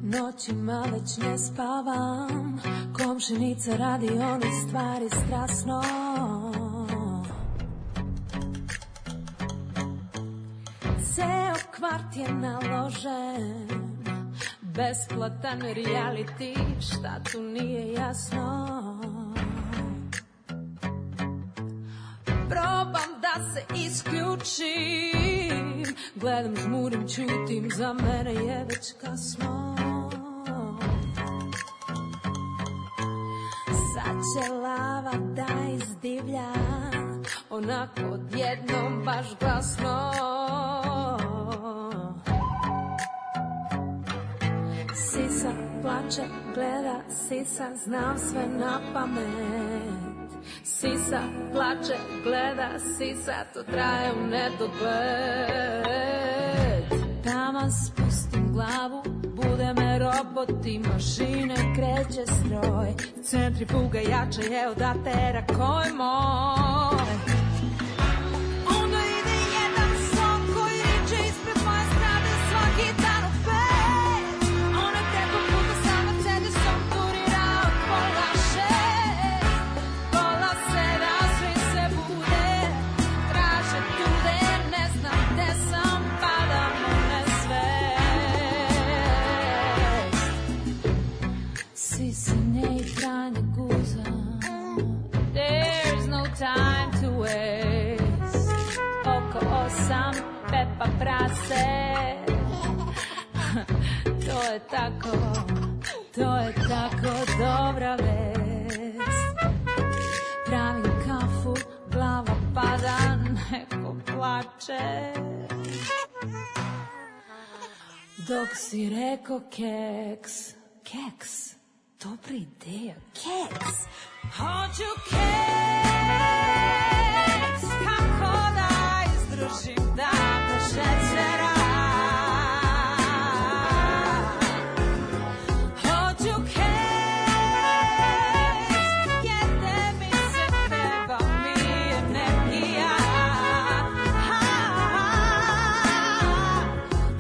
Noćima već ne spavam, komšinica radi one stvari strasno. Ceo kvart je naložen, besplatan reality, šta tu nije jasno. Probam da se isključim, gledam, žmurim, ćutim, za mene je već kasno. Sad će lava da izdivlja, onako odjednom baš glasno. Sisa plače, gleda, sisa, znam sve na pamet. Sisa plače, gleda, sisa, to traje u nedogled. Taman spustim glavu, bude me robot i mašine, kreće stroj. Centrifuga jača je od atera koji moj. Onda ide jedan son koji riče ispred moje strade svaki dan u 5. Onaj preko puta sa Mercedesom turira od pola 6. Pola 7 svi se bude, traže tude, ne znam gde sam, padam u nesvest. Sisine i tranje guza, there's no time to waste. Oko 8, Pepa prase. To je tako dobra vest. Pravim kafu, glava pada, neko plače. Dok si reko keks, keks, dobra ideja, keks. Hoću keks, kako da izdržim da bez šećera. Hoću keks, jede mi se, treba mi energija.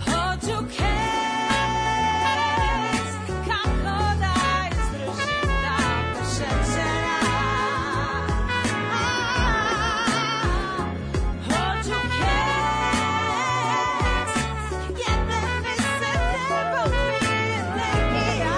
Hoću keks, kako da izdržim da bez šećera. Hoću keks, jede mi se, treba mi energija.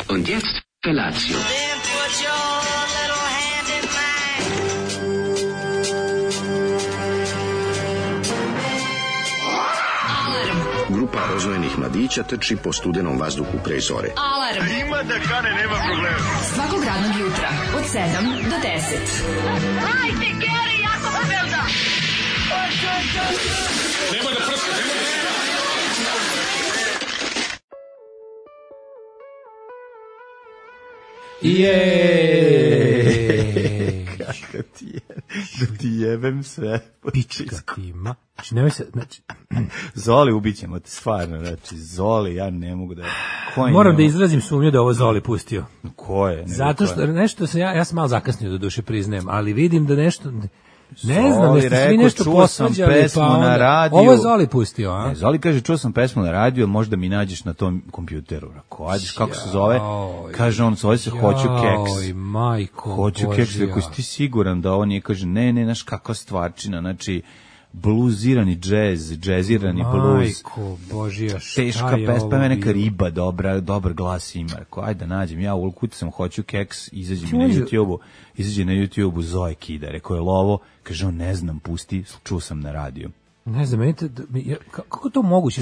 Und jetzt Felatio. Then put your little hand in mine. Grupa rozvojenih mladića trči po studenom vazduhu pre zore. Alarm. Ima da kane, nema problema. Svakog radnog jutra od 7 do 10. Hajde, Geri, jako se velda. Nema da prska, nema da prska. Kako ti je, da ti jebem sve. Pička ti ima. Znači, nemoj se, znači... Zoli, ubićemo te, stvarno, znači, Zoli, ja ne mogu da... Moram da izrazim sumnju da ovo Zoli pustio. Ko je? Zato što nešto se, ja sam malo zakasnio do duše priznajem, ali vidim da nešto... Ne znam, nešto svi nešto posvađali, pa onda... Ovo je Zoli pustio, a? Ne, Zoli kaže, čuo sam pesmu na radiju, možda mi nađeš na tom kompjuteru. Ajde, kako se zove? Kaže on, zove se Hoću keks. Joj, majko Hoću Božja. keks, ako si ti siguran da ovo nije, kaže, ne, znaš kakva stvarčina, znači, bluzirani džezirani bluz. Majko Božija, šta teška je pesma, ovo neka bilo? riba, dobar glas ima. Rekao, ajde da nađem, ja ukucam, hoću keks, izađe na YouTube-u Zoe Kida. Rekao je lovo, kaže on, ne znam, pusti, čuo sam na radiju. Ne znam, kako to moguće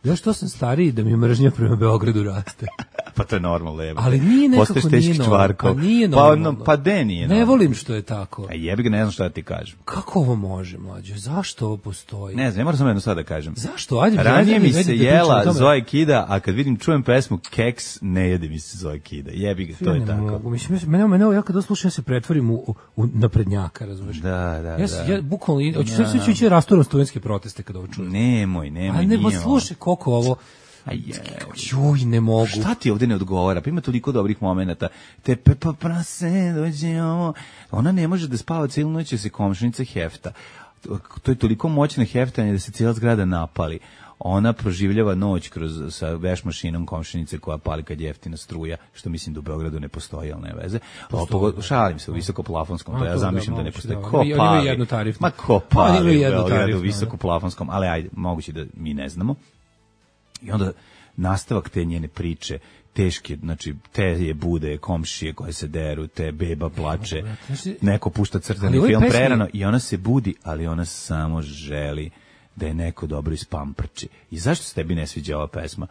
da što sam stariji da mi mržnja prema Beogradu raste? Pa to je normalno, jebe. Ali nije nekako, nije normalno. Pa nije normalno. Pa de nije normalno. Ne volim što je tako. A jebi ga, ne znam šta da ti kažem. Kako ovo može, mlađe? Zašto ovo postoji? Ne znam, moram samo jedno sad da kažem. Zašto? Ajde, ranije mi se jela Zoe Kida, a kad vidim, čujem pesmu Keks, ne jede mi se Zoe Kida. Jebi ga, to je tako. Mogu. Mislim, mene, ja kad slušam, ja se pretvorim u naprednjaka, razumiješ? Da. Ja bukvalno, hoću će rasturam studentske proteste kad ovo čujem. Nemoj. A ne, pa slušaj koliko ovo... Juj, ne mogu. Šta ti ovde ne odgovara? Pa ima toliko dobrih momenata. Te Pepa prase dođe ovo. Ona ne može da spava cijelu noć, jer se komšinica hefta. To je toliko moćno heftanje da se cijela zgrada napali. Ona proživljava noć sa veš mašinom komšinice koja pali kad je jeftina struja, što mislim da u Beogradu ne postoji, ali ne veze. Šalim se u visokoplafonskom, to ja zamišljam da ne postoji. Ko pali? Ma ko pali u Beogradu u visokoplafonskom, ali ajde, moguće da mi ne znamo. I onda nastavak te njene priče, teške, znači te je bude komšije koje se deru, te beba plače, neko pušta crtani film prerano i ona se budi, ali ona samo želi da je neko dobro ispamprči. I zašto se tebi ne sviđa ova pesma?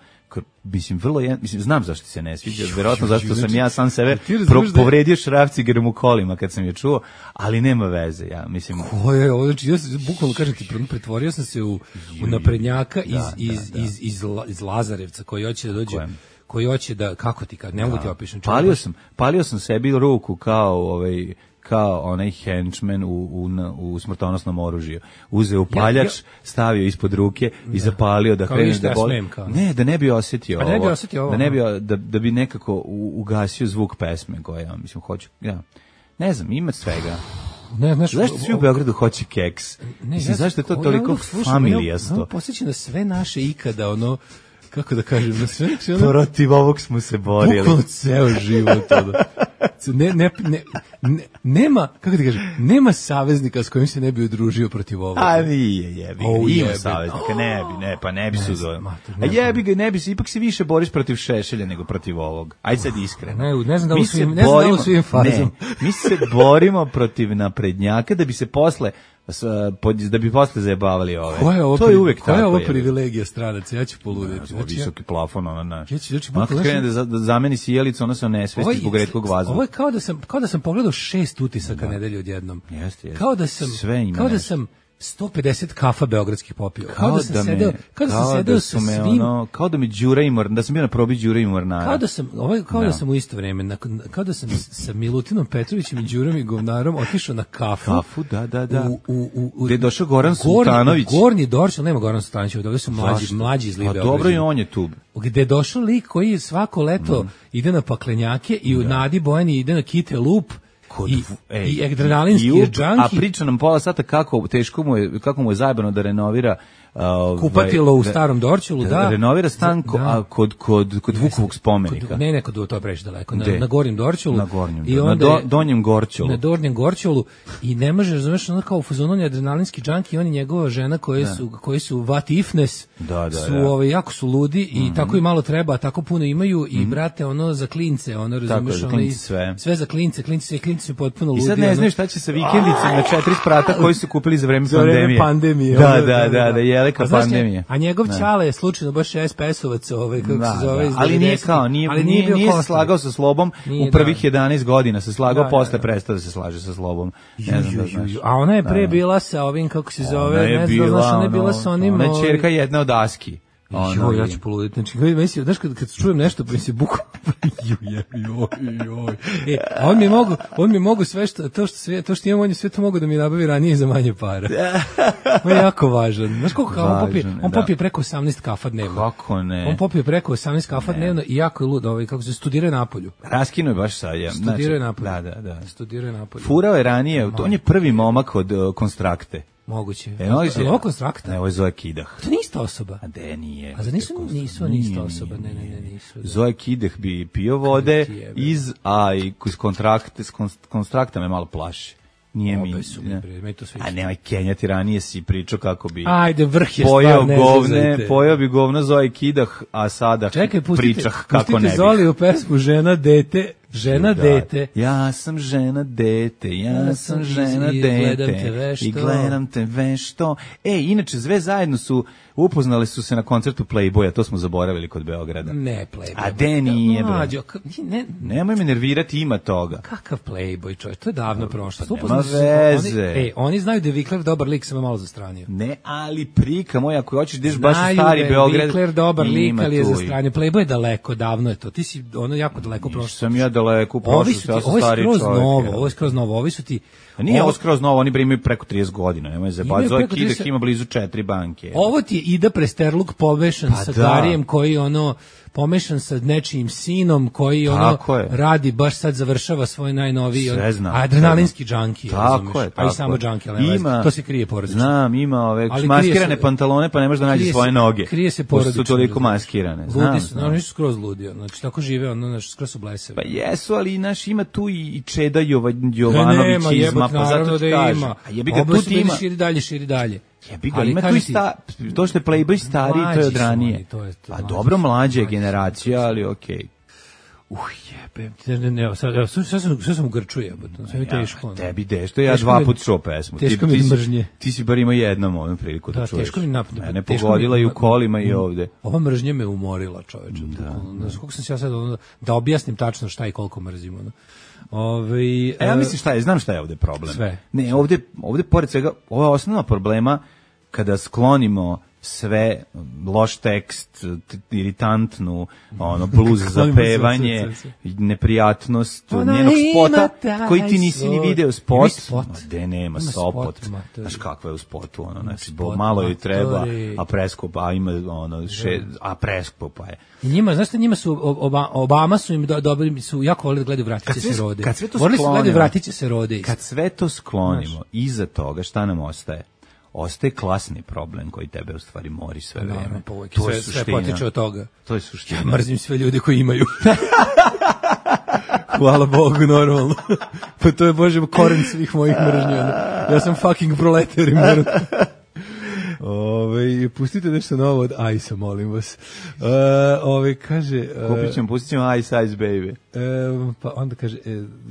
Mislim, znam zašto se ne sviđa, verovatno zašto sam ja sam sebe povredio šrafcigerom u kolima kad sam je čuo, ali nema veze, ja mislim. Ko je ovo? Znači, ja bukvalno kažem ti, pretvorio sam se u naprednjaka iz Lazarevca koji hoće da dođe, koji hoće da, kako ti kad, ne mogu ti opišem. Palio sam sebi ruku kao onaj henchman u smrtonosnom oružju. Uzeo upaljač, stavio ispod ruke i zapalio da krene da boli. Ne, da ne bi osjetio ovo. Da bi nekako ugasio zvuk pesme koja, mislim, hoću, ne znam, ima svega. Zašto svi u Beogradu hoće keks? Mislim, zašto je to toliko familijasto? Posjeća na sve naše ikada, kako da kažem, na sve... Protiv ovog smo se borili. Bukvalno ceo život. Nema, kako ti kažem, nema saveznika s kojim se ne bi udružio protiv ovoga. A nije, jebi ga, ima saveznika, ne bi se udružio. A jebi ga, ne bi se, ipak se više boriš protiv Šešelja nego protiv ovog. Ajde sad iskreno. Ne znam da u svim fazom. Mi se borimo protiv naprednjaka da bi se posle zajebavali ove. To je uvek tako. Koja je ovo privilegija stranaca? Ja ću poluditi. Visoki plafon, ona naš. Ona kad krene da zameni sjelicu, ona se onesvesti zbog retkog vazduha. Ovo je kao da sam pogledao 6 utisaka nedelje odjednom. Jeste. Kao da sam 150 kafa beogradskih popio. Kao da sam sedeo sa svim... Kao da mi Đura i Mornar, da sam bio na probi Đura i Mornara. Da sam u isto vreme, kao da sam sa Milutinom Petrovićem i Đurom i Govnarom otišao na kafu. Da. Gde je došao Goran Sultanović. Gornji Dorčel, nema Goran Sultanović, ovdje su mlađi iz Libe. A dobro je on je tu. Gde je došao lik koji svako leto ide na paklenjake i u Nadi Bojani ide na Kite Lup. I adrenalinski džanki. A priča nam pola sata kako mu je zajebano da renovira kupatilo u starom Dorćolu, da. Renovira stan kod Vukovog spomenika. Ne, to je previše daleko. Na Gornjem Dorćolu. Na Donjem Gorćolu. Na Donjem Gorćolu. I ne može, razumeš, ono kao u fazonu, on je adrenalinski džanki i on i njegova žena koji su what ifness, jako su ludi i tako i malo treba, tako puno imaju i brate, ono za klince, ono, razumeš, sve za klince su potpuno ludi. I sad ne znaš šta će sa vikendicom na 4 sprata koji su kupili za vreme pandemije. Da, pandemije. A njegov ćale je slučajno baš SPS-ovac, kako se zove. Ali nije se slagao sa Slobom u prvih 11 godina, se slagao, posle prestao da se slaže sa Slobom. Ne znam da znaš. A ona je pre bila sa ovim, kako se zove, ne znam, ona je bila sa onim... Ona je ćerka jedna od Aski. Ja ću poluditi. Znači, znaš, kad čujem nešto, pa mi se buku... On mi mogu sve to što imam, on je sve to mogu da mi nabavi ranije za manje para. On je jako važan. Znaš koliko on popije preko 18 kafa dnevno. Kako ne? On popije preko 18 kafa dnevno i jako je lud, kako se studiraju napolju. Raskino je baš sad. Studiraju napolju. Da. Studiraju napolju. Furao je ranije, on je prvi momak od Konstrakte. Moguće. Ovo Konstrakta? Ne, ovo je Zoe Kidah. To nije ista osoba. A de nije. A za nisu ista osoba. Ne, nisu. Zoe Kidah bi pio vode iz Konstrakta me malo plaši. Nije mi. Obe su mi, bre, meni to sve A nemoj kenjati, ranije si pričao kako bi ajde, vrh je stvar, ne zezajte. Pojao bi govno Zoe Kidah, a sada pričah kako ne bih. Zoli u pesmu Žena, dete, žena, dete. Ja sam žena, dete, ja sam žena, dete. I gledam te vešto. Inače, sve zajedno upoznali su se na koncertu Playboya, to smo zaboravili kod Beograda. Ne, Playboy. A de nije, bre. Nemoj me nervirati, ima toga. Kakav Playboy, čovječ, to je davno prošlo. Nema veze. Oni znaju da je Vikler dobar lik, sam malo zastranio. Ne, ali prika moj, ako hoćeš ideš baš u stari Beograd. Znaju da je Vikler dobar lik, ali je zastranio. Playboy je daleko, davno je to. Ti si jako daleko prošlo. Sam ja daleko prošlo, ja sam stari čovjek. Ovo je skroz novo, ovi su ti... Nije ovo skroz novo, oni imaju preko 30 godina, nemoj zabavati. Zoe Kidah ima blizu 4 banke. Ovo ti je Ida Presterluk pomešan sa Garijem koji pomešan sa nečijim sinom koji radi, baš sad završava svoj najnoviji adrenalinski džanki. Tako je. A i samo džanki, ali to se krije porodično. Znam, ima ove maskirane pantalone pa ne možeš da nađeš svoje noge. Krije se porodično. Su toliko maskirane. Ludi su, oni su skroz ludio. Znači, tako žive, skroz su blesevi. Pa jesu, ali ima tu i Čeda Jovanović izma, pa zato ti kažem. A jebi ga, tu ti ima. Širi dalje. Jebi ga, ima tu i to što je Playboy stariji, to je od ranije. Pa dobro, mlađa generacija, ali okej. Jebem. Ne, sad sam u Grču jebote. Sve mi teško. Tebi dešto, ja 2 puta čuo pesmu. Teško mi mržnje. Ti si bar imao jednom ovom priliku da čuješ. Teško mi napadne. Mene pogodila i u kolima i ovde. Ova mržnja me umorila, čoveče. Znaš kako sam se ja sad da objasnim tačno šta i koliko mrzimo. Ja mislim šta je, znam šta je ovde problem. Sve. Ne, ovde pored svega, ovo je osnovna problema kada sklonimo sve, loš tekst, iritantnu, bluz za pevanje, neprijatnost njenog spota, koji ti nisi ni video spot. Gde nema spot. Znaš kakva je u spotu, znači, malo joj treba, a preskupa, ima a preskupa je. I njima, znaš šta, njima su, Obama su im dobili, su jako volili da gledaju Vratiće se rode. Volili su gledaju Vratiće se rode. Kad sve to sklonimo, iza toga šta nam ostaje? Ostaje klasni problem koji tebe u stvari mori sve vreme. To je sve potiče od toga. To je suština. Ja mrzim sve ljude koji imaju. Hvala Bogu, normalno. Pa to je, Bože, koren svih mojih mržnja. Ja sam fucking proletar i moram... pustite nešto novo od Ice-a, molim vas. Kaže... pustit ćemo Ice Baby. Pa onda kaže,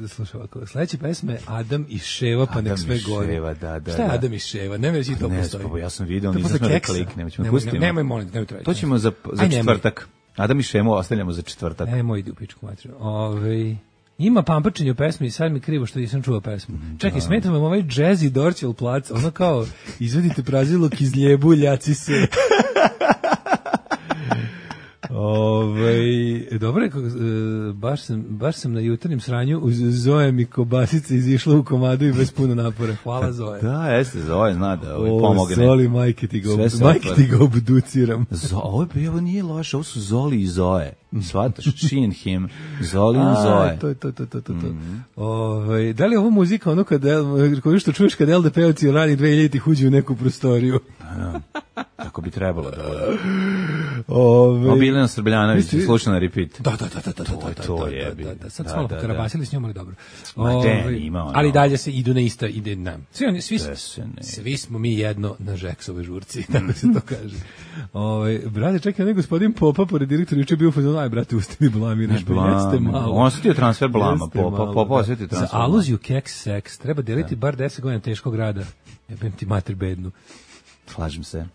slušaj ovako, sledeće pesme Adam i Ševa, pa nek sve gore. Šta je Adam i Ševa? Ne me to postoji. Ja sam vidio, nisam da kliknem. Nemoj, molim, nemoj trajiti. To ćemo za četvrtak. Adam i Šemu ostavljamo za četvrtak. Nemoj, idi u pičku materiju. Ima pamprčenje u pesmi i sad mi krivo što nisam čuo pesmu. Čekaj, smeta vam ovaj jazzy Dorćel plac, ono kao, izvedite praziluk iz ljebu, ljaci se. Dobro je, baš sam na jutarnjem sranju uz Zoe i kobasice izišla u komadu i bez puno napora. Hvala, Zoe. Da, jeste, Zoe zna da pomogne. Zoli, majke ti ga obduciram. Ovo nije loše, ovo su Zoli i Zoe. Svataš, she and him, Zoli i Zoe. To. Da li je ovo muzika ono koju što čuješ kad LDP-ovci rani 2000-ih uđu u neku prostoriju? Tako bi trebalo da bude. Biljana Srbljanović, slušao na repeat. Da. To je. Sad smo karabasili s njom, ali dobro. Ima. Ali dalje se idu na ista, ide nam. Svi smo mi jedno na Žeksove žurci, tako se to kaže. Brate, čekaj, onaj gospodin Popa, pored direktora, juče bio fazon, aj, brate, uste mi blamiraš, jeste malo. On osjetio transfer blama, Popa osjetio transfer blama. Za aluziju keks seks treba deliti bar 10 godina teškog rada. Jebem ti mater bednu. Slažem se.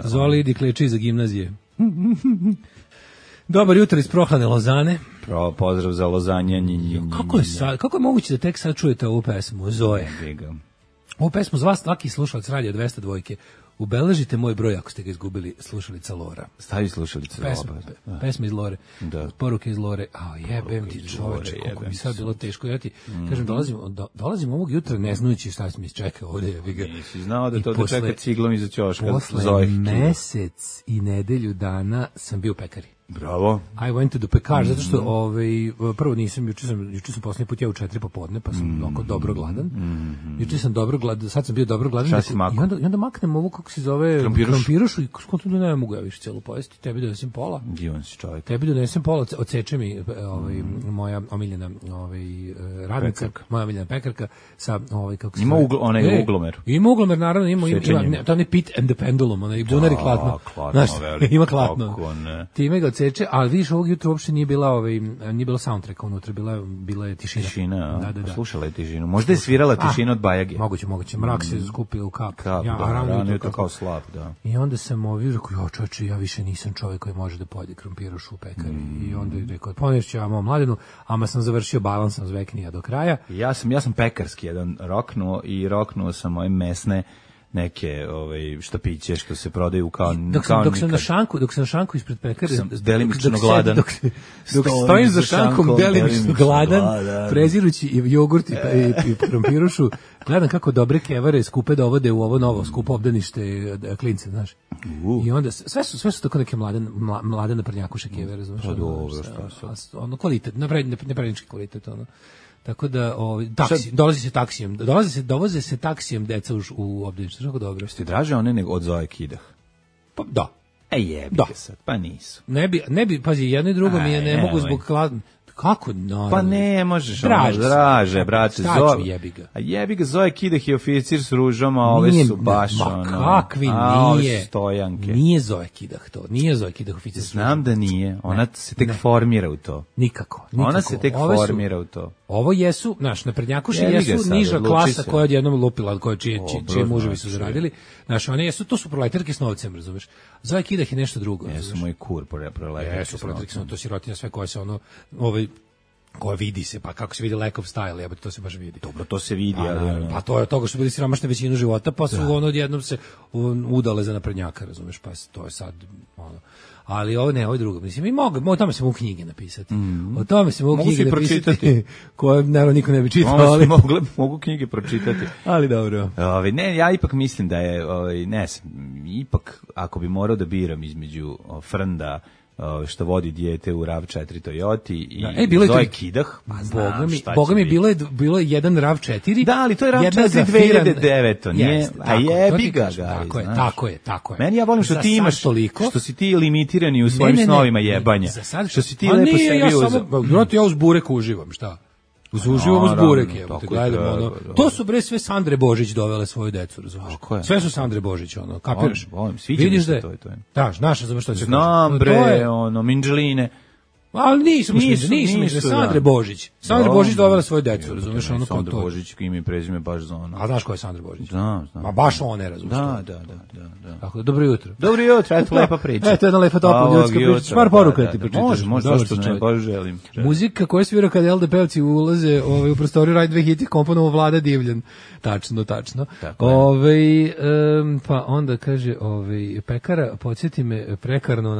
Zoli idi kleči za gimnazije. Dobar jutro iz prohladne Lozane. Pozdrav za Lozanje. Kako je moguće da tek sad čujete ovu pesmu, Zoe? Ovu pesmu z vas svaki slušalac radio 202. Ubeležite moj broj ako ste ga izgubili, slušalica Lora. Stavi slušalica Lora. Pesma iz Lore. Poruke iz Lore. Jebem ti čoveče, koliko mi sad bilo teško. Ja ti kažem, dolazim ovog jutra ne znajući šta mi čeka ovde. Nisi znao da to čeka ciglom iza ćoška. Posle mesec i nedelju dana sam bio u pekari. Bravo. I went to the pekar, zato što prvo nisam, juče sam poslednji put jeo u 4 popodne, pa sam oko dobro gladan. Juče sam dobro gladan, sad sam bio dobro gladan. Šta si makao? I onda maknem ovo, kako se zove, krompirušu i skontam da ne mogu ja više celu pojesti. Tebi donesem pola. Divan si čovjek. Tebi donesem pola, odseče mi moja omiljena radnica, moja omiljena pekarka sa kako se ima onaj uglomer. Ima uglomer, naravno, ima to je Pit and the Pendulum, onaj bunar i klatno. Znaš, ima klatno. Time ga odseče, ali vidiš, ovog jutra uopšte nije bila soundtrack unutra, bila je tišina. Tišina, da. Slušala je tišinu. Možda je svirala tišinu od Bajage. Moguće. Mrak se skupio u kap. Rano je to kao slab, da. I onda sam rekao, čoveče, ja više nisam čovjek koji može da pojede krompirušu u pekari. I onda je rekao, ponešću ja mom mladenu, ama sam završio balans, sam zveknija do kraja. Ja sam pekarski jedan roknuo sam moje mesne neke štapiće što se prodaju kao dok sam na šanku ispred pekare, delimično gladan. Dok stojim za šankom delimično gladan, prezirući jogurt i krompirušu, gledam kako dobre kevare skupe dovode u ovo novo skupo obdanište klince, znaš. I onda sve su tako neke mlade naprednjakuše kevare, razumeš? Pa dobro, ono kvalitet, naprednički kvalitet, ono. Tako da dovoze se taksijem deca u obdanište, tako dobro. Ste draže one nego od Zoe Kidah? Pa da. Jebi ga sad, pa nisu. Ne bi, pazi, jedno i drugo mi je ne mogu zbog kako? No, pa ne možeš, draže, brate, Zoe. Jebi ga. A jebi ga, Zoe Kidah je oficir s ružom, a ove su baš kakvi nije. Stojanke. Nije Zoe Kidah to, nije Zoe Kidah oficir s ružom. Znam da nije, ona se tek formira u to. Nikako. Ona se tek formira u to. Ovo jesu, naprednjakuši jesu niža klasa koja odjednom lupila, čije muževi su zaradili. One jesu, to su proletarke s novcem, razumeš. Zoe Kidah je nešto drugo. Jesu moj kur proletarke. Jesu proletarke s novcem, to sirotinja sve koje se koja vidi se, pa kako se vidi lack of style, jebote, to se baš vidi. Dobro, to se vidi, ali pa to je toga što bili siromašni većinu života, pa su odjednom se udale za naprednjaka, razumeš, pa to je sad ali ovo je drugo. Mislim, o tome se mogu knjige napisati. O tome se mogu knjige napisati koje naravno niko ne bi čitao, ali mogu knjige pročitati. Ali dobro. Ne, ja ipak mislim da je ipak ako bi morao da biram između Frnda što vodi dijete u RAV4 Toyoti i Zoe Kidah, Boga mi bilo je jedan RAV4. Da, ali to je RAV4 2009, nije, a jebi ga. Tako je. Meni ja volim što ti imaš toliko, što si ti limitirani u svojim snovima jebanja. Što si ti lepo sebi uzeo. Ja uz burek uživam, šta? Uživam uz burek, gledamo, to su bre sve Sandre Božić dovele svoju decu, razumiješ? Sve su Sandre Božić, kapiraš? Vidiš da je, naša, za što će znam bre, Minđeline. Ali nisu Sandre Božić. Sandra Božić dovela svoju decu, razumeš, Sandra Božić ime i prezime baš za ono. A znaš ko je Sandra Božić? Znam. Ma baš one, razumeš. Da. Tako, dobro jutro. Dobro jutro, eto lepa priča. Eto jedna lepa topla ljudska priča. Par poruka ti pročitaš. Može, što ne, baš želim. Muzika koja svira kada LDP-ovci ulaze u prostoriju Raj 2 hiti komponovo Vlada Divljan. Tačno. Pa onda kaže, pekara, podsjeti me, prekarno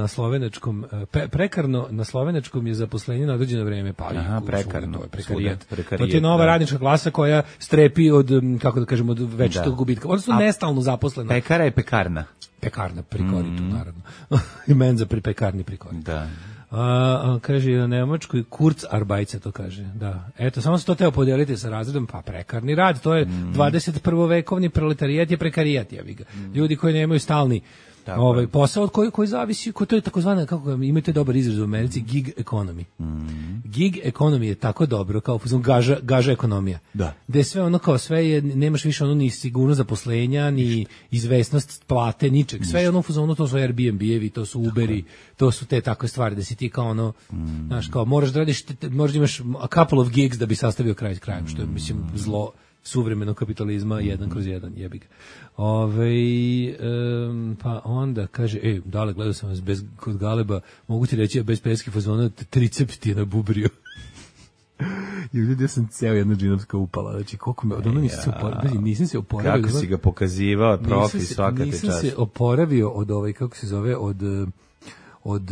na slovenačkom je zaposlenje na određeno vreme, pa prekarno. To je prekarijat. To je nova radnička klasa koja strepi od, kako da kažemo, od večitog gubitka. Odnosno nestalno zaposlena. Pekara je pekarna. Pekarna, prikoritu, naravno. I menza pri pekarni prikoritu. Da. Kaže na nemačkoj Kurzarbeit to kaže. Da. Eto, samo se to teo podeliti sa razredom, pa prekarni rad, to je 21. vekovni proletarijat je prekarijat, jebi ga. Ljudi koji nemaju stalni posao od koji zavisi, to je takozvana, kako imate dobar izraz u Americi, gig economy. Gig economy je tako dobro kao gaža ekonomija. Da. Gde sve ono kao sve je, nemaš više ono ni sigurnost zaposlenja, ni izvesnost plate, ničeg. Sve je ono fuzonu, to su Airbnb-evi, to su Uberi, to su te takve stvari da si ti kao ono, znaš, kao moraš da radiš, možda imaš a couple of gigs da bi sastavio kraj s krajem, što je, mislim, zlo suvremenog kapitalizma 1/1, jebi ga. Pa onda kaže, dale, gledao sam vas kod Galeba, mogu ti reći, bez peski fazona, triceps ti je nabubrio. I ljudi, ja sam ceo jedna džinovska upala, znači koliko me, od ono nisam se oporavio. Kako si ga pokazivao, profi, svaka te čast. Nisam se oporavio od kako se zove, od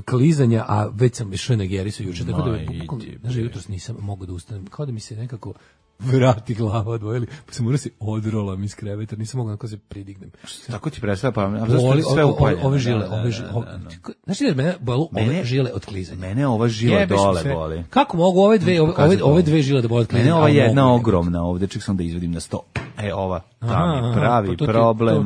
klizanja, a već sam išao na Gerisu juče, tako da jutros nisam mogao da ustanem, kao da mi se nekako vrati glava odvojili, pa sam morao se odrolam iz kreveta, nisam mogao da se pridignem. Tako ti predstavlja, pa zašto sve upaljeno? Ove žile, znači da mene bolu ove žile od klizanja. Mene ova žila dole boli. Kako mogu ove dve žile da boli od klizanja? Mene ova jedna ogromna ovde, ček sam da izvedim na 100. Ova, tam je pravi problem.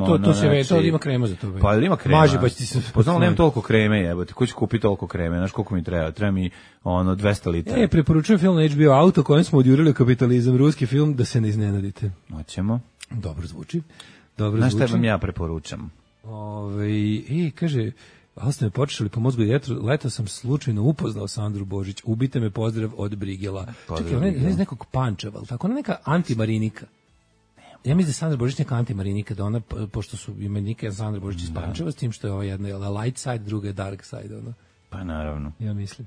To ima krema za to. Pa ima krema. Maži, pa ti se... Poznamo, nemam toliko kreme, jebote. Ko će kupiti toliko kreme? Znaš koliko mi treba? Treba mi 200 litara. Preporučujem film na HBO Auto kojem smo odjurili kapitalizam, ruski film, da se ne iznenadite. Hoćemo. Dobro zvuči. Znaš šta vam ja preporučam? Kaže... Ali ste me počeli po mozgu leto sam slučajno upoznao Sandru Božić. Ubite me, pozdrav od Brigela. Čekaj, ona je iz nekog Pančeva, ali tako? Ona je neka antimarinika. Ja mislim da je Sandra Božić neka antimarinika, da ona, pošto su imenike Sandra Božić iz Pančeva, s tim što je ova jedna je light side, druga je dark side. Ona. Pa naravno. Ja mislim.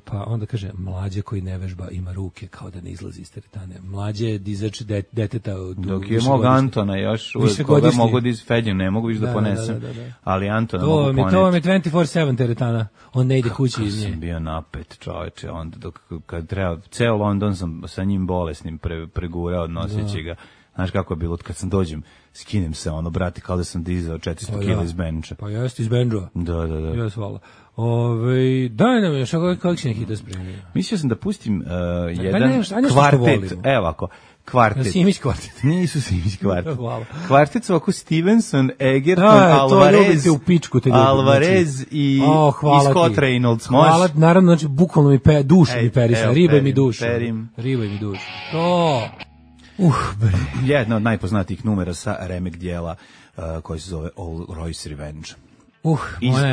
Pa onda kaže, mlađe koji ne vežba ima ruke kao da ne izlazi iz teretane. Mlađe je dizač deteta. Dok je mog Antona još, koga mogu da izfeđem, ne mogu više da ponesem, ali Antona mogu poneti. To vam je 24/7 teretana, on ne ide kući iz nje. Kako sam bio napet, čoveče, onda kad treba, ceo London sam sa njim bolesnim pregurao, noseći ga. Znaš kako je bilo, kad sam dođem, skinem se, brati, kao da sam dizao 400 kila iz benča. Pa jeste iz benča. Da. Jes, hvala. Daj nam još, kako će neki da spremio? Mislio sam da pustim jedan kvartet, evo ovako, kvartet. Simić kvartet. Nisu Simić kvartet. Kvartet su ovako Stevenson, Egerton, Alvarez i Scott Reynolds. Hvala, naravno, znači, bukvalno mi dušu mi perisa, riba mi dušu. Riba mi dušu. To... Jedna od najpoznatijih numera sa remek dijela koji se zove All Royce Revenge.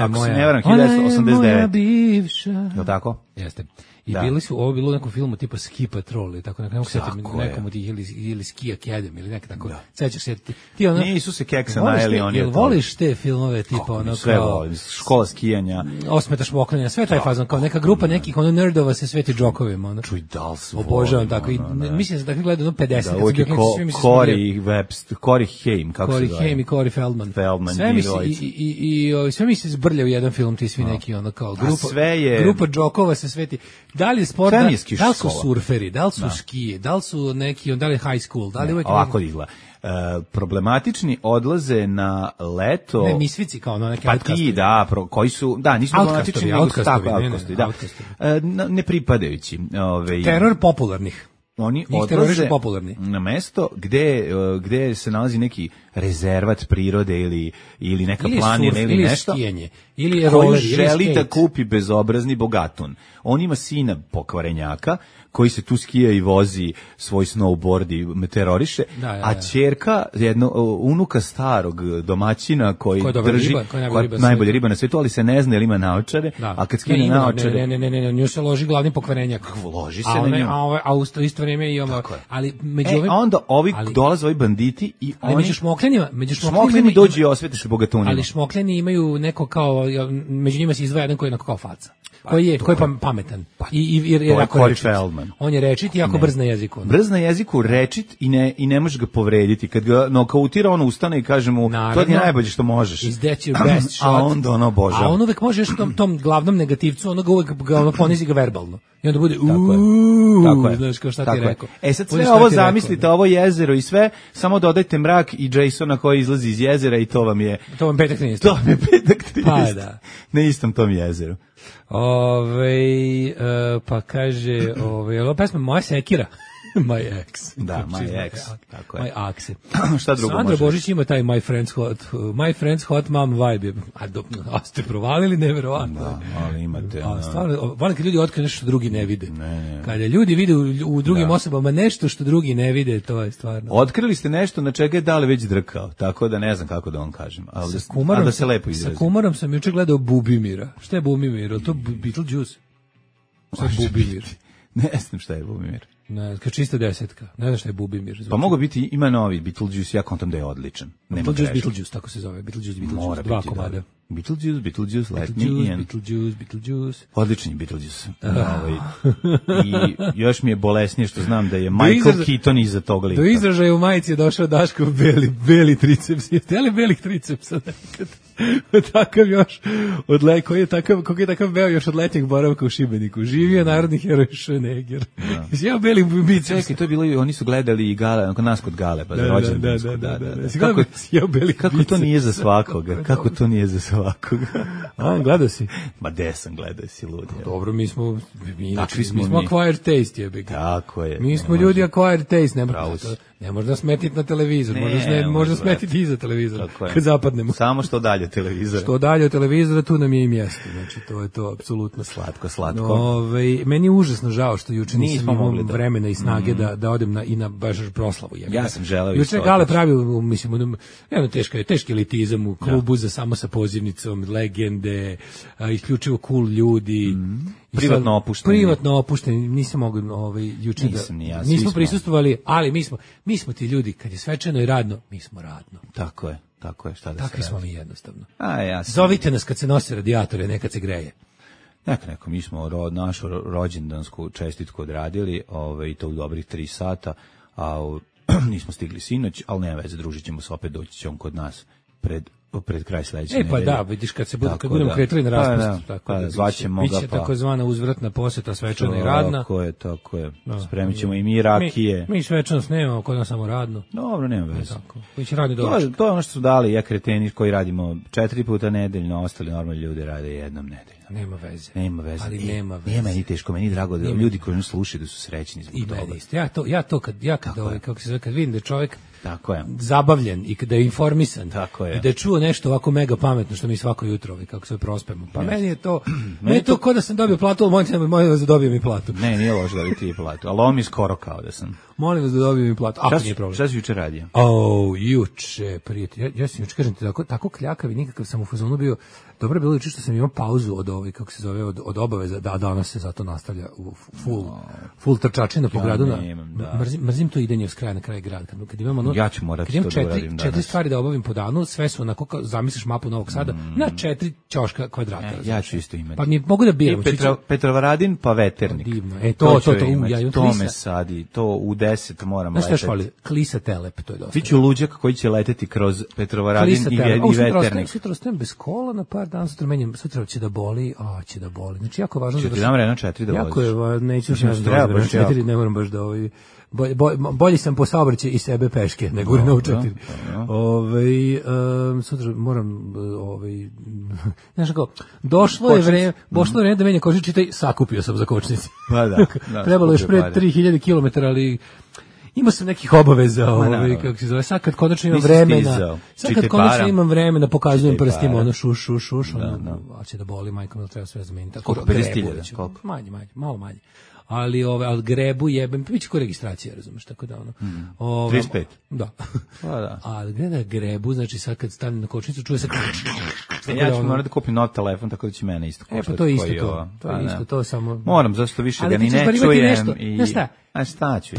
Ako se ne varam, 1989. Ona je moja bivša. Je tako? Jeste. I ovo bilo u nekom filmu tipa Ski Patrol, tako ne mogu setiti nekom od tih ili Ski Academy ili neka tako. Sećaš se ti nisu se keksa najeli oni. Jel voliš te filmove tipa ono sve volim, škola skijanja, osmetaš mokrenja, sve taj fazon kao neka grupa nekih nerdova se sveti džokovima, ono. Čuj, dal su. Obožavam tako i mislim da tako gledam 50 Corey Haim, kako se zove? Corey Haim i Corey Feldman. Sve mi se zbrlja u jedan film, ti svi neki ono kao grupa džokova se sveti. Da li je sport, da li su surferi, da li su skije, da li su neki, da li je high school, da li uvek... Ovako izgleda. Problematični odlaze na leto... Ne, misvici kao neke outcastovi. Koji su... Da, nisu problematični, outcastovi, ne pripadajući. Teror popularnih. Oni odlaze na mesto gde se nalazi neki rezervat prirode ili neka planina ili nešto. Skijanje, ili roller, koji želi da kupi bezobrazni bogatun. On ima sina pokvarenjaka koji se tu skija i vozi svoj snowboard i meteoriše, a ćerka, unuka starog domaćina koji drži najbolja riba na svetu, ali se ne zna, jer ima naočare, a kad skine naočare... Ne, nju se loži glavni pokvarenjak. Loži se na nju. A u isto vrijeme imamo... Ali među ovim... onda dolaze ovi banditi i oni... Među šmokljeni dođu i osvete se bogatunima. Ali šmokljeni imaju neko kao... Među njima se izdvaja jedan koji je kao faca. Koji je pametan. Corey Feldman. On je rečit i jako brz na jeziku. Brz na jeziku, rečit i ne možeš ga povrediti. Kad ga nokautira, on ustane i kaže mu, to je najbolje što možeš. Is that your best shot? A onda ono obožava. A on uvek možeš tom glavnom negativcu, ono ga uvek ponizi ga verbalno. I onda bude znaš kao šta ti je rekao. Sad sve ovo zamislite, ovo jezero i sve, samo dodajte mrak i Jasona koji izlazi iz jezera i to vam je... To vam petak 13. To vam je petak 13. Pa da. Na istom tom jezeru. Pa kaže, ovo pesma Moja sekira. My ex. Da, my ex. Tako je. My axe. Šta drugo Sandra Božić ima taj My Friend's Hot Mom vibe. A ste provalili, neverovatno. Da, ali imate... Stvarno, volim kad ljudi otkriju nešto što drugi ne vide. Kada ljudi vide u drugim osobama nešto što drugi ne vide, to je stvarno. Otkrili ste nešto na čega je Dale već drkao, tako da ne znam kako da vam kažem. A da se lepo izrazi. Sa Kumarom sam juče gledao Bubimira. Šta je Bubimir? To Beetlejuice? Šta je Bubimir? Ne znam šta je Bubimir. Ne, kao čista desetka. Ne znam šta je Bubimir. Pa mogu biti, ima novi Beetlejuice, ja kontam da je odličan. Beetlejuice, tako se zove. Beetlejuice, 2 komada. Beetlejuice, Let Me In. Beetlejuice. Odličan je Beetlejuice. I još mi je bolesnije što znam da je Michael Keaton iza tog lika. Do izražaja u majici je došao Daškov beli triceps. Jeste li belih tricepsa nekad? Takav još koji je takav beo još od letnjeg boravka u Šibeniku. Živio narodni heroj Schwarzenegger. Ja beli biceps. Čekaj, to je bilo, oni su gledali i Gale, kod nas kod Gale, pa za rođendansku. Kako to nije za svakoga? Kako to nije za svakoga? A, gledao si? Ma de sam gledao, si ludi. Dobro, mi smo acquired taste, jebik. Tako je. Mi smo ljudi acquired taste, ne možda smetiti na televizor, možda smetiti iza televizora, kad zapadnemo. Samo što dalje od televizora. Što dalje od televizora, tu nam je i mjesto. Znači, to je to apsolutno slatko. Meni je užasno žao što juče nisam imao vremena i snage da odem na baš proslavu. Ja sam želeo. Juče Gale pravio, mislim, teški elitizam u klubu za samo sa pozivnicom, legende, isključivo cool ljudi. Privatno opušteni, nisam mogao juče nismo prisustvovali, ali mi smo ti ljudi, kad je svečano i radno, mi smo radno. Tako je, šta da se takvi smo mi jednostavno. Zovite nas kad se nose radijatore, nekad se greje. Neko, mi smo našu rođendansku čestitku odradili, i to u dobrih 3 sata, a nismo stigli sinoć, ali nema veze, družit ćemo se opet, doći će on kod nas pred kraj sledeće nedelje. Pa da, vidiš kad budemo kretali na raspust, tako da zvaćemo ga, biće takozvana uzvratna poseta svečana i radna. Tako je. Spremit ćemo i mi rakije. Mi svečanost nemamo, kod nas samo radno. Dobro, nema veze. Biće radni doručak. To je ono što su dali kreteni koji radimo 4 puta nedeljno, ostali normalni ljudi rade jednom nedeljno. Nema veze. Ali nema veze. Nije meni teško, meni je drago da ljudi koji nas slušaju da su srećni zbog toga. I meni isto. Ja to kad vidim da je čovjek tako je zabavljen i da je informisan, tako je, i da je čuo nešto ovako mega pametno što mi svako jutro kako se prospemo. Pa meni je to kao da sam dobio platu, ali molim vas da dobijem i platu. Ne, nije loše da ti platu, ali ovo mi je skoro kao da sam. Molim vas da dobijem i platu. Ako nije problem. Šta si juče radio? Juče, prijatelj. Ja sam juče, kažem ti, tako kljakav i nikakav sam u fazonu bio. Dobro je bilo juče što sam imao pauzu od obaveza, da danas se zato nastavlja u full trčačina po gradu. Mrzim to idenje s kraja na kraj grada. Kad imam ja ću morati to da uradim danas. 4 stvari da obavim po danu, sve su onako kao zamisliš mapu Novog Sada na 4 ćoška kvadrata. Ja ću isto imati. Pa mi mogu da biram. Petrovaradin pa Veternik. To me sadi. To u 10 moram leteti. Znaš što švali? Klisa Telep, to je dosta. Biću luđak koji će leteti kroz Petrovaradin i Veternik. Sutra ostajem bez kola na par dana, sutra će da boli, Znači, jako važno da... Ću ti dam Renault 4 da voziš. Jako je, neću Renault 4, ne moram baš da bolji sam po saobraćaju i sebe peške nego Renault 4. Sutra moram, znaš kako, došlo je vreme da menja kožić, čitaj, sakupio sam za kočnici. Pa da. Trebalo još pre 3000 km, ali... Imao sam nekih obaveza, kako se zove, sad kad konačno imam vremena, pokazujem prstima, šuš, a će da boli, majko, mi treba sve zameniti. Koliko, 50.000? Koliko? Manje, malo manje. Ali grebu jebem, biće ko registracija, razumeš, tako da 35? Da. Ali gleda grebu, znači sad kad stavim na kočnicu, čuje se ja ću morati da kupim nov telefon, tako da će mene isto koštati. Pa to je isto to, samo... Moram, zašto više ga ni ne čujem i... A šta ću?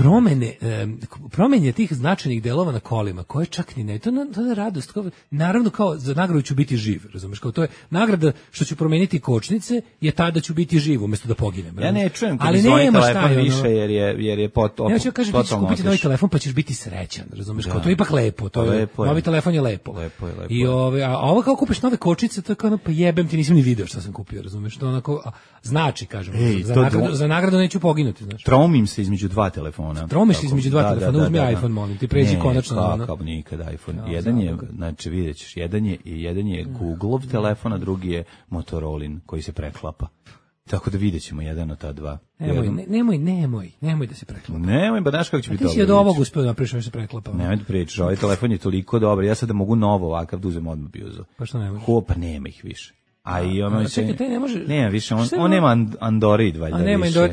Promene tih značajnih delova na kolima, koje čak ni ne, to je radost. Naravno, kao za nagradu ću biti živ, razumeš, kao to je nagrada što ću promeniti kočnice, je ta da ću biti živ umjesto da poginem. Ja ne čujem kad zvoni telefon više, jer je ja ću kažem, ti ćeš kupiti novi telefon pa ćeš biti srećan, razumeš, kao to je ipak lepo, novi telefon je lepo. I a ovo kao kupiš nove kočnice, to je kao pa jebem ti, nisam ni video šta sam kupio, razumeš, to onako znači, kažem, za nagradu neću poginuti, znaš. Traumim se između 2 telefona. Tromiš između 2 telefona, uzmi iPhone, molim ti, pređi konačno. Ne, kako nikad iPhone. Jedan je, znači vidjet ćeš, jedan je Googleov telefon, a drugi je Motorolin koji se preklapa. Tako da vidjet ćemo jedan od ta dva. Nemoj da se preklapa. Nemoj, ba znaš kako će biti dobro. Ti si od ovog uspio da napriš što se preklapa. Nemoj da pričaš, ovaj telefon je toliko dobar, ja sad da mogu novo ovakav da uzem odmah biozu. Pa što nemoj? Pa nema ih više. A i ono čekaj, taj ne može. Nema više, on nema Android valjda. A nema Android,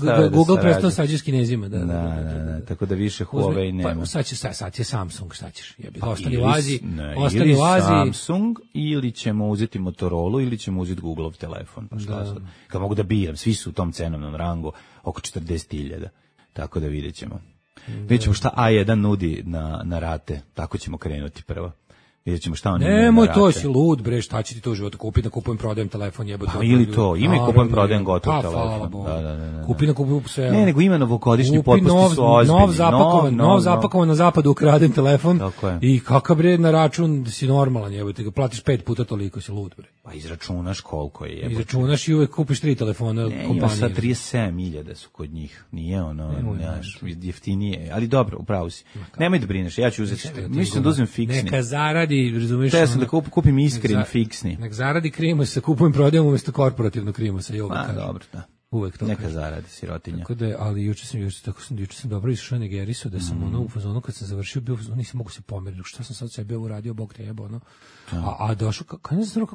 da, Google prestao sađe s Kinezima, da. Tako da više Huawei nema. Pa sad je Samsung, šta ćeš? Ostani u Aziji, ostani u Aziji. Samsung ili ćemo uzeti Motorola ili ćemo uzeti Googleov telefon, pa šta sad? Kad mogu da biram, svi su u tom cenovnom rangu oko 40.000. Tako da vidjet ćemo. Vidjet ćemo šta A1 nudi na rate, tako ćemo krenuti prvo. Vidjet ćemo šta oni nemoj, to si lud, bre, šta će ti to u životu kupiti, kupujem, prodajem telefon, jebote. Pa ili to, ima i kupujem, prodajem gotov telefon. Da. Kupi na kupujem sve. Ne, nego ima novogodišnji potpusti su ozbiljni. Nov zapakovan na zapadu ukradem telefon i kakav bre na račun si normalan, jebote, ga platiš 5 puta toliko, si lud, bre. Pa izračunaš koliko je, jebote. Izračunaš i uvek kupiš 3 telefona kompanije. Ima sad 37.000 su kod njih, nije ono, jeftinije, ali dobro, upravo si. Nemoj da brineš, ja ću uzeti, mislim da uzmem fiksni. Neka zaradi, razumiješ? Ja sam da kupim iskren fiksni. Nek zaradi Krimosa, kupujem, prodajem umjesto korporativnog Krimosa. Dobro, da. Uvek to. Neka zaradi, sirotinja. Tako da, ali juče sam dobro išao na Gerisu, da sam u fazonu kad sam završio, nisam mogu se pomeriti, šta sam sad sebi uradio, Bog te jebo, ono. A došao, ne znam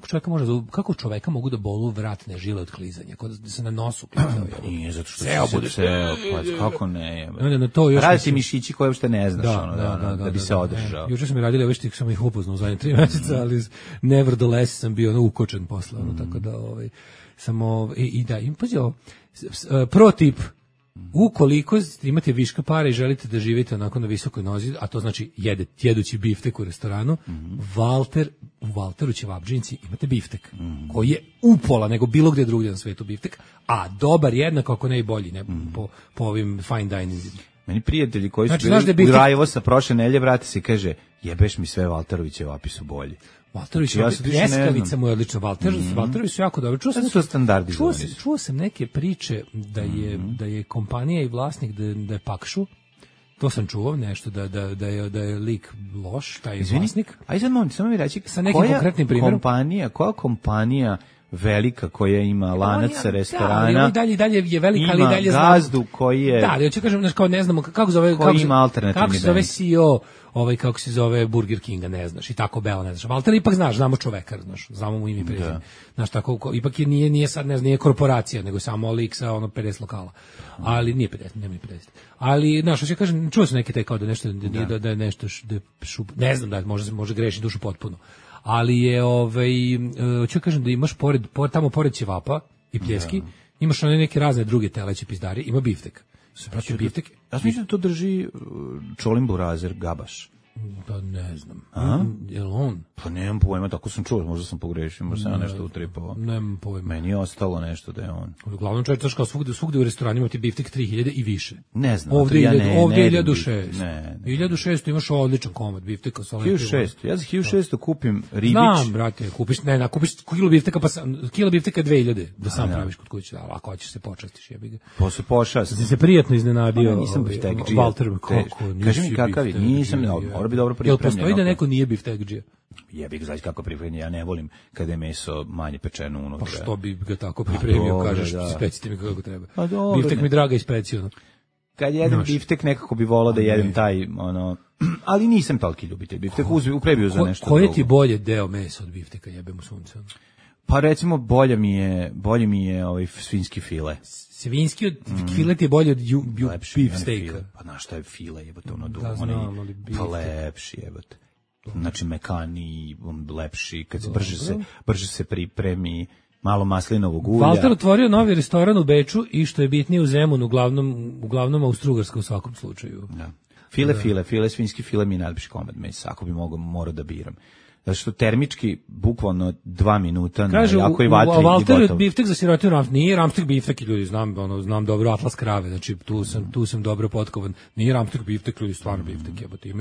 kako čoveka mogu da bolu vratne žile od klizanja, kod da se na nosu klizao. Nije, zato što kako ne, radi ti mišići koje uopšte ne znaš, da bi se održao. Juče sam mi radili ove štike, sam ih upoznao u zadnje 3 meseca, ali nevertheless sam bio ukočen posle, tako da, samo, i pazi ovo, pro tip, ukoliko imate viška para i želite da živite onako na visokoj nozi, a to znači jedući biftek u restoranu, u Valteru ćevabdžinici imate biftek, koji je upola nego bilo gde drugdje na svetu biftek, a dobar jednako ako ne i bolji, ne, po ovim fine dining. Meni prijatelji koji su bili u Rajevosa prošle nelje, vrati se, kaže, jebeš mi sve Valteroviće vapi su bolji. Valterović, pljeskavica mu je odlična, Valterovi su jako dobri. Čuo sam neke priče da je kompanija i vlasnik da je pakšu. To sam čuo nešto da je lik loš, taj vlasnik. Aj sad samo mi reći sa nekim konkretnim primjerom. Koja kompanija velika koja ima lanac restorana, dalje je velika, ali dalje ima gazdu koji je... Da, ja ću kažem, kao ne znamo kako zove... Koji ima alternativni kako se zove CEO, kako se zove Burger Kinga, ne znaš, i tako Bell, ne znaš. Valter ipak znaš, znamo čoveka, znaš, znamo mu ime i prezime. Znaš, tako, ipak nije sad, ne znam, nije korporacija, nego samo lik sa 50 lokala. Ali nije 50, nema ni 50. Ali, znaš, ja kažem, čuo sam neke te kao da nešto, da je nešto, ne znam da može greši dušu potpuno. Ali je, ću kažem da imaš tamo pored ćevapa i pljeski, imaš one neke razne druge teleće pizdari, ima biftek. Biftek. Ja mislim da to drži Čolin Burazer Gabaš. Da ne znam. Je li on? Pa nemam pojma, tako sam čuo, možda sam pogrešio, možda sam nešto utripao. Nemam pojma. Meni je ostalo nešto da je on. Uglavnom čovječ, znaš kao svugde u restoranima ti biftek 3000 i više. Ne znam. Ovdje 1600. 1600 imaš odličan komad bifteka. 1600, ja za 1600 kupim ribić. Znam, brate, kupiš kilo bifteka, pa kilo bifteka 2000, da sam praviš kod kuće, ali ako hoćeš se počastiš, jebi ga. Posle pošast. Si se prijatno iznenadio. Nisam biftekđija. Valter, kako? Kaži mi kakav je, nisam, mora bi dobro pripremljeno. Jel postoji da neko nije biftekđija? Jebi ga, znaš kako pripremljen, ja ne volim kada je meso manje pečeno unutra. Pa što bi ga tako pripremio, kažeš, specite mi kako treba. Biftek mi draga i specijalno. Kad jedem biftek, nekako bi volao da jedem taj, ali nisam toliki ljubitelj biftek, uprebio za nešto drugo. Koje ti bolje deo mesa od bifteka, jebem u sunce? Pa recimo, bolje mi je svinjski file. Svinjski od file ti je bolje od beef steaka. Pa znaš šta je file, jebote, pa lepši, jebote. Znači, mekani, lepši, kad se brže se pripremi, malo maslinovog ulja. Valter otvorio novi restoran u Beču i što je bitnije u Zemunu, uglavnom Austrougarska u svakom slučaju. Da. File, svinjski file mi je najlepši komad mesa, ako bi morao da biram. Zato što termički, bukvalno 2 minuta na jakoj vatri i Valter gotovo. Biftek za sirotiju ramstek, nije ramstek biftek, ljudi, znam dobro Atlas krave, znači tu sam dobro potkovan. Nije ramstek biftek, ljudi, stvarno biftek, jebote.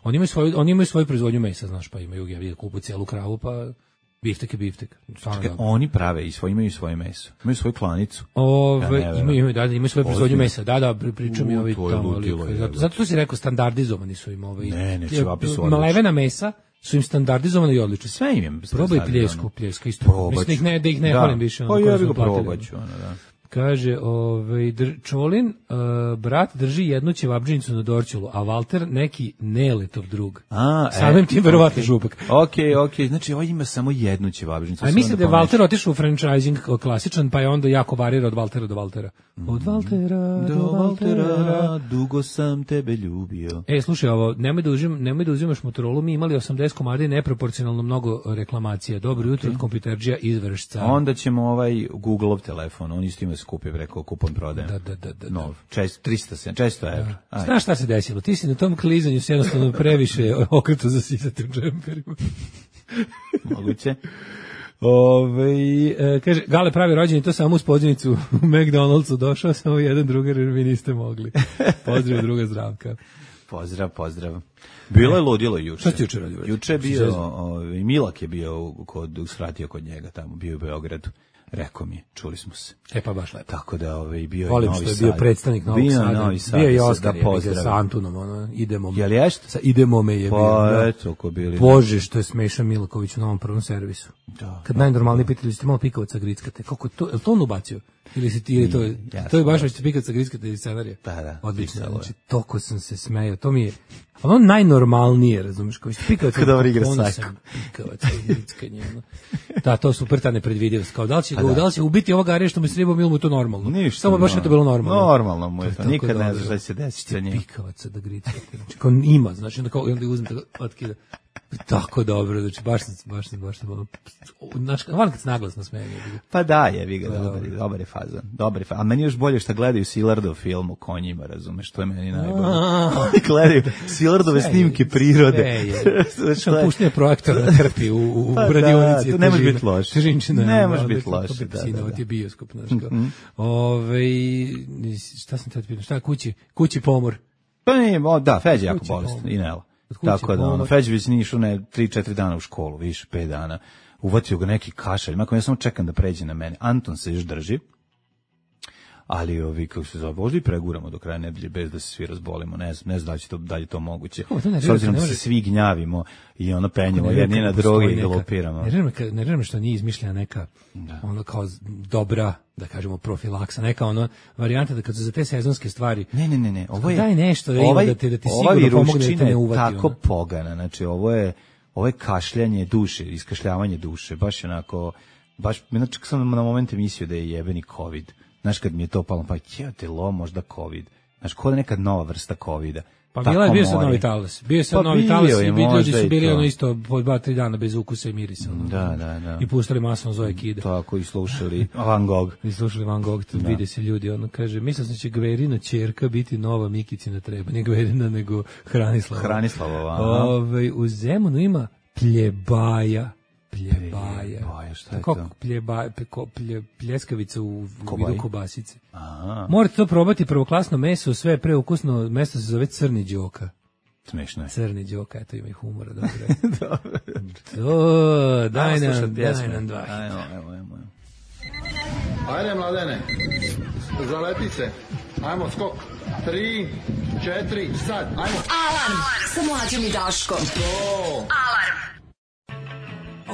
Oni imaju svoju proizvodnju mesa, znaš, pa imaju kupu cijelu kravu, pa biftek je biftek. Čekaj, oni prave imaju svoje meso, imaju svoju klanicu. Imaju svoju proizvodnju mesa, da, pričam i ovi tamo. Zato tu si rekao, standardizovani su im ovi. Ne, čevapi su malevena mesa su im standardizovano i odlično. Sve im je probaj pljeska isto. Mislim da ih ne hvalim više. Pa ja bih ga probaću, da. Kaže, Čolin, brat drži jednu ćevabdžinicu na Dorćolu, a Valter neki Neletov drug. Samim tim verovatno župak. Ok, znači ovo ima samo jednu ćevabdžinicu. A mislim da je Valter otišao u franchising klasičan, pa je onda jako varira od Valtera do Valtera. Od Valtera do Valtera, dugo sam tebe ljubio. Slušaj, ovo, nemoj da uzimaš Motorola, mi imali 80 komada i neproporcionalno mnogo reklamacija. Dobro jutro od kompjuterđija iz Vršca. Onda ćemo Google-ov telefon, on isto ima da se kupi preko kupon prodajem. Da. Nov, 400 evra. Znaš šta se desilo? Ti si na tom klizanju se jednostavno previše okreto zasisati u džemperima. Moguće. Kaže, Gale pravi rođeni, to samo uz pozivnicu u McDonald'su došao, samo jedan drugar jer vi niste mogli. Pozdrav druga Zdravka. Pozdrav. Bilo je ludilo juče. Šta ti juče radio? Juče je bio, Milak je bio usratio kod njega tamo, bio u Beogradu. Rekao mi, čuli smo se. Pa baš lepo. Tako da bio volim i Novi Sad. Volim što je bio predstavnik Novog Sada. Bio i Oskar sa Antunom, idemo. Jel ješta? Sa idemo me je bio. Pa eto, ko bili. Bože, što je smešan Milaković u novom prvom servisu. Da. Kad najnormalnije pitali, ste malo pikavaca grickate. Kako to, je to on ubacio? Ili si ti, to je baš već pikavaca grickate iz scenarija? Da. Odlično, znači, toko sam se smejao. To mi je, ono najnormalnije, razumiješ, kao pikavaca. Kada dobro igra sajko. Pikavaca i grickanje. Da, to super ta nepredvidivost. Kao, da li će ubiti ovoga Arija što mu se ribom ili mu to normalno? Ništa. Samo baš je to bilo normalno. Normalno mu je to. Nikad ne znaš šta će se desiti sa njim. Pikavaca da grickate. Znači, kao ima, znači, onda uzme tako, otkida. Tako dobro, znači baš sam znaš, volim kad se naglasno smeje. Pa da, jebi ga, dobar je fazon. A meni još bolje što gledaju Silardov film o konjima, razumeš, to je meni najbolje. Gledaju Silardove snimke prirode. Što puštanje projektora na krpi u radionici. To ne može biti loše. Ne može biti loše. Ovo ti je bioskop, znaš kao. Šta sam te pitao, šta kući pomor? Pa nije, da, Feđa jako bolestan i Nela. Tako da, Feđević nije išao 3-4 dana u školu, više 5 dana. Uvatio ga neki kašalj, ja samo čekam da pređe na mene. Anton se još drži, ali kako se zove, možda i preguramo do kraja nedelje bez da se svi razbolimo, ne znam da li je to moguće. S obzirom da se svi gnjavimo i penjemo jedni na drugi i galopiramo. Ne rečem što nije izmišljena neka ono kao dobra, da kažemo, profilaksa, neka ono varijanta da kad su za te sezonske stvari. Ne. Ovo je daj nešto da ti sigurno pomogne da te ne uvati. Tako pogana, znači ovo je kašljanje duše, iskašljavanje duše, baš onako, znači sam na momente mislio da je jebeni COVID. Znaš, kad mi je to palo, pa jeo možda COVID. Znaš, ko da neka nova vrsta COVID-a. Pa bio sad novi talas. Bio sad novi talas i ljudi su bili ono isto po 2-3 dana bez ukusa i mirisa. Da. I pustili masno Zoe Kide. Tako, i slušali Van Gogh. Vide se ljudi, ono kaže, mislim da će Gverina ćerka biti nova Mikicina treba. Ne Gverina, nego Hranislava. Hranislava, u Zemunu ima pljebaja, šta je to? Pljeskavica u vidu kobasice. Morate to probati, prvoklasno meso, sve preukusno, mesto se zove Crni Đoka. Smešno je. Crni Đoka, eto ima i humora, dobro. Daj nam dva. Ajmo. Ajde, mladene, zalepi se. Ajmo, skok. 3, 4, sad, ajmo. Alarm sa Mlađom i Daškom. Alarm.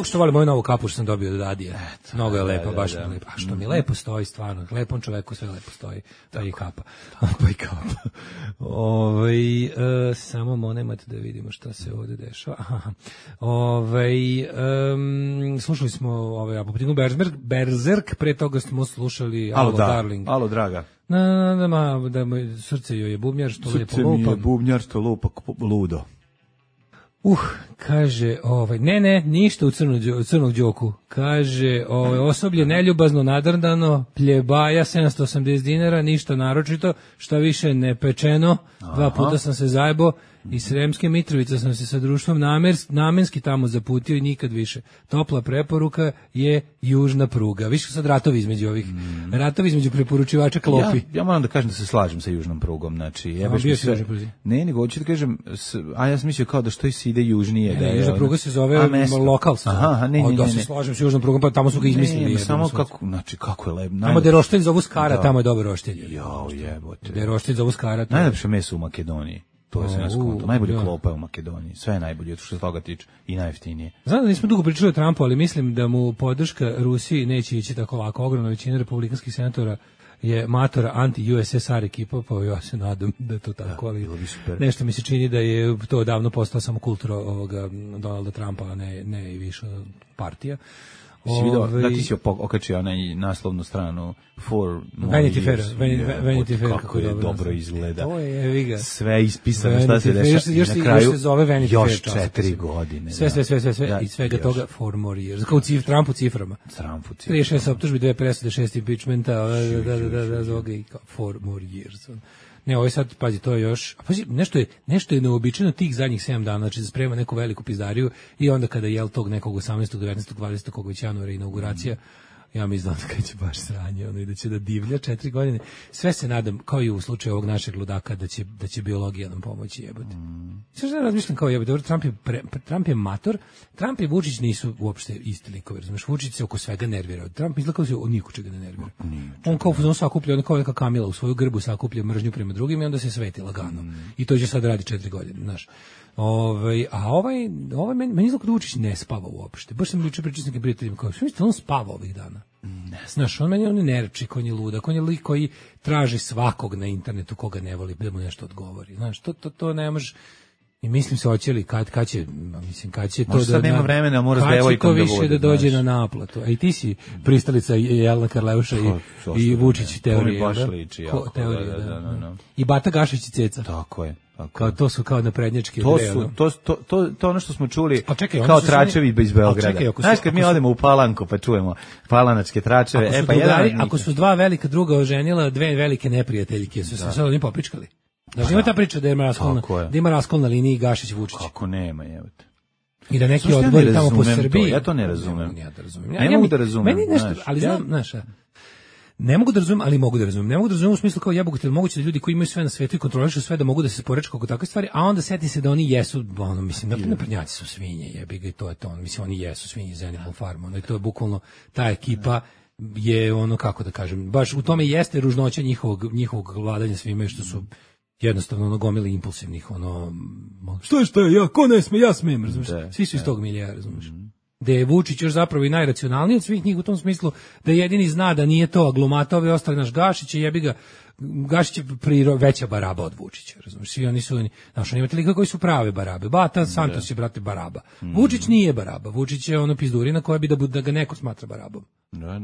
Što volim moju novu kapu što sam dobio od Dadija. Mnogo je lepa, baš mi lepa. A što mi lepo stoji, stvarno. Lepom čoveku sve lepo stoji. Pa i kapa. Samo nemojte da vidimo šta se ovde dešava. Slušali smo Apoptinu Berzerk, pre toga smo slušali Alo Darling. Alo draga. Da moj srce joj je bubnjar što lepo lupa. Srce mi je bubnjar što lupa ludo. Kaže, ne, ništa u crnog Đoku. Kaže, osoblje neljubazno nadrndano, pljebaja 780 dinara, ništa naročito, šta više ne pečeno, 2 puta sam se zajebo, iz Sremske Mitrovice sam se sa društvom namenski tamo zaputio i nikad više. Topla preporuka je južna pruga. Više sad ratovi između ovih, ratovi između preporučivača klopi. Ja moram da kažem da se slažem sa južnom prugom. Znači, ne, nego hoću da kažem, ja sam mislio kao da što se ide južnije. Ne, južna pruga se zove lokal. Da se slažem sa južnom prugom, pa tamo su ga izmislili. Samo kako je lepo. Tamo gde roštilj zovu Skara, tamo je dobro roštilj. Jebote. Gde roštilj zovu Skara. Najlepše meso u Makedoniji. To je sve nas konto. Najbolje klopa je u Makedoniji. Sve je najbolje, što se toga tiče. I najjeftinije. Znam da nismo dugo pričali o Trumpu, ali mislim da mu podrška Rusiji neće ići tako lako. Ogromna većina republikanskih senatora je matora anti-USSR ekipa, pa ja se nadam da je to tako, ali nešto mi se čini da je to davno postao samo kultura ovoga Donalda Trumpa, a ne i više partija. Si vidio, da ti si okačio onaj naslovnu stranu Vanity Fair, kako je dobro izgleda. To je, evi ga. Sve ispisano, šta se dešava. Još se zove Vanity Fair. Još 4 godine. Sve. I svega toga 4 more years. Kao Trump u ciframa. 36 optužbi, 2 presude, 6 impeachmenta, da, zoga i kao 4 more years. Ne, ovo je sad, pazi, to je još, pazi, nešto je neobičajno tih zadnjih 7 dana, znači da sprema neku veliku pizdariju i onda kada je tog nekog 18. 19. 20. kog već januara inauguracija, ja mi znam da će baš sranje, ono, i da će da divlja 4 godine. Sve se nadam, kao i u slučaju ovog našeg ludaka, da će biologija nam pomoći, jebote. Sve što razmišljam kao jebote, Trump je mator, Trump i Vučić nisu uopšte isti likovi, razumiješ, Vučić se oko svega nervira. Trump izgleda kao se od niko čega ne nervira. On kao fuzon sakuplja, on kao neka Kamila u svoju grbu sakuplja mržnju prema drugim i onda se sveti lagano. I to će sad radi 4 godine, znaš. A ovaj meni izgleda da Vučić ne spava uopšte. Baš sam juče pričao s nekim prijateljima kao, što mislite, on spava ovih dana? Znaš, on je nerči, on je ludak, on je lik koji traži svakog na internetu koga ne voli, da mu nešto odgovori. Znaš, to ne može. I mislim se hoće li kad će to možda sad nema vremena, mora s devojkom da bude. Više da dođe na naplatu. A i ti si pristalica Jelena Karleuša i Vučić teorije. To mi baš liči. Da. I Bata Gašić i Ceca. Tako je. Kao to su kao naprednjački to ono što smo čuli kao tračevi iz Beograda. Znaš, kad mi odemo u Palanku pa čujemo palanačke tračeve, ako su dva velika druga oženila, dve velike neprijateljke, su se sad oni popričkali. Znači ima ta priča da ima raskol na liniji Gašić-Vučić. Kako nema, jebote. I da neki odbori tamo po Srbiji. Ja to ne razumem. Ne mogu da razumem. Meni nešto, ali znam, znaš, ne mogu da razumem, ali mogu da razumem. Ne mogu da razumem u smislu kao jebote, moguće da ljudi koji imaju sve na svetu i kontrolišu sve da mogu da se porečku oko takve stvari, a onda seti se da oni jesu, ono, mislim, naprednjaci su svinje, jebi ga, i to je to. Mislim, oni jesu svinje iz Animal Farm, ono, i to je bukvalno ta ekipa je ono, kako da kažem, baš u tome jeste ružnoća njihovog vladanja svime, što su jednostavno ono gomili impulsivnih, ono, što je, ja, ko ne sme, ja smem, razumiješ, svi su iz tog milija, razumiješ. Da je Vučić još zapravo i najracionalniji od svih njih u tom smislu, da jedini zna da nije to aglomata, ove ostali naš Gašić, jebi ga, Gašić je veća baraba od Vučića, razumiješ, svi oni su, znaš, oni imate lika koji su prave barabe, Bata Santos je, brate, baraba, Vučić nije baraba, Vučić je ono pizdurina koja bi da ga neko smatra barabom,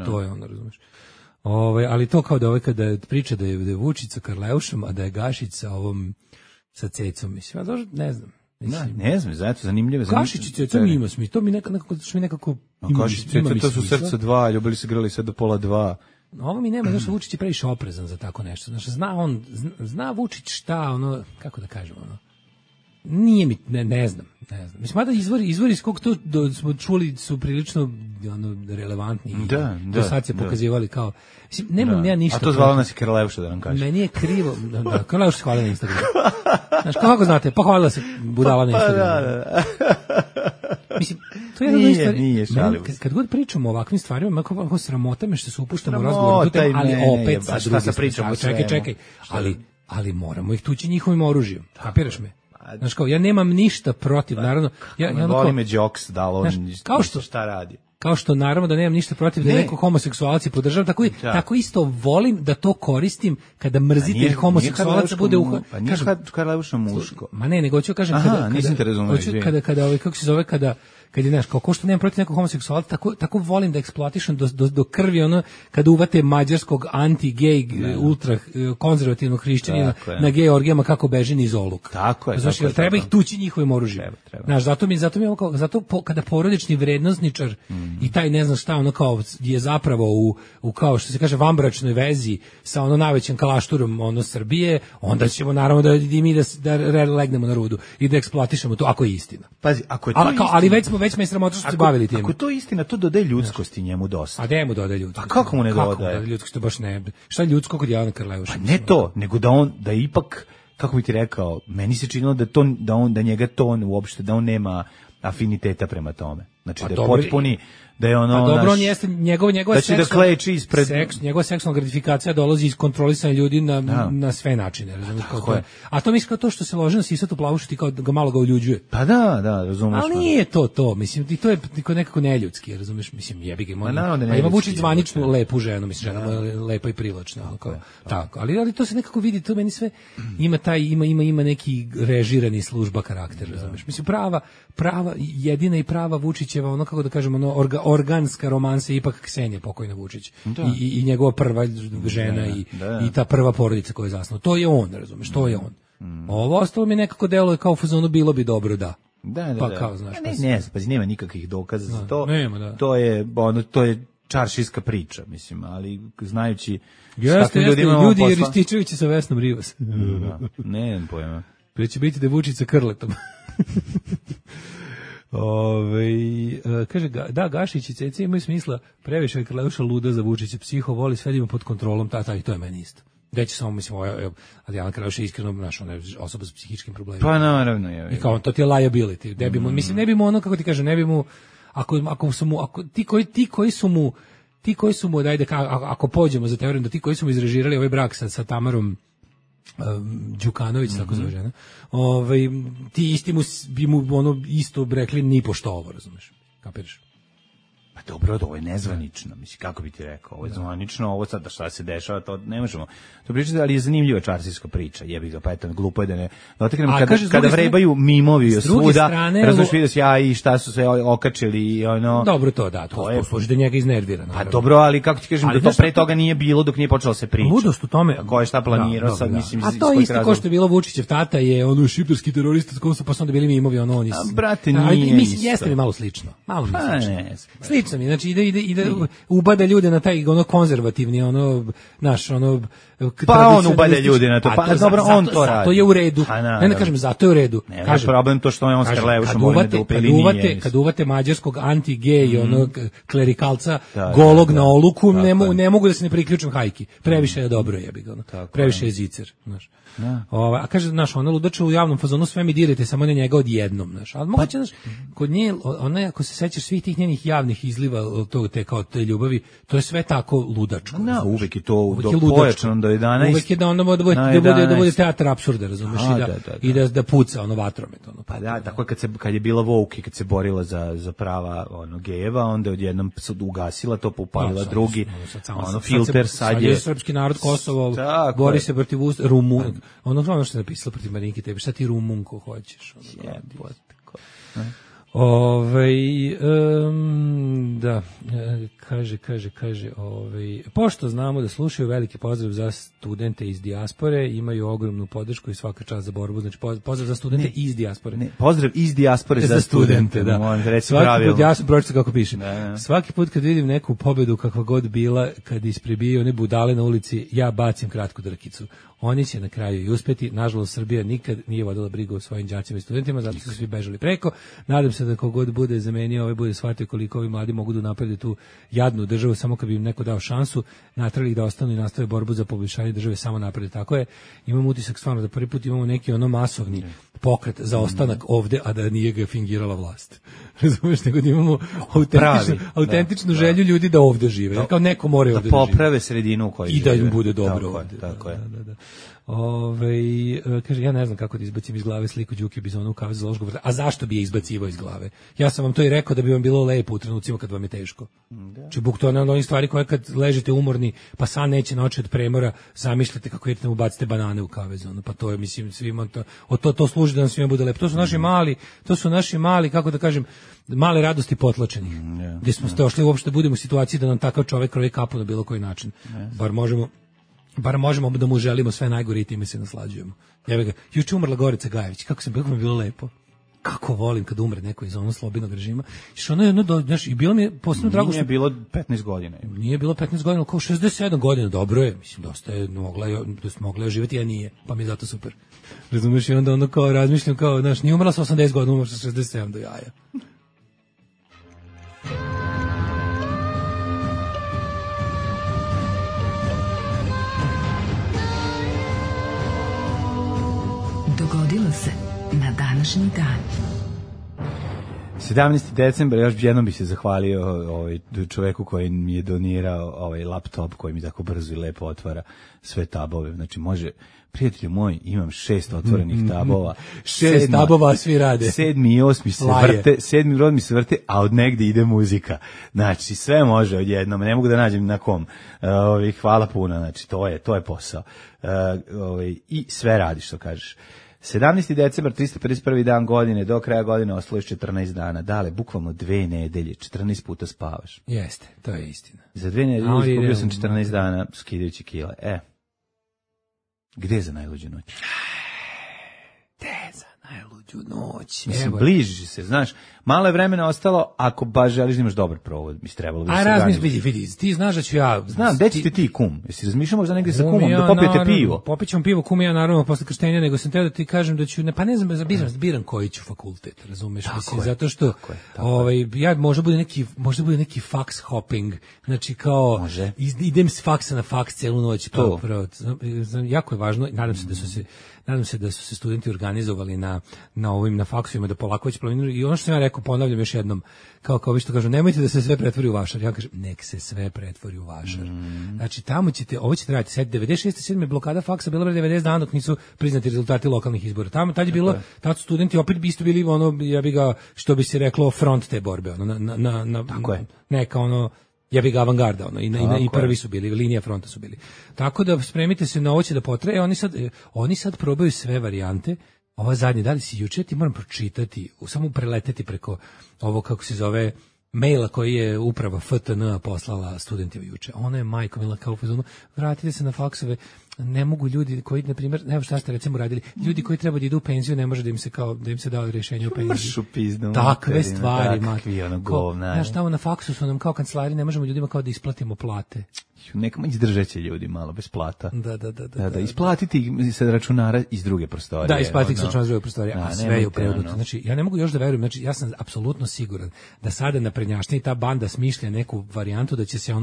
to je ono, razumiješ. Ali to kao da kada priča da je Vučić sa Karleušom, a da je Gašić sa ovom sa Cecom, mislim, ja ne znam. Ne znam, zato zanimljivo. Gašić i Ceca mi ima smisla, to mi nekako ima. Gašić i Ceca, to su srca 2, ljubili se grali sve do 1:30. Ovo mi nema, znaš, Vučić je previše oprezan za tako nešto. Znaš, zna Vučić šta, ono, kako da kažemo, ono, nije mi, ne znam. Mislim, mada izvori iz kog to smo čuli su prilično relevantni. Do sad se pokazivali kao, mislim, nemam ja ništa. A to zvala nas i Karleuša, da nam kaže. Meni je krivo, Karleuša se hvala na Instagramu. Znaš, kako znate, pa hvala se budala na Instagramu. Mislim, to je jedna stvar. Nije šalimo. Kad god pričamo o ovakvim stvarima, kako sramota me što se upuštamo u razgovor, ali opet sa druge strane. Čekaj, ali moramo ih tući njihovim oružjem. Kapiraš me? Znaš, kao, ja nemam ništa protiv, naravno. Voli me Jokes, da on šta radi. Kao što naravno da nemam ništa protiv da neko homoseksualac podržavam, tako isto volim da to koristim kada mrzitelj homoseksualaca bude uhod. Pa nije Karleuša muško. Ma ne, nego ću kažem kada kako se zove, kad je, znaš, kao što nemam protiv nekog homoseksualca, tako volim da eksploatišem do krvi, ono, kada uvate mađarskog anti-gej, ultra konzervativnog hrišćanina na gej orgijama kako beži niz oluk. Tako je. Znači, treba ih tući njihovim oružjem. Znaš, zato kada porodični vrednosničar i taj ne znam šta, ono kao je zapravo u kao što se kaže vambračnoj vezi sa ono najvećim kalašturom ono Srbije, onda ćemo naravno da legnemo na rudu i da eksploatišemo to, ako je istina. Pazi, ako je to istina. Ali već me je sramota što se bavili tim. Ako to je istina, to dodaje ljudskosti njemu dosta. A gde mu dodaje ljudskosti? A kako mu ne dodaje? Kako ljudskosti, to baš ne. Šta je ljudsko kod Jelena Karleuša? Pa ne to, nego da ipak, kako bi ti rekao, meni se činilo da njega to uopšte, da on nema afiniteta prema tome. Znači da je potpuni, da je ono... Pa dobro, on jeste, njegova njegova seksualna gratifikacija dolazi iz kontrolisanja ljudi na sve načine, razumiješ, kao to. A to mislim kao to što se loži na sisatu plavušu, ti kao ga malo ga uljuđuje. Pa da, razumiješ. Ali nije to, mislim, i to je nekako neljudski, razumiješ, mislim, jebi ga, ima Vučić zvaničnu lepu ženu, mislim, žena je lepa i privlačna, tako, ali to se nekako vidi, to meni sve ima neki režirani služba karakter, razumiješ, mislim, prava, jedina i prava Vučićeva, ono, kako da kažemo, ono, organska romansa je ipak Ksenija pokojna Vučić i njegova prva žena i ta prva porodica koju je zasnovao. To je on, razumeš, to je on. Ovo ostalo mi nekako deluje kao u fazonu bilo bi dobro da. Pa kao, znaš, nema nikakvih dokaza za to. Nema, To je čaršijska priča, mislim, ali znajući jeste, ljudi i Rističevići sa Vesnom Rivas. Nemam pojma. Pre će biti da Vučić sa Krletom. Kaže, da, Gašić i Cece imaju smisla, previše je Krleuša luda za Vučića, psiho voli sve da ima pod kontrolom, i to je meni isto. Da će samo, mislim, Adriana Krleuša je iskreno naša osoba sa psihičkim problemima. Pa naravno je. I kao, to ti je liability. Mislim, ne bi mu ono, kako ti kaže, ne bi mu, ako su mu, dajde, ako pođemo za teorijom da ti koji su mu izrežirali ovaj brak sa Tamarom Đukanović, tako zove žena, ti isti bi mu ono isto rekli ni pošto ovo, razumeš, kapiraš? Pa dobro, ovo je nezvanično, mislim, kako bi ti rekao, ovo je zvanično, ovo sad šta se dešava, to ne možemo to pričati, ali je zanimljiva čarskijska priča, jebi ga, pa eto, glupo je da ne dotaknemo, kada vrebaju mimovi svuda, razumiješ, vidio si ja i šta su se okačili i ono... Dobro, to služi da njega iznervira. Pa dobro, ali kako ti kažem, da to pre toga nije bilo dok nije počelo se priča. Ludost u tome... Ko je šta planirao, sad mislim... A to isto ko što je bilo Vučićev tata, je ono šiptarski terorista, s kojom su pa su onda bili mimovi, ono oni... Brate, nije isto. Jeste mi malo slično. Slično mi, znači ide ubada ljude na taj ono konzervativni, ono, naš, ono... Pa on ubada ljude na to, pa dobro, on to radi. To je u redu. Ne kažem, zato je u redu. Kažem, problem to što je on s Karleušom ovdje da upeli nije. Kad uvate mađarskog anti-gej, onog klerikalca, golog na oluku, ne mogu da se ne priključim hajki. Previše je dobro, jebi ga. Previše je zicer, znaš. A kaže, znaš, ona ludača u javnom fazonu, sve mi dirajte, samo ne njega odjednom, znaš. Ali moguće, znaš, kod nje, ona, ako se sećaš svih tih njenih javnih izliva, te ljubavi, to je sve tako ludačko. Uvek je to pojačano do 11. Uvek je da onda da bude teatr apsurda, razumeš, i da puca ono vatromet. Pa da, tako je kad je bila woke i kad se borila za prava gejeva, onda odjednom ugasila to, upalila drugi, filter, sad je srpski narod Kosovo, bori se protiv ono što je napisala protiv Marinke Tepić, šta ti Rumunko hoćeš? Da, kaže, pošto znamo da slušaju, veliki pozdrav za studente iz dijaspore, imaju ogromnu podršku i svaka čast za borbu, znači pozdrav za studente iz dijaspore. Pozdrav iz dijaspore za studente, da. Svaki put, ja sam pročitao kako piše, svaki put kad vidim neku pobedu kakva god bila, kad ispribiju one budale na ulici, ja bacim kratku drkicu. Oni će na kraju i uspeti. Nažalost, Srbija nikad nije vodila brigu o svojim đacima i studentima, zato su svi bežali preko. Nadam se da kogod bude zamenio, bude shvatio koliko ovi mladi mogu da naprede tu jadnu državu, samo kad bi im neko dao šansu, natrali da ostanu i nastave borbu za poboljšanje države, samo napred. Tako je, imam utisak stvarno da prvi put imamo neki masovni pokret za ostanak ovde, a da nije ga fingirala vlast. Razumeš, nego da imamo autentičnu želju ljudi da ovde žive. Kao neko mora ovde da poprave sredinu u kojoj žive. I da im bude dobro ovde. Tako je. Kaže, ja ne znam kako da izbacim iz glave sliku Đuke Bizona u kavezu za Loškog vrta. A zašto bi je izbacivao iz glave? Ja sam vam to i rekao da bi vam bilo lepo u trenucima kad vam je teško. Či buk to je onih stvari koje kad ležite umorni, pa san neće na oči od premora, zamišljate kako idete mu bacite banane u kavezu. Pa to je, mislim, svima to služi da nam svima bude lepo. To su naši mali, kako da kažem, male radosti potlačenih. Gdje smo došli uopšte budemo u situaciji da nam takav čovek kroji kapu na bilo koji način. Bar možemo da mu želimo sve najgore i time se naslađujemo. Juče umrla Gorica Gajević, kako mi bilo lepo. Kako volim kad umre neko iz onog slobodnog režima. I bilo mi je posebno drago što... Nije bilo 15 godina. Nije bilo 15 godina, kao 67 godina, dobro je. Mislim, dosta je mogla je živjeti, a nije, pa mi je zato super. Razumiješ, i onda ono kao razmišljam, kao, znaš, nije umrla sa 80 godina, umrla sa 67 do jaja. Dogodilo se na današnji dan. 17. decembar, još jednom bih se zahvalio čoveku koji mi je donirao ovaj laptop koji mi tako brzo i lepo otvara sve tabove. Znači može, prijatelju moj, imam 6 otvorenih tabova. 6 tabova, svi rade. 7. i 8. se vrte, 7. i 8. se vrte, a od negde ide muzika. Znači sve može odjednom, ne mogu da nađem na kom. Hvala puno, znači to je posao. I sve radi što kažeš. 17. decembar, 351. dan godine, do kraja godine ostalo je 14 dana. Dale, bukvalno 2 nedelje, 14 puta spavaš. Jeste, to je istina. Za 2 nedelje izgubio sam 14 dana skidajući kile. Gde je za najluđu noć? Noć. Mislim, bliži se, znaš, malo je vremena ostalo, ako baš želiš da imaš dobar provod, mislim, trebalo bi se organizati. Vidi, ti znaš da ću ja... Znam, gde ćete ti kum? Jesi razmišljamo za negdje sa kumom, da popijete pivo? Popićemo pivo, kum ja naravno posle krštenja, nego sam teo da ti kažem da ću, pa ne znam, biram koji ću fakultet, razumeš? Mislim, zato što, ja možda bude neki faks hopping, znači kao, idem s faksa na faks celu noć, jako je važno, nadam se da su se studenti organizovali na faksovima, da polako već planiraju. I ono što sam ja rekao, ponavljam još jednom, kao vi što kažu, nemojte da se sve pretvori u vašar. Ja kažem, nek se sve pretvori u vašar. Znači, tamo ovo ćete raditi. Sad, 96. 7. blokada faksa bila 90 dana dok nisu priznati rezultati lokalnih izbora. Tad je bilo, tad su studenti opet isto bili, ja bi ga, što bi se reklo, front te borbe. Neka ja bih ga avangarda, i prvi su bili, linija fronta su bili. Tako da spremite se na ovo će da potraje, oni sad probaju sve varijante. Ova zadnja, da li si juče, ti moram pročitati, samo preleteti preko ovo, kako se zove, maila koji je uprava FTN poslala studentima juče. Ona je majko mila kao fazonu, vratite se na faksove, ne mogu ljudi koji, na primjer, evo šta ste recimo radili, ljudi koji treba da idu u penziju, ne može da im se dao rješenje o penziji. Mršu pizdu. Takve stvari. Znaš, tamo na faksu su nam kao kancelari, ne možemo ljudima kao da isplatimo plate. Nekamo izdržat će ljudi malo bez plata. Da. Isplatiti se računara iz druge prostorije. Da, isplatiti se računara iz druge prostorije, a sve je uprenuto. Znači, ja ne mogu još da verujem, znači, ja sam apsolutno siguran da sada naprednjačnija ta banda smišlja neku varijantu da će se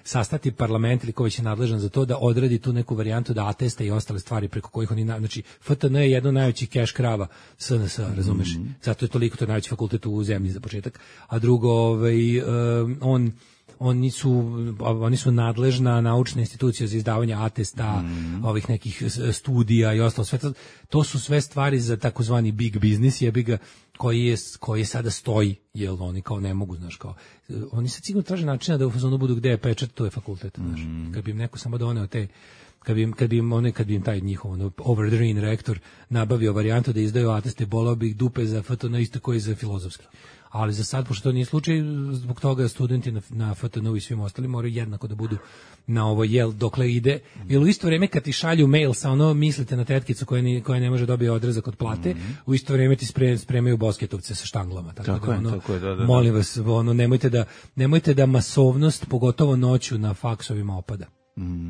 sastati parlament ili ko već je nadležan za to da odradi tu neku varijantu da ateste i ostale stvari preko kojih oni, znači, FTN je jedno najveći keš krava SNS, razumeš? Zato je toliko, to je najveći fakultet u zemlji za početak. A drugo, oni su nadležna naučna institucija za izdavanje atesta, ovih nekih studija i ostalo. Sve to su sve stvari za takozvani big business, koji sada stoji, jer oni kao ne mogu, znaš, kao oni sad sigurno traže načina da u fazonu budu gde je pečat, to je fakultet, znaš. Kad bi im neko samo doneo te, kad bi im taj njihov over the rain rektor nabavio varijantu da izdaju ateste, bolao bi ih dupe za FTN isto koji za filozofski. Ali za sad, pošto to nije slučaj, zbog toga studenti na FTN-u i svim ostalim moraju jednako da budu na ovo dokle ide. Jer u isto vrijeme kad ti šalju mail sa mislite na tetkicu koja ne može dobiti odrezak od plate, u isto vrijeme ti spremaju bosketovce sa štanglama. Tako da, molim vas, nemojte da masovnost, pogotovo noću na faksovima opada.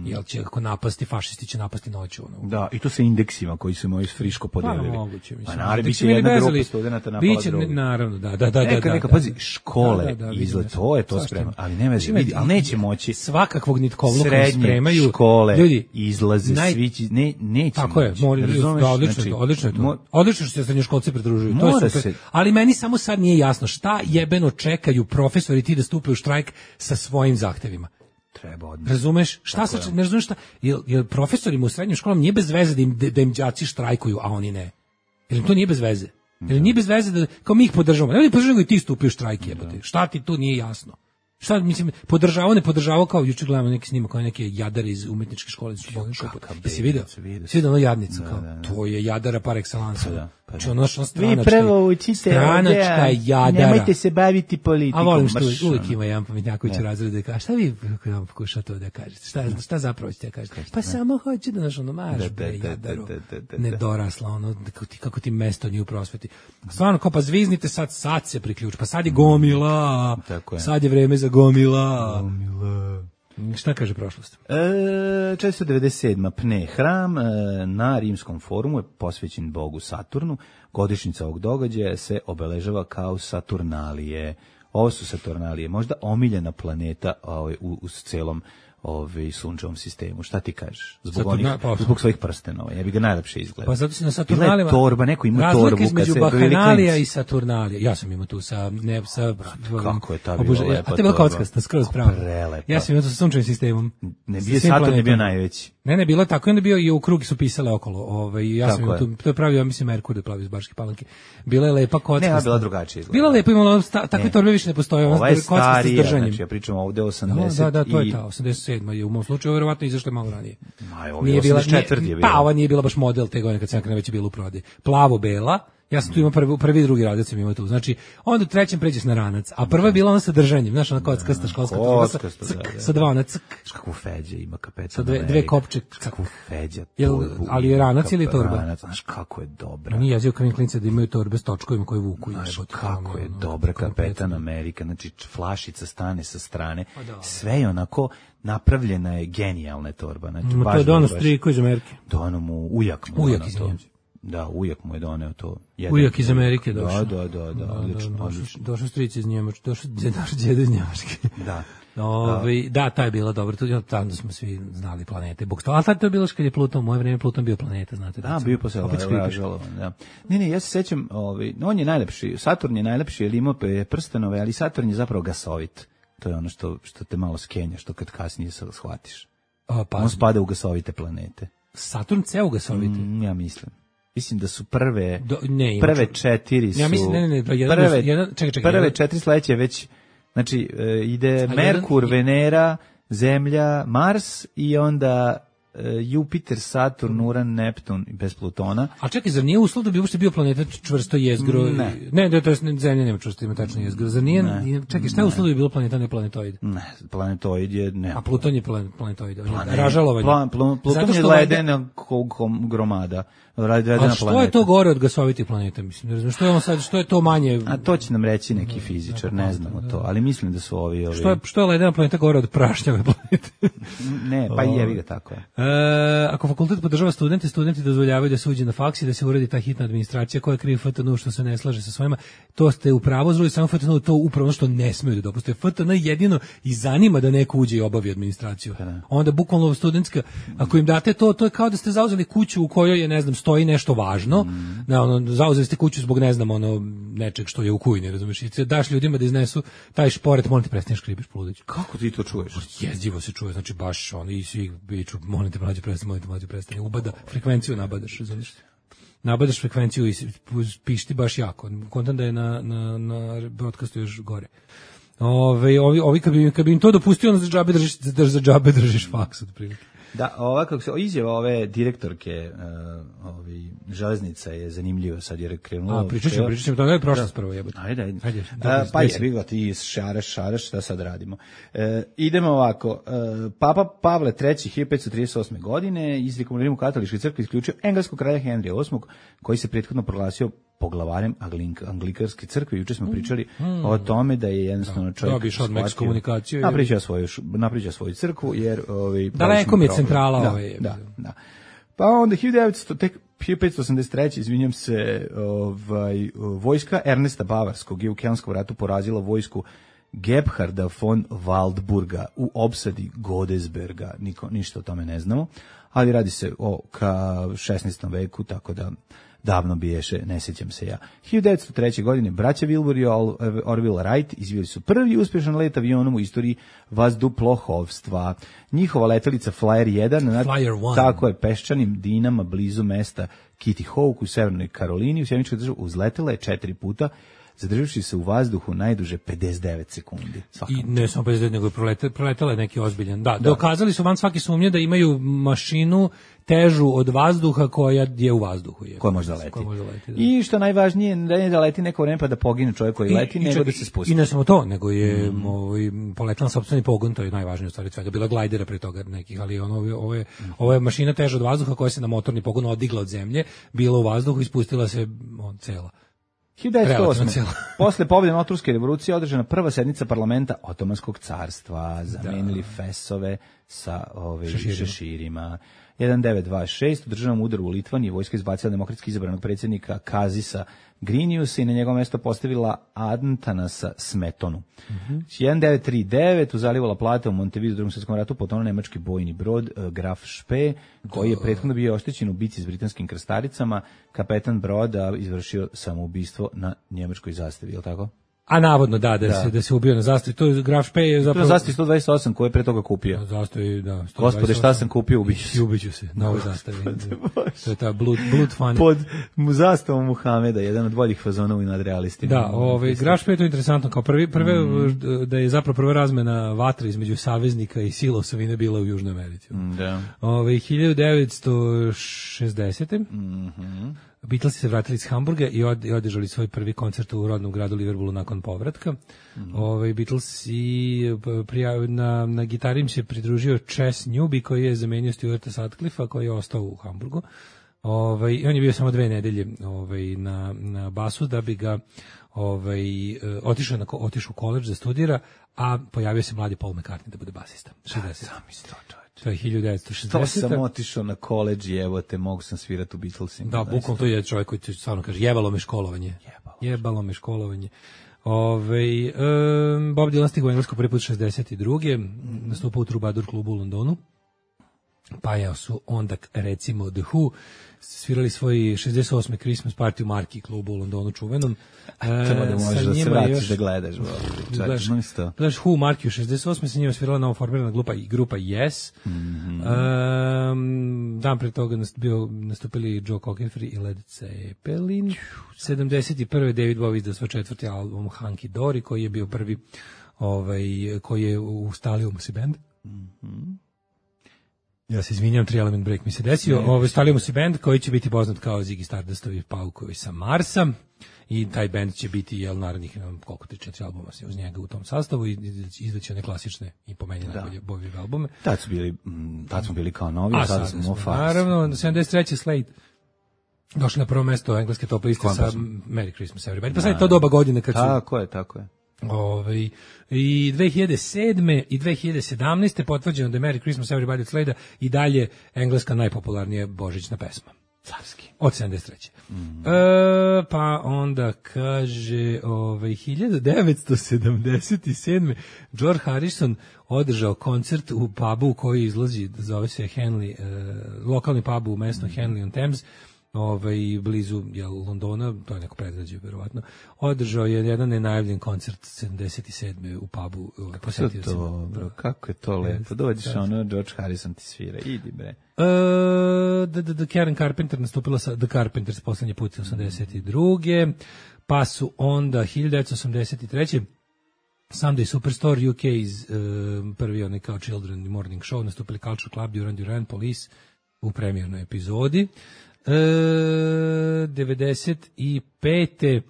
Jel će ako napasti, fašisti će napasti noću. Da, i to sa indeksima koji su moji friško podelili. Pa moguće, mislim. Biće jedna grupa studenta napala drugu. Naravno, da. Neka, pazi, škole, izgled, to je to spremno, ali ne vezi, vidi, ali neće moći. Svakakvog nitkovluka spremaju. Srednje škole, izlaze, svići, neće tako moći. Tako je, odlično je to. Odlično što se srednjoškolci pridružuju, to je super. Ali meni samo sad nije jasno šta jebeno čekaju profesori ti da stupe u štrajk sa svojim zahtevima. Treba odmah. Razumeš? Šta sad, ne razumeš šta? Jel profesorima u srednjim školama nije bez veze da im đaci štrajkuju, a oni ne? Jel im to nije bez veze? Jel nije bez veze da, kao mi ih podržavamo? Ne podržavamo i ti stupi u štrajk, jebote. Šta ti tu nije jasno? Šta, mislim, podržavao kao juče gledamo neki snimak kao neke jadare iz umetničke škole. Jesi vidio? Svi da ono jadnica kao. To je jadara par excellence. Znači ono vi prvo učite stranačka jadara. Nemojte se baviti politikom. A volim što uvijek ima jedan pametnjaković u razredu da kaže, šta vi pokušate to da kažete? Šta zapravo ćete da kažete? Pa samo hoće da naš marš bre jadaru. Nedorasla, kako ti mesto nije u prosveti. Stvarno, kao pa zviznite sad se priključ, pa sad je gomila, sad je vreme za gomila. Šta kaže prošlost? 497. Pne hram na Rimskom forumu je posvećen bogu Saturnu. Godišnjica ovog događaja se obeležava kao Saturnalije. Ovo su Saturnalije, možda omiljena planeta u celom sunčevom sistemu. Šta ti kažeš? Zbog svojih prstenova. Ja bi ga najlepše izgledao. Pa zato si na Saturnalima. Torba, neko ima torbu. Razlika između Bahanalija i Saturnalija. Ja sam imao tu sa kako je ta bila lepa. A te bila kockasta, skroz pravo. Prelepa. Ja sam imao tu sa sunčevim sistemom. Saturn je bio najveći. Ne, bilo je tako, onda bio i u krug su pisale okolo. Ja sam to je pravio, ja mislim, Merkur da plavi iz Baške Palanke. Bila je lepa kocka. Ne, bila drugačije. Bila lepa, imala takve torbe više ne postoje. Ova je starija, znači ja pričam ovde 80. Da, to je ta, 87. je u mom slučaju, verovatno izašla malo ranije. Nije bila 84. je bila. Pa, ova nije bila baš model te godine kad sam već je bila u prodaji. Plavo-bela. Ja sam tu imao prvi i drugi radac sam imao tu. Znači, onda u trećem pređeš na ranac, a prva je bila ona sa držanjem, znaš, ona kockasta školska torba sa dva ona ck. Kakvu feđe ima kapetan. Sa dve kopče. Kakvu feđa. Ali je ranac ili torba? Ranac, znaš kako je dobra. Nije jezio kao klince da imaju torbe s točkovima koje vuku. Znaš kako je dobra Kapetan Amerika, znači flašica stane sa strane, sve je onako napravljena je genijalna torba. Znači, to je donos Striko iz Amerike. Dono mu ujak mu. Ujak iz Njemci. Da, ujak mu je doneo to. Ujak iz Amerike došao. Da, odlično. Došao stric iz Njemačke, došao djeda iz Njemačke. Da. Da, ta je bila dobro. Tamo smo svi znali planete. Ali tad to je bilo kad je Pluton, u moje vreme Pluton bio planeta, znate. Da, bio posle ražalovan, da. Ne, ja se sećam, on je najlepši, Saturn je najlepši, jer ima prstenove, ali Saturn je zapravo gasovit. To je ono što te malo skenja, što kad kasnije se shvatiš. On spada u gasovite planete. Saturn ceo u gasovite? Ja mislim. Mislim da su prve 4 su... Ja mislim, prve 4 sledeće već, znači, ide Merkur, Venera, Zemlja, Mars i onda Jupiter, Saturn, Uran, Neptun bez Plutona. A čekaj, zar nije uslov da bi uopšte bio planeta čvrsto jezgro? Ne, to je Zemlja nema čvrsto, ima tačno jezgro. Zar nije, čekaj, šta je uslov da bi bilo planeta, ne planetoid? Ne, planetoid je... Ne. A Pluton je planetoid, ražalovanje. Pluton je ledena gromada. A što je to gore od gasovitih planeta, mislim, ne znam, što je to manje... A to će nam reći neki fizičar, ne znamo to, ali mislim da su ovi... Što je ledena planeta gore od prašnjave planete? Ne, pa jevi ga tako je. Ako fakultet podržava studenti dozvoljavaju da se uđe na faks i da se uredi ta hitna administracija koja krivi FTN što se ne slaže sa svojima, to ste u pravu, zrudi samo FTN, to upravo što ne smeju da dopuste. FTN jedino i zanima da neko uđe i obavi administraciju. Onda bukvalno studentska, ako im date to je kao da ste zauzeli kuću u kojoj je, ne znam, stoji nešto važno, zauzeli ste kuću zbog, ne znam, nečeg što je u kujni, razumiješ, i daš ljudima da iznesu taj šporet, molim te, prestaneš kribiš Pludić. Kako ti to čuješ? Jezivo se čuje, znači baš i svi biću, molim te, mlađe prestani, ubada, frekvenciju nabadaš, razumiješ. Nabadaš frekvenciju i pišti baš jako, kontam da je na broadcastu još gore. Ovi kad bi im to dopustio, onda za džabe držiš faks, otprilike. Da, ovako izjava ove direktorke železnica je zanimljiva, sad je krenulo. Pričat ćemo, to je prošlost prvo jebote. Ajde. Pa jebi ga, ti šaraš, šta sad radimo. Idemo ovako, Papa Pavle III 1538. godine izrijekom u Rimu katoličke crkve isključio engleskog kralja Henrija VIII, koji se prethodno proglasio poglavarem Anglikanske crkve. Juče smo pričali o tome da je jednostavno čovjek napričao svoju crkvu, jer daleko mi je centrala da. Pa onda 1583. izvinjam se, vojska Ernesta Bavarskog je u Kelnskom ratu porazila vojsku Gebharda von Waldburga u opsadi Godesberga. Ništa o tome ne znamo, ali radi se o 16. veku, tako da davno biješe, ne sjećam se ja. 1903. godine braća Wilbur i Orville Wright izveli su prvi uspješan let avionom u istoriji vazduhoplovstva. Njihova letelica Flyer 1 tako je peščanim dinama blizu mesta Kitty Hawk u Severnoj Karolini u sjemičkoj državi uzletela je 4 puta, zadržavši se u vazduhu najduže 59 sekundi. I ne samo 59, nego je proletala neki ozbiljan. Da, dokazali su van svake sumnje da imaju mašinu težu od vazduha koja je u vazduhu. Koja može da leti. I što najvažnije, ne da leti neko vreme pa da pogine čovjek koji leti, nego da se spusti. I ne samo to, nego je poletala na sopstveni pogon, to je najvažnije u stvari svega. Bila glajdera pre toga nekih, ali ovo je mašina teža od vazduha koja se na motorni pogon odigla od zemlje, bila u vazduhu i spustila se cela. 1908. Posle pobjede na Otrurske revolucije održana prva sednica parlamenta Otomanskog carstva. Zamenili fesove sa šeširima. 1926. u državnom udaru u Litvaniji vojska izbacila demokratski izabranog predsjednika Kazisa Griniusa i na njegovo mjesto postavila Antanasa Smetonu. 1939. u zalivu La Plata u Montevideo u Drugom svjetskom ratu potonuo nemački bojni brod Graf Spee, koji je prethodno bio oštećen u bici s britanskim krstaricama. Kapetan broda izvršio samoubistvo na njemačkoj zastavi, je li tako? A navodno da se ubio na zastavi. To je Graf Špej je zapravo... To je zastavi 128 koje je pre toga kupio. Zastavi, da. 128. Gospode, šta sam kupio, ubiću se. Na ovoj zastavi. To je ta blood funny. Pod zastavom Muhameda, jedan od boljih fazona u nadrealistima. Da, Graf Špej je to interesantno. Kao da je zapravo prva razmena vatre između saveznika i sila osovine bila u Južnoj Americi. Da. 1960. Beatlesi se vratili iz Hamburga i održali svoj prvi koncert u rodnom gradu Liverpoolu nakon povratka. Beatlesi na gitari im se pridružio Chess Newby koji je zamenio Stuarta Sutcliffe-a koji je ostao u Hamburgu. On je bio samo 2 nedelje na basu da bi ga otišao u koledž da studira, a pojavio se mladi Paul McCartney da bude basista. 60. To je 1960. To sam otišao na koledž i evo te, mogu sam svirati u Beatlesima. Da, bukvalno to je čovjek koji stvarno kaže, jebalo me školovanje. Bob Dylan stigao u Englesku prvi put 62. Nastupao u Troubadour klubu u Londonu. Pa su onda, recimo, The Who svirali svoj 68. Christmas party u Marki klubu u Londonu čuvenom. Da možeš da se vratiš da gledaš. Gledaš Who Marki u 68. sa njima svirala novoformirana grupa Yes. Dan pre toga nastupili Joe Cocker i Led Zeppelin. 71. David Bowie izdao svoj 4. album Hunky Dory, koji je bio prvi koji je u Stalio Musi Band. Ja se izvinjam, 3 Element Break mi se desio. Stavljamo si band koji će biti poznat kao Ziggy Stardustovi paukovi sa Marsa i taj band će biti narednih koliko 3-4 albuma uz njega u tom sastavu i izdaće one klasične i po meni najbolje Bowie albume. Tad smo bili kao novi, a sada smo fast. Naravno, 73. Slade došli na prvo mesto engleske top liste sa Merry Christmas Everybody. Pa sad je to doba godine kad su... Tako je. I 2007. i 2017. potvrđeno da je Merry Christmas Everybody od Slade i dalje engleska najpopularnija božićna pesma. Carski. Od 73. Pa onda kaže 1977. George Harrison održao koncert u pubu koji izlazi, zove se Henley, lokalni pub u mestu Henley on Thames, blizu Londona, to je neko predgrađe verovatno. Održao je jedan nenajavljen koncert 77. u pubu. Kako je to lepo. Dođeš George Harrison ti svira. Idi bre. The Karen Carpenter nastupila sa The Carpenters poslednji put 82. Pa su onda 1983. Sunday Superstore UK iz prvi kao Children Morning Show nastupili Culture Club, Duran Duran, Police u premijernoj epizodi. 95.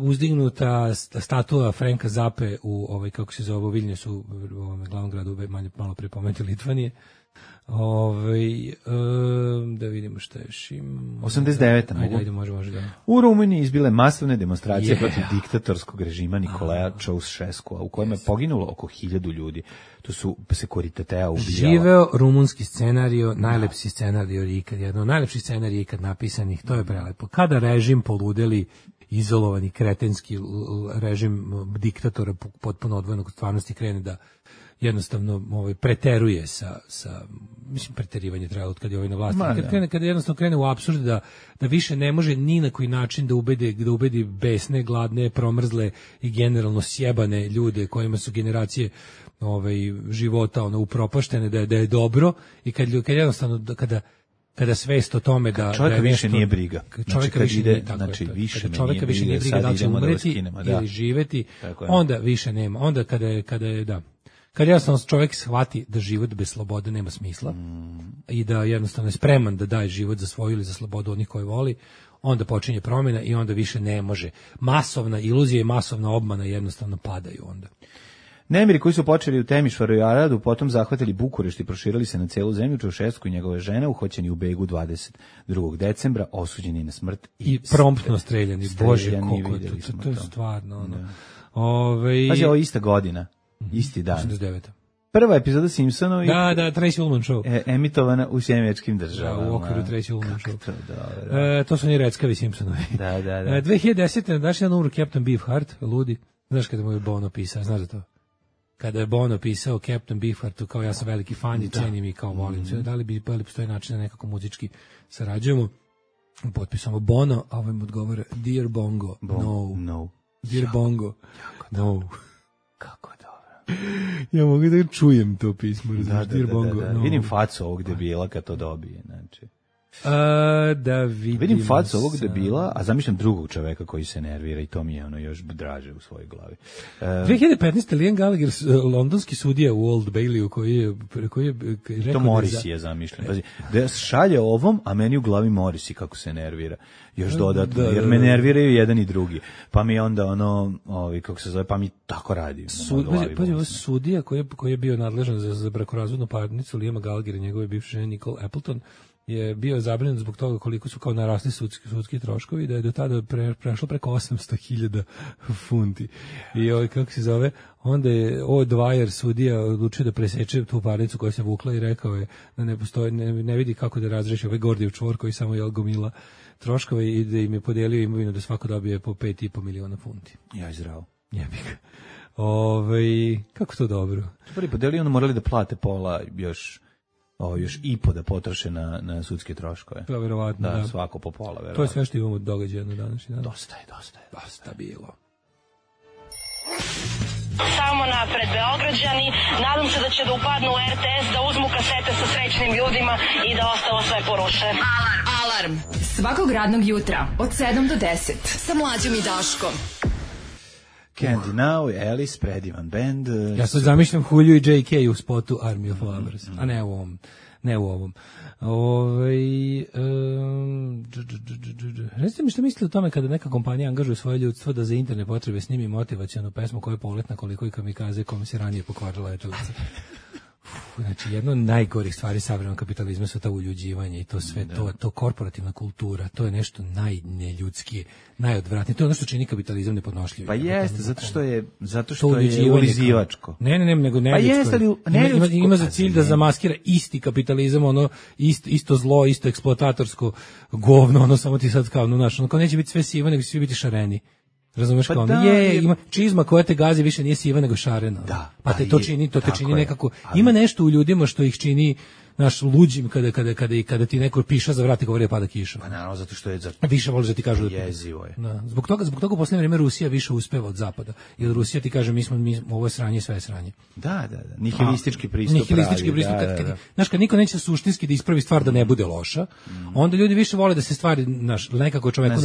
Uzdignuta statua Franka Zappe u kako se zove, u Vilniusu, u glavnom gradu, malo pre pomenuti Litvanije. Da vidimo šta još imamo. 89. Ajde, može da. U Rumuniji izbile masovne demonstracije protiv diktatorskog režima Nikolaja Ceausescua, u kojima je poginulo oko 1000 ljudi. To su Securitatea ubijala. Živeo rumunski scenario, najlepši scenario ikad, jedan od najlepših scenarija ikad napisanih, to je prelepo. Kada režim poludeli, izolovani kretenski režim diktatora potpuno odvojenog od stvarnosti krene da jednostavno preteruje sa mislim preterivanje traje od kad je na vlasti. Kada jednostavno krene u apsurd da više ne može ni na koji način da ubedi besne, gladne, promrzle i generalno sjebane ljude kojima su generacije života upropaštene da je dobro i kad jednostavno kada svest o tome da čovjeka da više nije briga. Čovjeka više nije briga da li će umreti ili živeti, onda više nema. Onda kad jednostavno čovjek shvati da život bez slobode nema smisla i da jednostavno je spreman da daje život za svoju ili za slobodu onih koje voli, onda počinje promjena i onda više ne može. Masovna iluzija i masovna obmana jednostavno padaju onda. Nemiri koji su počeli u Temišvaru i Aradu, potom zahvatili Bukurešt i proširili se na celu zemlju, Ceausescu i njegove žene uhoćeni u Begu 22. decembra, osuđeni na smrt i promptno streljani. Bože, koliko to je stvarno. Pazi, ovo je ista godina, isti dan. 89. Prva epizoda Simpsonovi. Da, Tracy Ullman Show. Emitovana u Sjemečkim državama. U okviru Tracy Ullman Show. To su oni reckavi Simpsonovi. Da. 2010. daš jedan umro Captain Beefheart, ludi. Znaš kada mu je Bono pisao, znaš da to? Kada je Bono pisao Captain Beefheartu, kao ja sam veliki fan i cenim i kao volim. Da li postoji način da nekako muzički sarađujemo? Potpisamo Bono, a ovaj mu odgovara Dear Bongo, no. Dear Bongo. No. Kako dobro. Ja mogu da čujem to pismo, Da. Dear Bongo. No. Vidim facu ovog debila kad to dobije, znači. Da Vidim facu ovog debila, a zamišljam drugog čoveka koji se nervira i to mi je ono još draže u svojoj glavi. 2015. Liam Gallagher, londonski sudija u Old Baileyu, koji je rekao to Morrissey je zamišljen. Pazi, da šalje ovom, a meni u glavi Morrissey kako se nervira. Još dodatno, jer me nerviraju jedan i drugi. Pa mi onda kako se zove, pa mi tako radi. Pazi, sudija koji je bio nadležan za brakorazvodnu parnicu Liama Gallaghera i njegove bivše žene Nicole Appleton je bio zabrinut zbog toga koliko su kao narasli sudski troškovi, da je do tada prešlo preko 800.000 funti. I kako se zove, onda je Dwyer sudija odlučio da preseče tu parnicu koja se vukla i rekao je da ne postoji, ne vidi kako da razreši ovaj Gordijev čvor koji samo je gomila troškove i da im je podelio imovinu da svako dobije po 5,5 miliona funti. Ja izrao. Jebik. Kako to dobro. Prvi podelio, onda morali da plate pola još i po da potroše na sudske troškove. To je verovatno, da. Svako po pola, verovatno. To je sve što imamo događaja na današnji dan. Dosta je. Dosta bilo. Samo napred, Beograđani. Nadam se da će da upadnu u RTS, da uzmu kasete sa srećnim ljudima i da ostalo sve poruše. Alarm. Svakog radnog jutra od 7 do 10 sa Mlađom i Daškom. Candy Now, Alice, predivan band. Ja sad zamišljam Hulju i JK u spotu Army of Lovers, a ne u ovom. Recite mi što mislite o tome kada neka kompanija angažuje svoje ljudstvo da za interne potrebe snimi motivacionu pesmu koja je poletna koliko i kamikaze kome se ranije pokvarila letelica. Znači, jedno od najgorih stvari savremenog kapitalizma su ta uljuđivanje i to sve, to korporativna kultura, to je nešto najneljudskije, najodvratnije. To je ono što čini kapitalizam nepodnošljivim. Pa jeste, zato što je ulizivačko. Ne, nego neljudsko. Ima za cilj da zamaskira isti kapitalizam, isto zlo, isto eksploatatorsko govno, samo ti sad kao, kao neće biti sve sivo, nego će svi biti šareni. Razumeš kao, ima čizma koja te gazi više nije siva nego šarena. Da, pa te to čini nekako, ima nešto u ljudima što ih čini naš luđim kada ti neko piša za vrat i govori pada kiša. Pa naravno, zato što je više voliš da ti kažu da jezivo je. Da, zbog toga u posljednje vrijeme Rusija više uspeva od zapada. Jer Rusija ti kaže mi ovo je sranje, sve je sranje. Da. Nihilistički pristup. Znaš, kad niko neće suštinski da ispravi stvar da ne bude loša, onda ljudi više vole da se stvari, nekako čoveku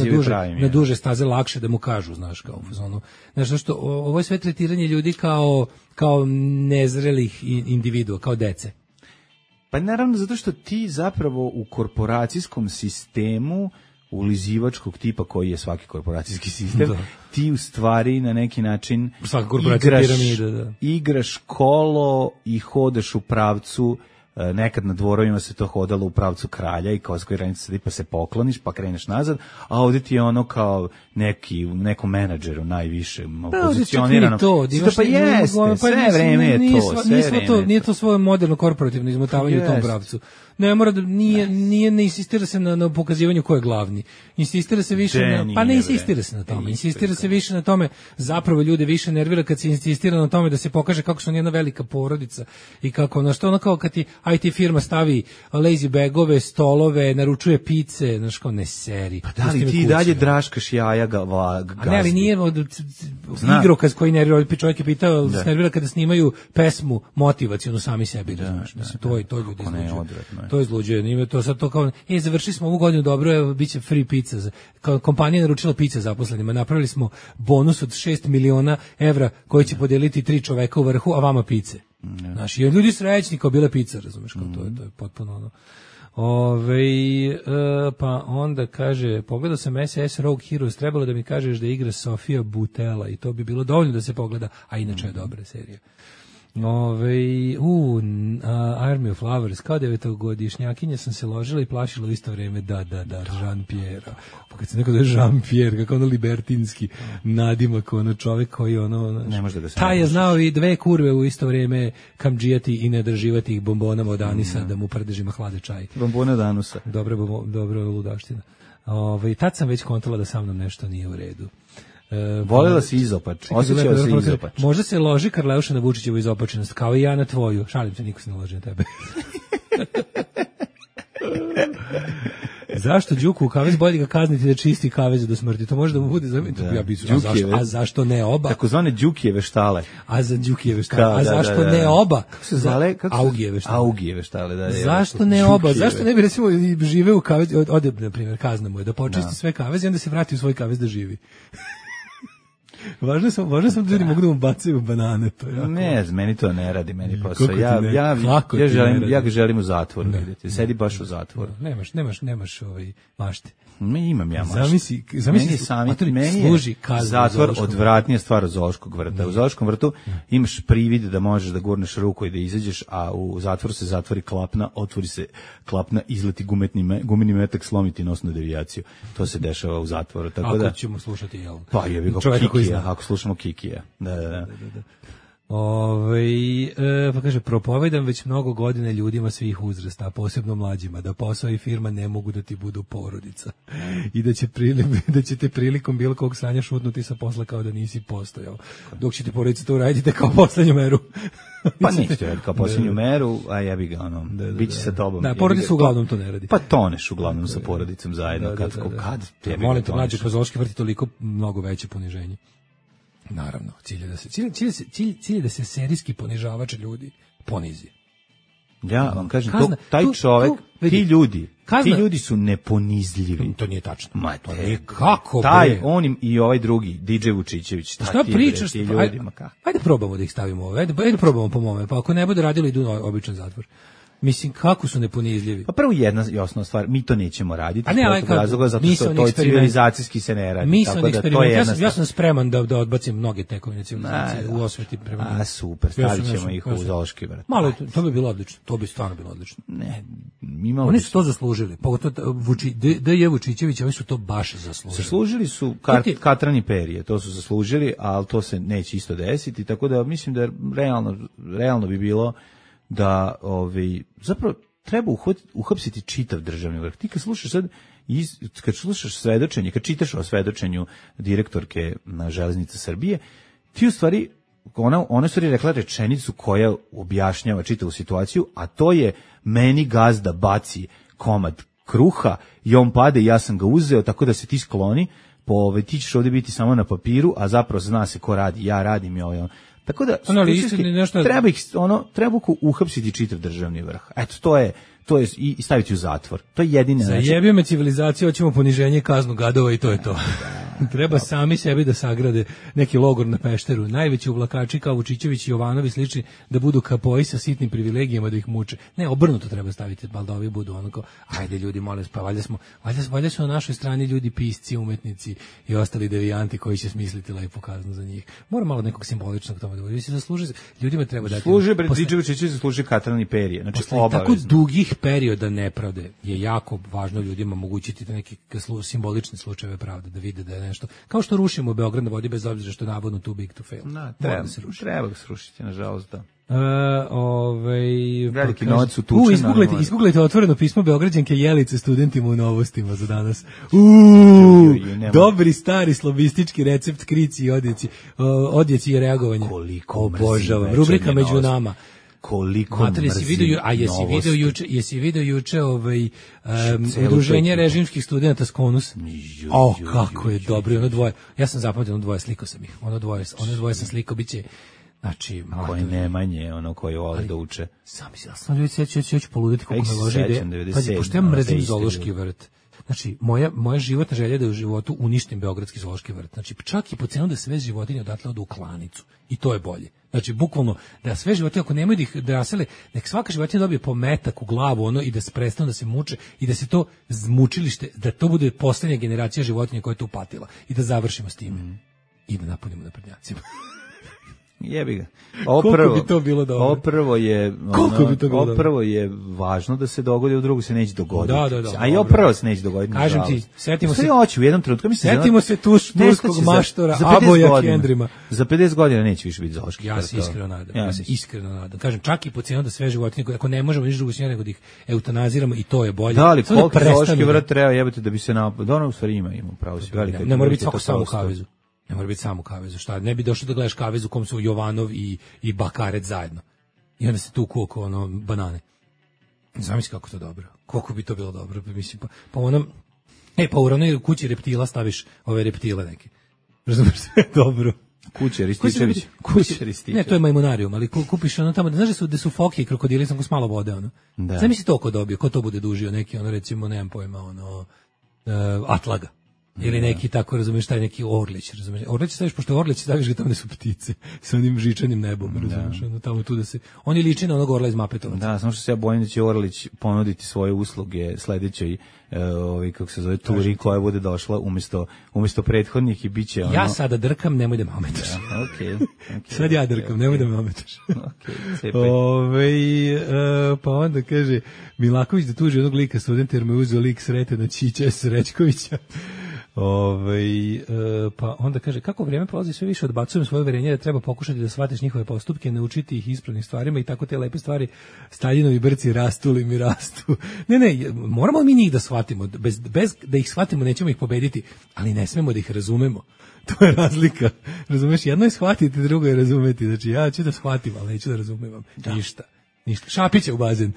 na duže staze lakše da mu kažu, znaš, kao u fazonu. Znaš, zašto ovo je sve tretiranje ljudi kao nezrelih individua, kao dece. Pa naravno, zato što ti zapravo u korporacijskom sistemu ulizivačkog tipa koji je svaki korporacijski sistem, ti u stvari na neki način igraš kolo i hodaš u pravcu, nekad na dvorovima se to hodalo u pravcu kralja i kao skojranica pa se pokloniš pa kreneš nazad, a ovdje ti je ono kao nekom menadžeru najviše pozicionirano. Pa jeste, sve vreme je to. Nije to svoje moderno korporativno izmotavanje u tom pravcu. Ne mora da ne insistira se na pokazivanju ko je glavni. Insistira se više insistira se na tome. Insistira se više na tome. Zapravo ljude više nervira kad se insistira na tome da se pokaže kako su oni jedna velika porodica i kako ono kao kad ti IT firma stavi lazy bagove, stolove, naručuje pice, znaš kao ne seri. Pa da li ti dalje draškaš jaja gazdi? A ne, ali nije igrokaz koji nervira. Čovjek je pitao, se nervira kada snimaju pesmu motivacionu sami sebi. To ljudi izluđuju. To izluđuje. To sad to kao, završili smo ovu godinu dobro, evo, bit će free pizza. Kao kompanija naručila pizza zaposlenima. Napravili smo bonus od 6 miliona evra koji će podeliti 3 čoveka u vrhu, a vama pice. Znaš, i ljudi srećni kao bile pizza, razumeš, kao to je potpuno ono. Pa onda kaže, pogledao sam SS Rogue Heroes, trebalo da mi kažeš da igra Sofia Boutella i to bi bilo dovoljno da se pogleda, a inače je dobra serija. Army of Lovers, kao 9-godišnjakinja sam se ložila i plašila u isto vrijeme, da, Jean-Pierre. Pa kad se neko da je Jean-Pierre, kako ono libertinski nadimak, ono čovjek koji ono... Ne može da se... Taj je znao i 2 kurve u isto vrijeme kamdžijati i ne drživati ih bombonama od anisa, da mu prdežima hlade čaj. Bombone od anusa. Dobro ludaština. Tad sam već kontala da sa mnom nešto nije u redu. Volela si izopač, osjećao si izopač. Možda se loži Karleuša na Vučićevu izopačenost, kao i ja na tvoju. Šalim se, niko se ne loži na tebe. Zašto Đuku u kavez bolje ga kazniti da čisti kavez do smrti? To može da mu bude a zašto ne oba? Takozvane Đukijeve štale. A za Đukijeve štale. A zašto ne oba? Kako se zale? Augijeve štale. Augijeve štale, da. Zašto ne oba? Zašto ne bi recimo žive u kavez, ode na primjer kazna mu je da počisti sve kaveze i onda se vrati u svoj kavez da živi. Važno sam da ljudi mogu da mu bacaju banane. To je ne, meni to ne radi, meni posao. Ja ga želim u zatvoru vidjeti. Sedi baš u zatvoru. Nemaš mašte. Imam ja mašte. Zamisli meni je zatvor odvratnija stvar od zoološkog vrta. U zoološkom vrtu imaš privid da možeš da gurneš ruku i da izađeš, a u zatvoru se zatvori klapna, otvori se klapna, izleti gumeni metak, slomiti nosnu devijaciju. To se dešava u zatvoru. Tako ako da ćemo slušati, jel? Pa jebi ga Kikija, ako slušamo Kikija. Da. Pa kaže, propovedam već mnogo godina ljudima svih uzrasta, a posebno mlađima, da posao i firma ne mogu da ti budu porodica. I da ćete prilikom bilo kog sranja šutnuti sa posla kao da nisi postojao. Dok ćete porodica to uraditi kao poslednju meru. Pa nećete raditi kao posljednju meru, a jebi ga, bit će sa tobom. Da, porodica uglavnom to ne radi. Pa toneš uglavnom sa porodicom zajedno. Molim te, mlađe, kroz zoološki vrt je toliko mnogo veće poniženje. Naravno, cilj je da se serijski ponižavač ljudi ponizi. Ja vam kažem, taj čovek, ti ljudi su neponizljivi. To nije tačno. To nije kako, taj, on i ovaj drugi, DJ Vučićević. Šta pričaš? Ajde probamo da ih stavimo ove, ajde probamo po mome, pa ako ne bude radilo, idu na običan zatvor. Mislim, kako su neponizljivi? Pa prvo jedna i osnovna stvar, mi to nećemo raditi. Zato što to civilizacijski se ne radi. Tako da to je ja sam spreman da odbacim mnoge tekovine civilizacije u osveti prema njima. Super, stavit ćemo ih u zoološki vrt. Malo, to bi bilo odlično. To bi stvarno bilo odlično. Ne, oni su to zaslužili. Pogotovo D.J. Vučićević, oni su to baš zaslužili. Zaslužili su Katran i Perije, to su zaslužili, ali to se neće isto desiti, tako da mislim da realno bi bilo da zapravo treba uhapsiti čitav državni vrh. Ti kad slušaš svedočenje, kad čitaš o svedočenju direktorke na Železnice Srbije, ti u stvari, ona u stvari rekla rečenicu koja objašnjava čitavu situaciju, a to je meni gazda baci komad kruha i on pade i ja sam ga uzeo, tako da se ti skloni, ti ćeš ovdje biti samo na papiru, a zapravo zna se ko radi, ja radim i tako da treba uhapsiti čitav državni vrh. Eto, to je i staviti u zatvor. To je jedini način. Zajebio me civilizacija, hoćemo poniženje, kaznu gadova i to je to. Treba sami sebi da sagrade neki logor na Pešteru. Najveći uvlakači kao Vučićević i Jovanovi slični da budu kapoji sa sitnim privilegijama da ih muče. Ne, obrnuto treba staviti, da ovi budu onako, ajde ljudi, molim, pa valjda su na našoj strani ljudi pisci, umetnici i ostali devijanti koji će smisliti lepu kaznu za njih. Mora malo nekog simboličnog tome da bude. Ljudima treba dati. Služi Vučićević, zasluži Katran i Perije. Znači, tako dugih perioda nepravde je jako važno ljudima omogućiti da neke simbolične slučajeve pravde, da vide da je nešto. Kao što rušimo Beograd na vodi bez obzira što je navodno too big to fail. Treba ga srušiti, nažalost, da. Veliki novac utučen. Isguglajte otvoreno pismo Beograđanke Jelice studentima u Novostima za danas. Dobri stari slobistički recept krici i odjeci i reagovanja. Koliko obožavam. Rubrika među nama. Koliko jesi video juče udruženje režimskih studenata Skonus? Kako je dobro, ono dvoje. Ja sam zapamtio ono dvoje, slikao sam ih. Ono dvoje sam slikao, biće. Znači, koji Nemanje, koji vole da uče. Sam ljudi ću poluditi koliko me loži ide. Pazi, pošto ja mrzim zoološki vrt. Znači, moja životna želja je da u životu uništim Beogradski zoološki vrt. Znači, čak i po cenu da sve životinje odatle odu u klanicu. I to je bolje. Znači, bukvalno, da sve životinje, ako nemaju da ih rasele, nek svaka životinja dobije po metak u glavu i da se prestanu da se muče i da se to zmučilište, da to bude posljednja generacija životinja koja je to upatila. I da završimo s tim. I da napunimo naprednjacima. Jebi ga. Koliko bi to bilo dobro? Prvo je važno da se dogodi, u drugu se neće dogoditi. A i prvo se neće dogoditi. Kažem ti, setimo se turskog maštora Aboja Kendrima. Za 50 godina neće više biti zoološki. Ja se iskreno nadam. Kažem, čak i po cenu da sve životinje, ako ne možemo ništa drugo s njega nego da ih eutanaziramo i to je bolje. Da, ali koliko zoološki vrt treba jebati da bi se u stvari ima pravo se. Ne mora biti svako samo u kavezu. Ne mora biti samo kavezu, šta? Ne bi došlo da gledaš kavezu u kom su Jovanov i Bakarec zajedno. I onda se tu kuko banane. Zamisli kako to dobro. Koliko bi to bilo dobro, mislim, pa onom, pa u ravnoj kući reptila staviš ove reptile neke. Razumeš, sve dobro. Kuće Rističević. Ne, to je majmunarijum, ali kupiš ono tamo, znaš da su foke i krokodili samo s malo vode, ono. Da. Zamisli to ko dobio, ko to bude dužio, neki, ono, recimo, nemam pojma, ono, Atlaga. Ili neki tako, razumiješ, taj neki Orlić, razumiješ. Orlić staviš, pošto je Orlić, staviš ga tamo gde su ptice, sa onim žičanim nebom, razumiješ, ono, tamo tu da se... On je liči na onog orla iz Mapetovaca. Da, samo što se ja bojim da će Orlić ponuditi svoje usluge sledećoj, kako se zove, turi koja bude došla umesto prethodnih i bit će ono... Ja sada drkam, nemoj da me ometaš. Ja, okay. Sad ja drkam, nemoj da me ometaš. Pa onda kaže, Milaković da tuži onog lika studenta jer me uzeo lik Sretena Čića Srećkovića. Pa onda kaže, kako vrijeme prolazi sve više odbacujem svoje uverenje da treba pokušati da shvatiš njihove postupke, naučiti ih ispravnim stvarima i tako te lepe stvari Staljinovi brci rastu li mi rastu. Ne, moramo mi njih da shvatimo, bez da ih shvatimo nećemo ih pobediti, ali ne smemo da ih razumemo. To je razlika. Razumeš, jedno je shvatiti, drugo je razumeti. Znači ja ću da shvatim, ali neću da razumem. Ništa. Šapić je u bazen.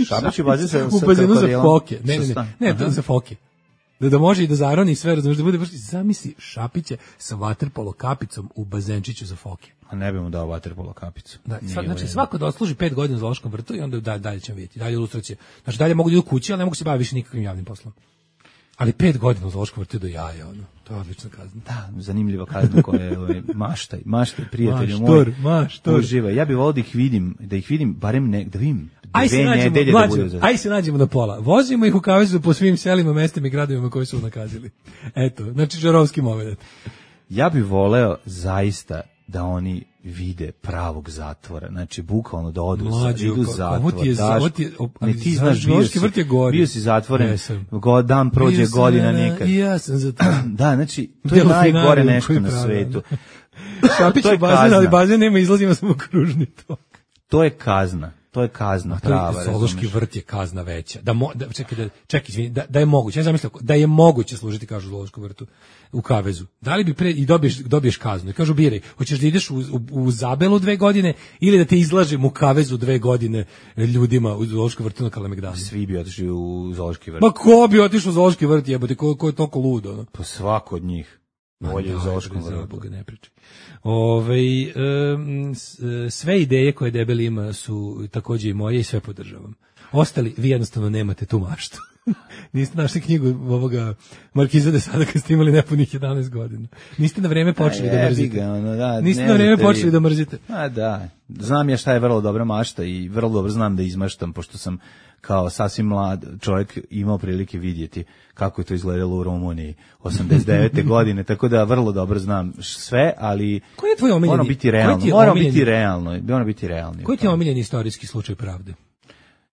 Šapić je u bazen u bazenu za foke. Ne, to za foke. Da može i da zaroni sve, razumiješ, da bude vrši, zamisli Šapića sa vaterpolo kapicom u bazenčiću za foke. A ne bi mu dao vaterpolo kapicu. Da, znači svako da odsluži 5 godina u zoološkom vrtu i onda dalje ćemo vidjeti, dalje ilustracije. Znači dalje mogu da idu kući, ali ne mogu se baviti više nikakvim javnim poslom. Ali 5 godina u zoološkom vrtu do jaja, ono. To je odlična kazna. Da, zanimljiva kazna koja je maštaj, prijatelju moj. Maštor. Uživa. Ja bih volio da ih vidim, barem da vidim. Aj se nađemo na pola. Vozimo ih u kavezu po svim selima, mestima i gradovima koji su nakazili. Eto, znači žarovski moment. Ja bih voleo zaista da oni vide pravog zatvora. Znači, bukvalno da odu idu zatvor. Ti znaš, bio si zatvoren, dan prođe godina nikad. I ja sam za to. Da, znači, to je najgore nešto na svetu. Šapić je bazen, ali bazen nema, izlazimo samo kružni tok. To je kazna. To je kazna prava. Zoološki vrt je kazna veća. Čekaj, izvini, da je moguće. Ja zamislio da je moguće služiti, kažu, u zoološkom vrtu u kavezu. Da li bi i dobiješ kaznu? I kažu, biraj, hoćeš da ideš u Zabelu 2 godine ili da te izlažem u kavezu 2 godine ljudima u zoološkom vrtu na Kalemegdanu? Svi bi otišli u zoološki vrt. Ma ko bi otišao u zoološki vrt, jebote, ko je toliko ludo, ono? Pa svako od njih. Bolje u zoološkom vrtu. Ne pričaj. Sve ideje koje Debeli ima su takođe i moje i sve podržavam. Ostali, vi jednostavno nemate tu maštu. Niste našli knjigu ovoga Markiza de Sada kad ste imali nepunih 11 godina. Niste na vreme počeli da mrzite. Niste na vreme počeli da mrzite. A da, znam ja šta je vrlo dobra mašta i vrlo dobro znam da izmaštam, pošto sam kao sasvim mlad čovjek imao prilike vidjeti kako je to izgledalo u Rumuniji 89. godine, tako da vrlo dobro znam sve, ali koji je tvoj omiljeni? Moramo biti realni. Moramo biti realni. Koji ti je omiljeni istorijski slučaj pravde?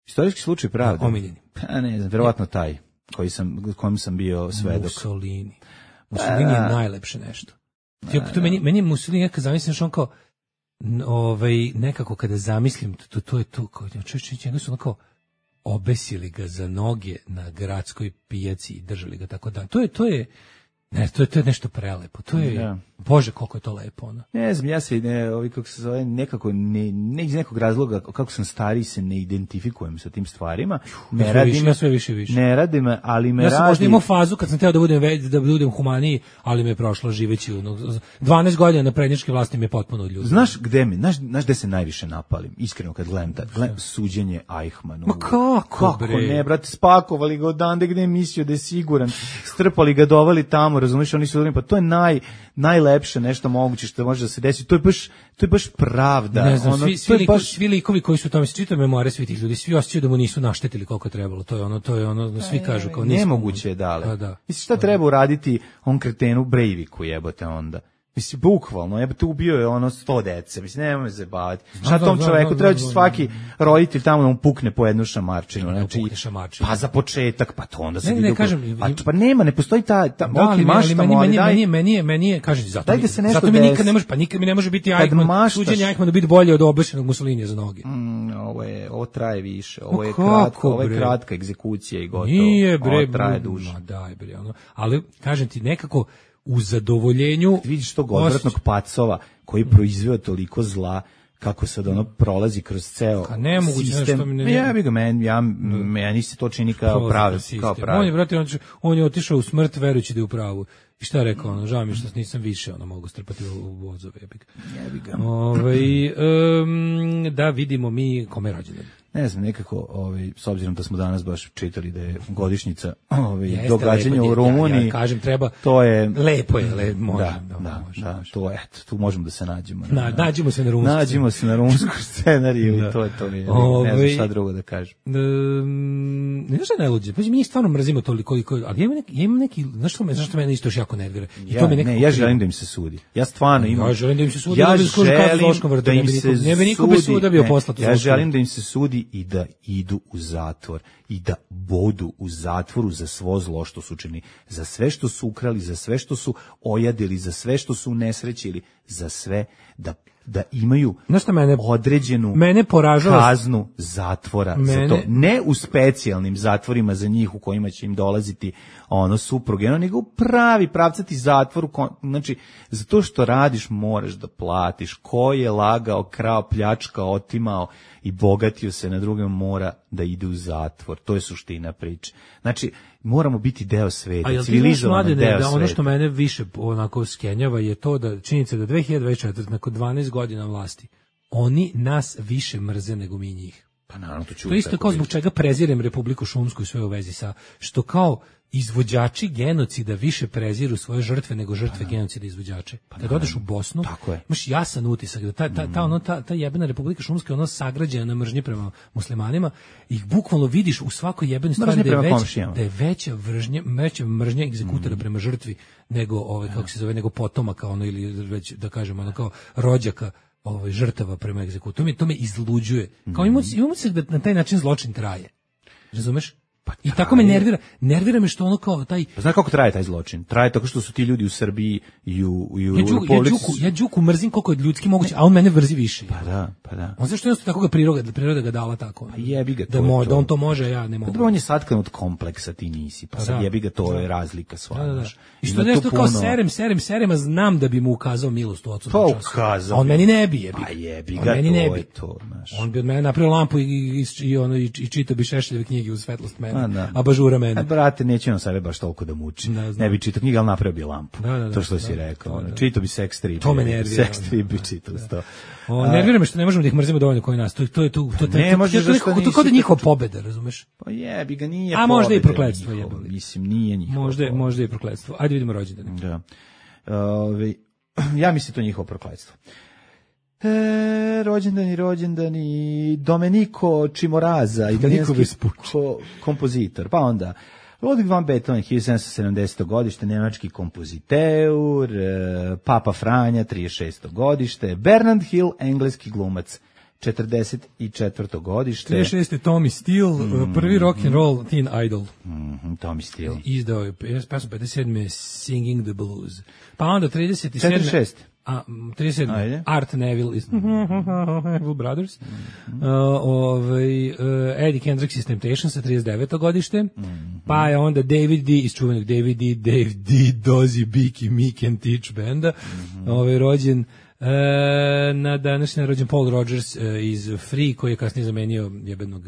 Istorijski slučaj pravde? Omiljeni. Pa ne znam, verovatno taj kojim sam bio svedok. Mussolini je najlepše nešto. To meni je Mussolini, ja kad zamislim što on kao nekako kada zamislim, to je to, njega su onako obesili ga za noge na gradskoj pijaci i držali ga tako da. To je nešto prelepo. To je, Bože, koliko je to lepo, ono. Ne znam, ja se kako se zove, nekako ne iz nekog razloga, kako sam stariji, se ne identifikujem sa tim stvarima. Ne radim, sve više. Ne radim, ali me radi. Ja sam možda imao fazu kad sam teo da budem humaniji, ali me je prošlo živeći 12 godina na prednjačke vlasti me je potpuno odljudilo. Znaš gde se najviše napalim? Iskreno kad gledam suđenje Eichmannu. Ma kako ne, brate, spakovali ga odande gde je mislio da je siguran, strpali ga, dovali tamo, razumiješ, oni su pa to je najlepše nešto moguće što može da se desi. To je baš pravda. Ne znam, svi likovi koji su tamo, se čitaju memoare svih tih ljudi, svi osjećaju da mu nisu naštetili koliko je trebalo. To je ono, svi kažu kao nismo. Nemoguće je dale. Mislim, šta treba uraditi on kretenu Breiviku, jebote onda? Mislim, bukvalno, jebote, ubio je 100 dece. Mislim, nemoj me zabavati. Šta tom čoveku treba će svaki roditelj tamo da mu pukne po jednu šamarčinu. Znači, pa za početak, pa to onda se vidi. Pa nema, ne postoji meni je, kažem ti, zato mi nikad ne može, pa nikad mi ne može biti Eichmann, suđenje Eichmannu biti bolje od obešenog Mussolinija za noge. Ovo traje više, ovo je kratka egzekucija i gotovo. Nije bre, ovo traje duže. Daj bre, ali kažem ti, nekako u zadovoljenju vidiš tog odvratnog pacova koji proizveo toliko zla kako sad ono prolazi kroz ceo sistem. Ja bih ga meni se to čini kao pravi. On je, brate, on je otišao u smrt verujući da je u pravu. I šta je rekao, ono, žao mi što nisam više mogu strpati u vozove. Jebi ga. Da vidimo mi kome je rođendan. Ne znam, nekako, s obzirom da smo danas baš čitali da je godišnjica događanja u Rumuniji. Ja kažem, treba, to je, lepo je, može. Da, to je, tu možemo da se nađemo. Nađemo se na rumunsku. Nađemo se na rumunsku scenariju i to je to. Ne znam šta drugo da kažem. Ne znaš šta najluđe, pa mi stvarno mrzimo toliko, ali ja imam neki, znaš što mene isto još jako nervira? Ja želim da im se sudi. Ja stvarno imam. Ja želim da im se sudi. Ja želim da im se sudi. Ne bi niko bez suda bio poslati. Ja želim da im se sudi i da idu u zatvor i da bodu u zatvoru za svo zlo što su učinili, za sve što su ukrali, za sve što su ojadili, za sve što su unesrećili, za sve da imaju određenu kaznu zatvora za to. Ne u specijalnim zatvorima za njih u kojima će im dolaziti supruge, nego pravi pravcati zatvor. Znači, za to što radiš moraš da platiš. Ko je lagao, krao, pljačkao, otimao i bogatio se na drugom mora da ide u zatvor. To je suština priče. Znači, moramo biti deo sveta, civilizovano deo sveta. Ono što mene više onako skenjava je to da činjenica da 2024, nakon 12 godina vlasti, oni nas više mrze nego mi njih. Pa naravno, to je isto kao zbog čega prezirem Republiku Šumsku i sve u vezi sa, što kao izvođači genocida više preziru svoje žrtve nego žrtve genocida izvođače. Kad odeš u Bosnu, imaš jasan utisak da ta jebena Republika Šumska je sagrađena na mržnji prema muslimanima, ih bukvalno vidiš u svakoj jebenoj stvari da je veća mržnja egzekutora prema žrtvi nego kako se zove, nego potomaka ili već da kažemo kao rođaka žrtava prema egzekutoru. To me izluđuje. Kao imamo se da na taj način zločin traje. Razumeš? I tako me nervira me što kao taj... Znaš kako traje taj zločin? Traje tako što su ti ljudi u Srbiji i u ja Đuku mrzim koliko je ljudski moguće, a on mene vrzi više. Pa da. On zašto jednostavno tako ga priroda ga dala tako? Pa jebi ga to. Da on to može, a ja ne mogu. On je satkan od kompleksa, ti nisi. Pa sad jebi ga, to je razlika sva. Da. I što nešto kao serem, a znam da bi mu ukazao milost u odsutnom času. Pa ukazao. A on meni ne bi jebi. Pa jebi ga, to je to. On bi od mene napravio lampu i čitao bi Šešeljeve knjige uz svetlost mene. A bažura mene. Brate, neće on sebe baš toliko da muči. Ne bi čitao knjiga, ali napravio bi lampu. To što si rekao. Čitao bi sex strip. To me nervira. Sex strip bi čitao to. Nervira me što ne možemo da ih mrzimo dovoljno koji nas. To je kao da njihova pobeda, razumeš? Pa jebi ga, nije pobeda. A možda i prokletstvo jebali. Mislim, nije njihova. Možda i prokletstvo. Ajde vidimo rođendane. Da. Ja mislim to njihovo prokletstvo. Rođendani Domenico Čimoraza, italijanski kompozitor, pa onda Ludwig van Beethoven, 1770. godište, nemački kompoziteur, Papa Franja, 36. godište, Bernard Hill, engleski glumac, 44. godište. 36. Tommy Steele, prvi rock and roll teen idol. Tommy Steele. Izdao je pesmu 57. Singing the Blues. Pa onda 37. 46. 37. Art Neville iz Neville Brothers. Eddie Kendricks iz Temptations sa 39. godište. Pa je onda David D. iz čuvenog Dave D. Dozy, Biki, Meek and Teach benda. Rođen na današnji rođen Paul Rodgers iz Free, koji je kasnije zamenio jebenog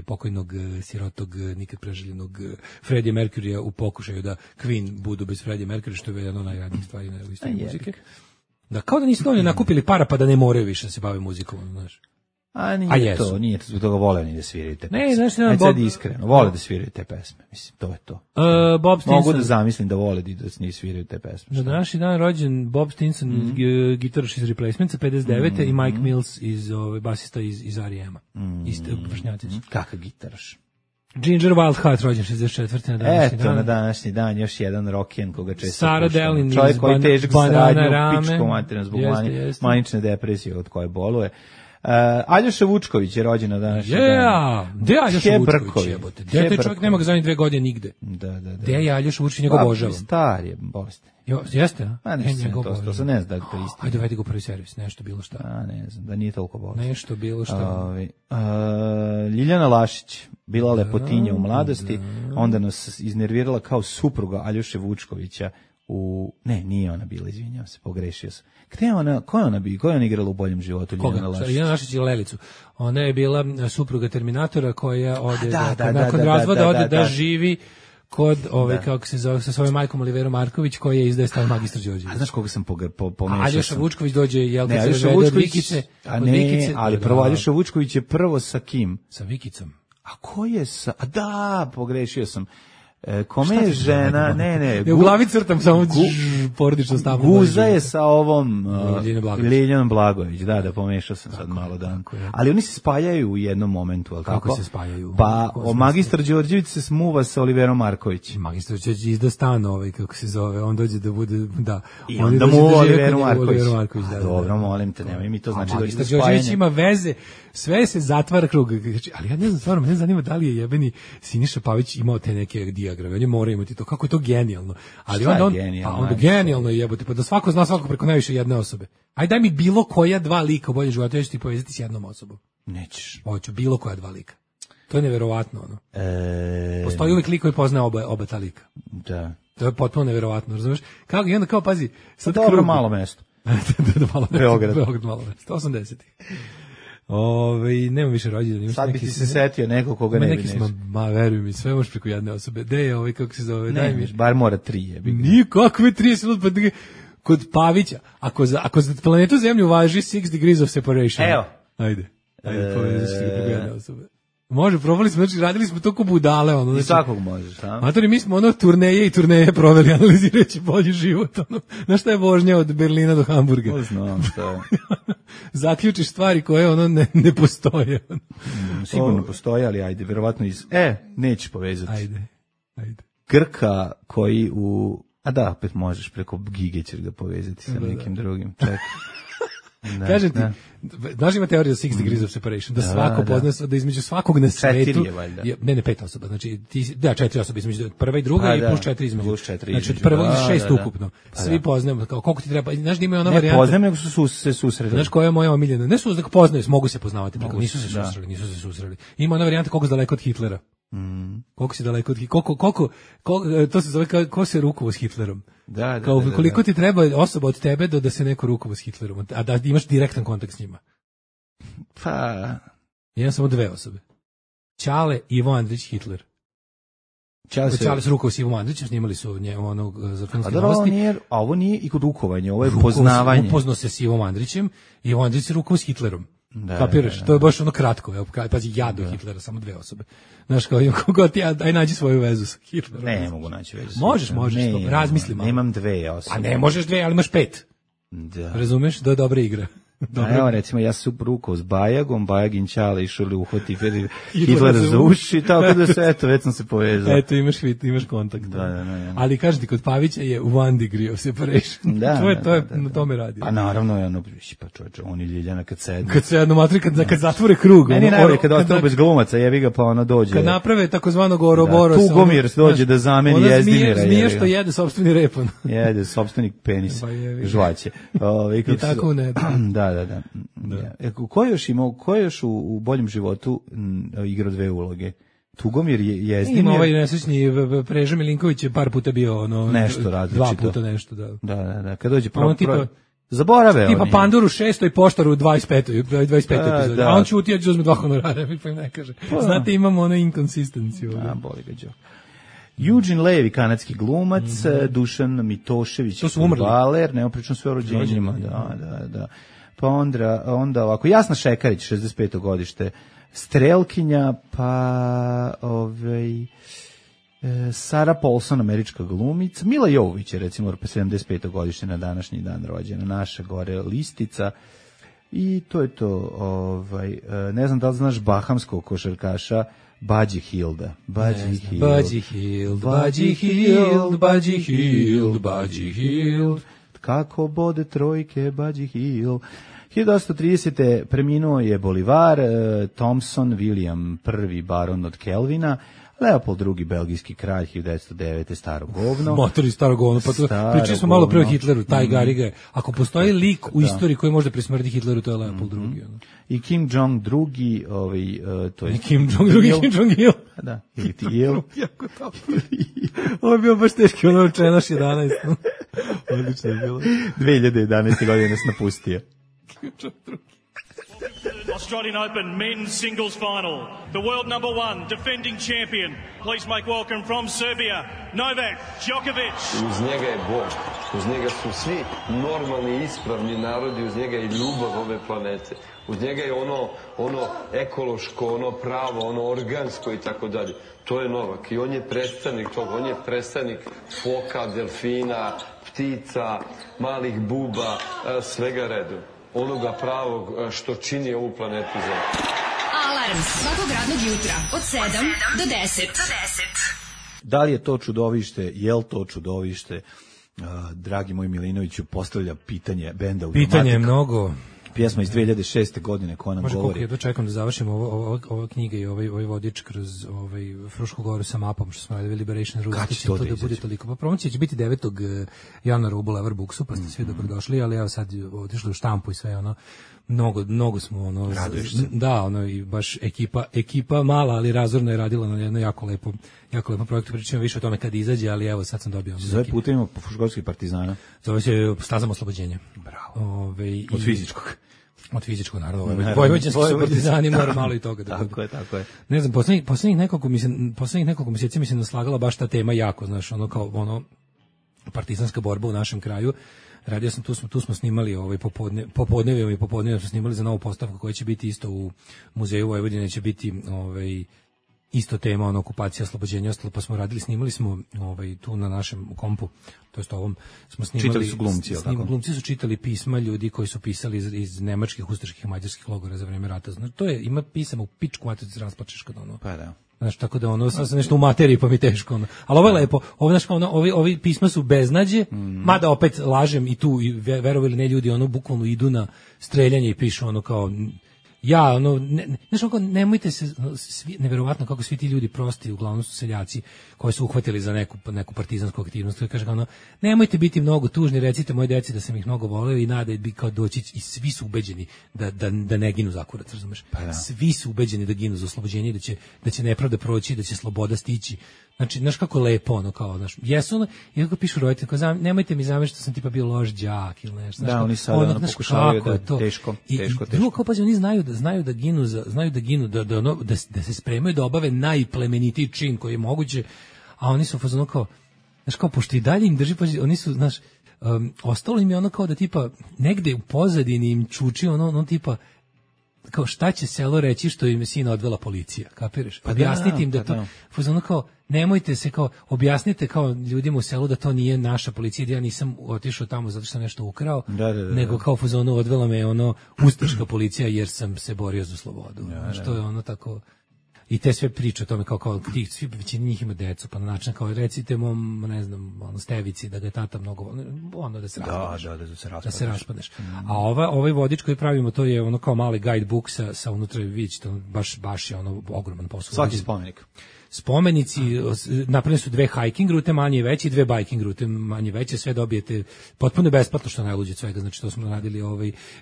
pokojnog sirotog nikad preželjenog Freddie Mercurya u pokušaju da Queen budu bez Freddie Mercury, što je jedno od najradnijih stvari na istoriji muzike. Da, kao da nisu dovoljno nakupili para pa da ne moraju više da se bave muzikom, znaš. Nije to zbog toga vole ni da sviraju te pesme. Ne, znaš, sad iskreno, vole da sviraju te pesme, mislim, to je to. Bob Stinson. Mogu da zamislim da vole da ne sviraju te pesme. Na današnji dan rođen Bob Stinson, gitaraš iz Replacementsa, 59. i Mike Mills, basista iz R.E.M.a. Isto vršnjaci. Kakav gitaraš? Ginger Wildheart rođen 64. na današnji dan. Na današnji dan još jedan rock'n'roll koga često Sarah Dellin čovjek koji težak saradnju pičkom materijalno zbog manične depresije od koje boluje. Aljoša Vučković je rođen na današnji dan. Gde je Aljoša Vučković? Gde taj čovjek nema ga zadnjih 2 godine nigde? Gde je Aljoša Vučković, njega obožavam. Star je, bolestan. Jeste, a? Pa ne znam, to ne znam da je to isto. Ajde, vedi go prvi servis, nešto bilo šta. Ne znam, da nije toliko bolestan. Nešto bilo šta. Ljiljana Lašić, bila lepotinja u mladosti, onda nas iznervirala kao supruga Aljoše Vučkovića Ne, nije ona bila, izvinjavam se, pogrešio sam. Gde je ona, ko je ona igrala u Boljem životu? Koga? Jelena Lašić i Lelicu. Ona je bila supruga Terminatora koja ode, nakon razvoda ode da živi kod kako se zove, sa svojom majkom Oliverom Marković, koja je izdaje stan Magistar Đorđević. A znaš koga sam pomešao? Aljoša Vučković dođe, jel kad se vede od Vikice? A ne, ali prvo Aljoša Vučković je prvo sa kim? Sa Vikicom. A ko je sa... A da, pogrešio sam. Kome je žena, ne. U glavi crtam samo porodično stavno. Guza je sa ovom Liljanom Blagojević, da, pomešao sam sad malo dan. Ali oni se spajaju u jednom momentu, al tako? Kako se spajaju? Pa Magistar Đorđević se smuva sa Oliverom Marković. Magistar Đorđević izda stan kako se zove, on dođe da bude, da. I onda mu Oliveru Marković. Dobro, molim te, nemoj mi to znači da Magistar Đorđević ima veze, sve se zatvara krug. Ali ja ne znam, stvarno, mene zanima da li je jebeni Siniša Pavić imao te neke dijagrame, oni moraju imati to, kako je to genijalno. Ali onda genijalno je jebote, pa da svako zna svako preko najviše jedne osobe. Ajde daj mi bilo koja dva lika u Boljem životu, ja ću ti povezati s jednom osobom. Nećeš. Hoću bilo koja dva lika. To je neverovatno, ono. Postoji uvijek lik koji poznaje oba ta lika. Da. To je potpuno neverovatno, razumeš? Kako, i onda kao, pazi, sad dobro malo mesto. Beograd malo mesto, 80-ih. Nema više rođena. Sad bi ti se setio nekog koga ne bi nešto. Veruj mi, sve možeš preko jedne osobe. Gde je kako se zove? Daj mi. Bar mora 3. Nikakve 30, kod Pavića. Ako za planetu Zemlju važi 6 degrees of separation. Evo. Ajde, povedeš ti preko jedne osobe. Može, probali smo, znači radili smo to ko budale. I svakog možeš, a? Matori, mi smo turneje proveli analizirajući bolji život. Znaš šta je vožnja od Berlina do Hamburga? Znam šta je. Zaključiš stvari koje ne postoje. Sigurno postoje, ali ajde, verovatno nećeš povezati. Ajde. Grka koji opet možeš preko Gige ćeš ga povezati sa nekim drugim. Čekaj. Kažem ti, znaš ima teorija za 6 degrees of separation, da svako poznaje, da između svakog na svetu, 5 osoba, znači 4 osobe između prva i druga i plus 4 između. Znači od prvog i 6 ukupno. Svi poznajemo, kao koliko ti treba, znaš da ima ona varijanta. Ne poznajem, nego su se susreli. Znaš koja je moja omiljena? Ne su da poznaju, mogu se poznavati, nisu se susreli. Ima ona varijanta koliko si daleko od Hitlera. Koliko si daleko od Hitlera, koliko, to se zove ko se rukovao s Hitlerom. Da. Koliko ti treba osoba od tebe da se neko rukovao s Hitlerom, a da imaš direktan kontakt s njima? Pa... Imam samo 2 osobe. Ćale, Ivo Andrić, Hitler. Ćale se rukovao s Ivom Andrićem, snimali su onog za filmske novosti. A ovo nije i kod rukovanja, ovo je poznavanje. Upoznao se s Ivom Andrićem, Ivo Andrić se rukovao s Hitlerom. Kapiraš? To je baš kratko. Evo, pazi, ja do Hitlera, samo 2 osobe. Znaš, kao kogo ti, aj nađi svoju vezu s Hitlerom. Ne mogu naći vezu. Možeš, razmisli malo. Nemam 2 osobe. A ne možeš 2, ali imaš 5. Da. Razumeš? Da je dobra igra. Evo, recimo, ja sam rukao s Bajagom, Bajagin Ćale išao li uhvati Hitler za uši, tako da se, već sam se povezao. Eto, imaš kontakt. Da. Ali kažem ti, kod Pavića je 1 degree of separation. To je na tome radi. Pa naravno je pa čovječe, oni Ljiljana kad sednu. Kad sednu, matri, kad zatvore krug. Meni najbolje kad ostao bez glumaca, jebi ga, pa dođe. Kad naprave takozvanog Oroborosa. Tugomir dođe da zameni Jezdimira. Zmija što jede sopstveni repon. Jede sopstveni penis, žvaće. I tako ne. Da. Ko je još u Boljem životu igrao 2 uloge? Tugomir je Jezdimir. Ima ovaj nesrećni Preža Milinković je par puta bio nešto različito. 2 puta nešto, Da. Kad dođe zaborave tipa Panduru 6. i Poštaru 25. epizodi. A on ćuti, ja ću uzme 2 honorara, pa im ne kaže. Znate, imamo inkonsistenciju. Boli ga Đo. Eugene Levy, kanadski glumac, Dušan Mitošević, baler, nema pričam sve o rođenjima. Da. Pa onda ovako, Jasna Šekarić, 65. godište, Strelkinja, pa Sara Paulson, američka glumica, Mila Jovović je recimo 75. godište na današnji dan rođena, naša gore listica. I to je to, ne znam da li znaš bahamskog košarkaša Budgie Hilda. Budgie Hield. Kako bode trojke, Budgie Hield. 1830. preminuo je Bolivar, Thompson, William I, baron od Kelvina, Leopold II, belgijski kralj, 1909. staro govno. Motori staro govno, pa pričali smo malo pre o Hitleru, taj Gariga je. Ako postoji lik u istoriji koji može presmrti Hitleru, to je Leopold II. I Kim Jong-II, to je... Kim Jong-II, Kim Jong-il. Da, ili ti Il. Ovo je bio baš teški, ono čenaš 11. Odlično je bilo. 2011. godine nas napustio. Australian Open men's singles final. The world number one, defending champion. Please make welcome from Serbia, Novak Djokovic. Uz njega je Bog. Uz njega su svi normalni, ispravni narodi. Uz njega je ljubav ove planete. Uz njega je ono ekološko, ono pravo, ono organsko i tako dalje. To je Novak i on je predstavnik toga. On je predstavnik foka, delfina, ptica, malih buba, svega redom. Onoga pravog što čini ovu planetu zemlju. Alarm svakog radnog jutra od 7 do 10. Da li je to čudovište, je li to čudovište? Dragi moj Milinoviću postavlja pitanje benda Automatic. Pitanje je mnogo. Pjesma iz 2006. godine koja nam govori. Može koliko čekam da završim ova knjiga i ovaj vodič kroz Frušku goru sa mapom što smo radili Liberation Route. Kad će to da bude toliko? Pa promocija će biti 9. januara u Boulevard Booksu, pa ste svi dobrodošli, ali evo sad otišli u štampu i sve ono. Mnogo smo ono. Raduješ se. Da, ono i baš ekipa mala, ali razorno je radila na jedno jako lepo projektu. Pričamo više o tome kad izađe, ali evo sad sam dobio. Zove putovima po Fruškogorskih partizana. Zove se Stazama oslobođenja. Bravo. Od fizičkog. Od fizičkog, naravno. Vojvođanski su partizani, mora malo i toga. Tako je. Ne znam, poslednjih nekoliko mjeseci mi se naslagala baš ta tema jako, znaš, ono kao ono partizanska borba u našem kraju. Radio sam, tu smo snimali popodnevima smo snimali za novu postavku koja će biti isto u Muzeju Vojvodine, će biti isto tema, okupacija, oslobođenja, ostalo, pa smo snimali smo tu na našem kompu, to jest ovom, smo snimali. Čitali su glumci, je li tako? Glumci su čitali pisma ljudi koji su pisali iz nemačkih, ustaških i mađarskih logora za vreme rata. Znači, to je, ima pisama u pičku, a te se rasplačeš kad ono. Pa da. Znaš, tako da sad sam nešto u materiji pa mi teško ono. Ali ovo je lepo, ovi pisma su beznađe, mada opet lažem i tu, verovali ili ne, ljudi bukvalno idu na streljanje i pišu kao znaš, nemojte se, neverovatno kako svi ti ljudi prosti, uglavnom su seljaci koji su uhvatili za neku partizansku aktivnost, koji kaže nemojte biti mnogo tužni, recite moje deci da sam ih mnogo voleo i nada bi kao doći, i svi su ubeđeni da ne ginu za kurac, razumeš? Pa svi su ubeđeni da ginu za oslobođenje, da će nepravda proći, da će sloboda stići. Znači, znaš kako lepo, jesu i kako pišu roditelji, nemojte mi zameriti što sam tipa bio loš đak ili nešto. Da, oni sada pokušavaju da teško. I drugo, kao pazi, oni znaju da ginu, da se spremaju da obave najplemenitiji čin koji je moguće, a oni su fazonu kao, znaš, kao, pošto i dalje im drži, pazi, oni su, znaš, ostalo im je kao da tipa, negde u pozadini im čuči tipa, kao šta će selo reći što im je sina odvela policija, kapiraš? Pa objasniti im da to, fazonu kao, nemojte se kao, objasnite kao ljudima u selu da to nije naša policija, da ja nisam otišao tamo zato što sam nešto ukrao, nego kao fazonu odvela me ustaška policija jer sam se borio za slobodu. Što je tako. I te sve priče o tome kao svi većina njih ima decu, pa na način kao recite mom, ne znam, Stevici da ga je tata mnogo da se raspadneš. Da se raspadneš. A ovaj vodič koji pravimo, to je kao mali guidebook sa unutra, vidite, to baš je ogroman posao. Svaki spomenik. Spomenici, napravljene su 2 hiking rute manje i veće i 2 biking rute manje i veće, sve dobijete potpuno besplatno, što najluđe od svega, znači to smo radili,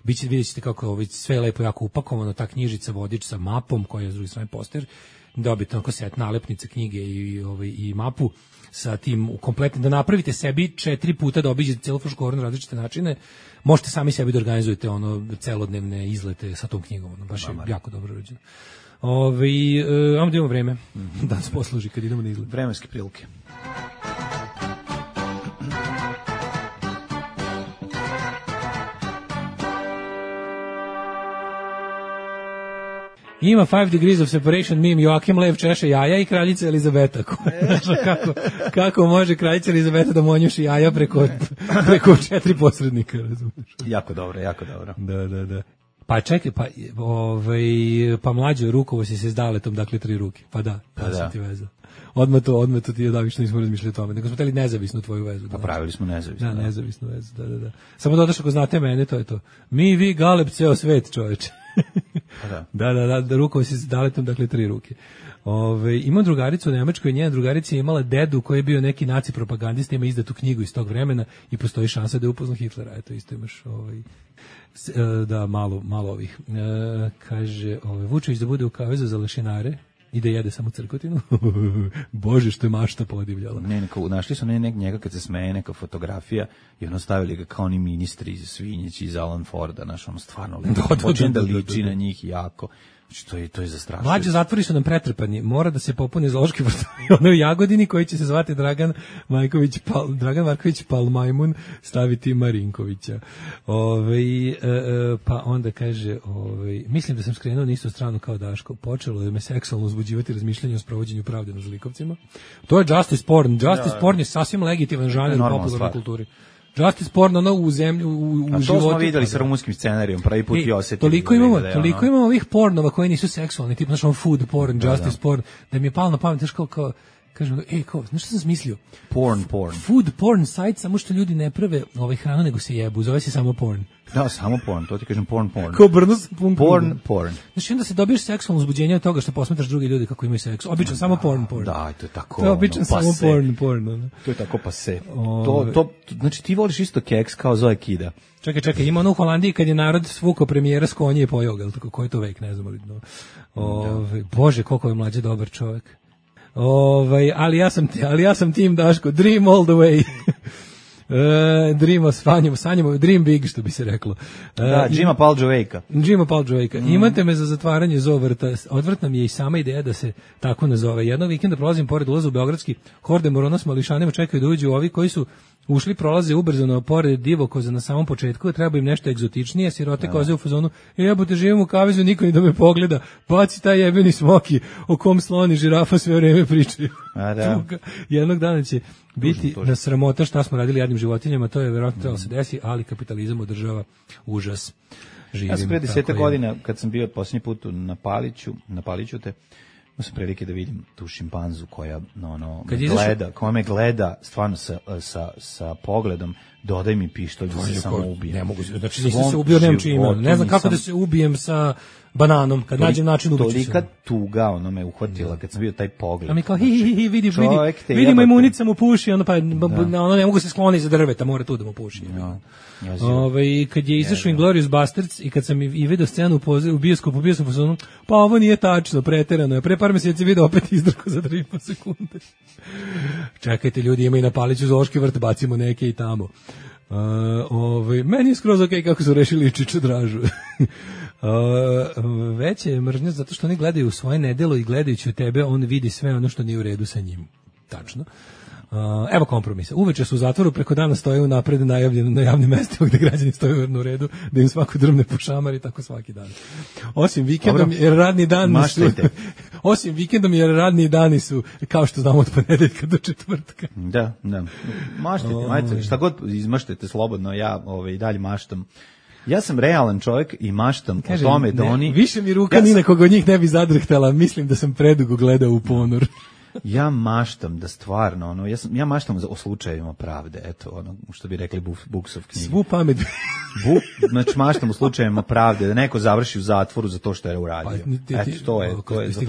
vidjet ćete kako sve je lepo jako upakovano, ta knjižica, vodič sa mapom koja je s druge strane poster, dobijete set nalepnice, knjige i mapu sa tim kompletnim, da napravite sebi 4 puta da obiđete celu Frušku goru na različite načine, možete sami sebi da organizujete celodnevne izlete sa tom knjigom, baš je jako dobro urađeno. Ajmo da imamo vreme da nas posluži kad idemo na izgled. Vremenske prilike. Ima 5 degrees of separation meme, Joakim Lev češe jaja i kraljica Elizabeta. Kako može kraljica Elizabeta da monjuši jaja preko 4 posrednika, razumiješ? Jako dobro. Da. Pa čekaj, pa mlađo rukovo si se s Daletom, dakle 3 ruke. Pa da, sam ti vezao. Odmah to ti je da što nismo razmišljali o tome. Nego smo teli nezavisnu tvoju vezu. Pa pravili smo nezavisnu. Da, nezavisnu vezu, da. Samo dodaš ako znate mene, to je to. Mi, vi, Galeb, ceo svet, čoveče. Pa da, rukovo si s Daletom, dakle 3 ruke. Imam drugaricu u Nemačkoj, njena drugarica je imala dedu koji je bio neki naci propagandista, ima izdatu knjigu iz tog vremena i postoji šansa da je upoznao Hitlera. Eto, isto imaš da malo ovih. Kaže, Vučević da bude u kavezu za lešinare. i da jede samo crkotinu. Bože, što je mašta podivljala. Našli su njega kad se smeje, neka fotografija i ono stavili ga kao oni ministri iz Svinjići, iz Alan Forda, znaš, ono stvarno počne da liči na njih jako. Znači, to je zastrašujuće. Mlađi zatvori su nam pretrpani, mora da se popune zoološki vrt ono u Jagodini koji će se zvati Dragan Marković Palmajmun, staviti Marinkovića. Pa onda kaže, mislim da sam skrenuo na istu stranu kao Daško, počelo je me seksualno uzbuđivati razmišljanje o sprovođenju pravde nad zlikovcima. To je justice porn. Justice porn je sasvim legitiman žanr u popularnoj kulturi. Justice porn, ono u zemlju, u životu. A to smo videli sa rumunskim scenarijom, prvi put i osetili. Toliko imamo ovih pornova koji nisu seksualni, tipa znači food porn, justice porn, da mi je palo na pamet, znaš kao kažem, znaš što sam smislio? Porn. Food porn site, samo što ljudi ne prave hranu, nego se jebu, zove se samo porn. Da, samo porn, to ti kažem porn. Kao brno sa porn. Znači onda se dobiješ seksualno uzbuđenje od toga što posmetraš drugi ljudi kako imaju seks. Obično samo porn. Da, to je tako. To je obično samo porn. To je tako pase. To, znači ti voliš isto keks kao Zoe Kida. Čekaj, ima ono u Holandiji kad je narod svukao premijera s konje i pojao ga, tako koji je to vek, ne znam, Bože, koliko je mlađe dobar čovjek. Ali ja sam tim Daško, dream all the way. Sanjamo, dream big, što bi se reklo. Jima Palđovejka. Imate me za zatvaranje zoovrta. Odvrtna mi je i sama ideja da se tako nazove. Jednog vikenda prolazim pored ulaza u beogradski horde morona s mališanima, čekaju da uđu ovi koji su ušli, prolaze ubrzano pored divokoza na samom početku, treba im nešto egzotičnije, sirote koze u fazonu, jebote, živim u kavezu, niko ni da me pogleda, baci taj jebeni smoki, o kom sloni žirafa sve vreme pričaju. Jednog dana će biti na sramota šta smo radili jadnim životinjama, to je verovatno trebalo se desi, ali kapitalizam održava užas. Ja sam pre 10 godina, kad sam bio posljednji put na Paliću te, imao sam prilike da vidim tu šimpanzu koja me gleda stvarno sa pogledom, dodaj mi pištolj da se samo ubijem. Ne mogu, znači nisi se ubio, nemam čime. Ne znam kako da se ubijem sa bananom, kad nađem način ubiću se. Tolika tuga, me uhvatila kad sam bio taj pogled. A mi kao, vidi majmunica mu puši, ne mogu se skloniti za drveta, mora tu da mu puši. Kad je izašao Inglourious Basterds i kad sam i vidio scenu u bioskopu, pa ovo nije tačno, preterano je. Pre par mjeseci vidio opet izdrko za 3,5 sekunde. Čekajte ljudi, ima i na Paliću zoološki vrt, bacimo neke i tamo. Meni je skroz okej kako su rešili Čiču Dražu. Veće je mržnja zato što oni gledaju svoje nedelo i gledajući u tebe on vidi sve ono što nije u redu sa njim. Tačno. Evo kompromisa. Uveče su u zatvoru, preko dana stoje unapred najavljeno na javnim mestima gde građani stoje u redu, da im svako drvne po šamar i tako svaki dan. Osim vikendom jer radni dani su kao što znamo od ponedeljka do četvrtka. Da. Maštajte, šta god izmaštajte slobodno, ja i dalje maštam. Ja sam realan čovjek i maštam o tome da oni... Više mi ruka ni na koga od njih ne bi zadrhtala, mislim da sam predugo gledao u ponor. Ja maštam da stvarno, ja maštam o slučajevima pravde, eto, što bi rekli Buksov knjige. Svu pamet. Znači, maštam o slučajevima pravde, da neko završi u zatvoru za to što je uradio. Eto, to je. Jeste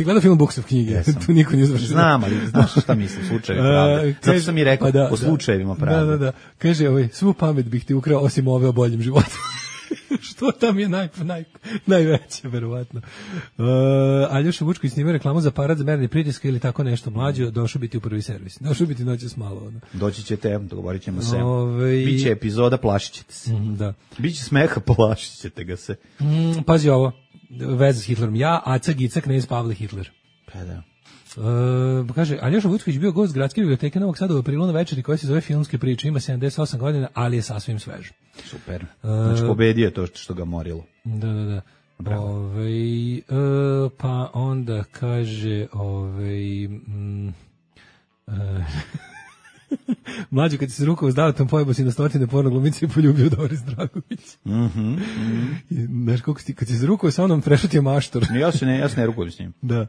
gledao film Buksov knjige? Tu niko nije završio. Znam, ali znaš šta mislim, slučajevi pravde. Zato sam i rekao o slučajevima pravde. Da. Kaže, svu pamet bih ti ukrao osim ove o boljem životu. Što tam je najveće, verovatno. Aljoša Vučković snima reklamu za aparat za merenje pritiska ili tako nešto. Mlađo, došao biti u prvi servis. Došao biti noćas malo. Doći ćete, dogovorit ćemo se. Biće epizoda, plašit ćete se. Da. Biće smeha, plašit ćete ga se. Pazi ovo, veza s Hitlerom. Ja, Aca Gica, knez Pavle Hitler. Pa da. Kaže, Aljoša Vučković bio gost Gradske biblioteke Novog Sada u aprilu na večeri koja se zove Filmske priče, ima 78 godina, ali je sasvim svež. Super. Znači pobedio je to što ga morilo. Da. Pa onda kaže mlađi kad se rukao s Davatom pojebo si na stotine porno glumice i poljubio Doris Dragović. Znaš kako kad si se rukao sa onom prešutio maštor. Ja se ne rukujem s njim. Da.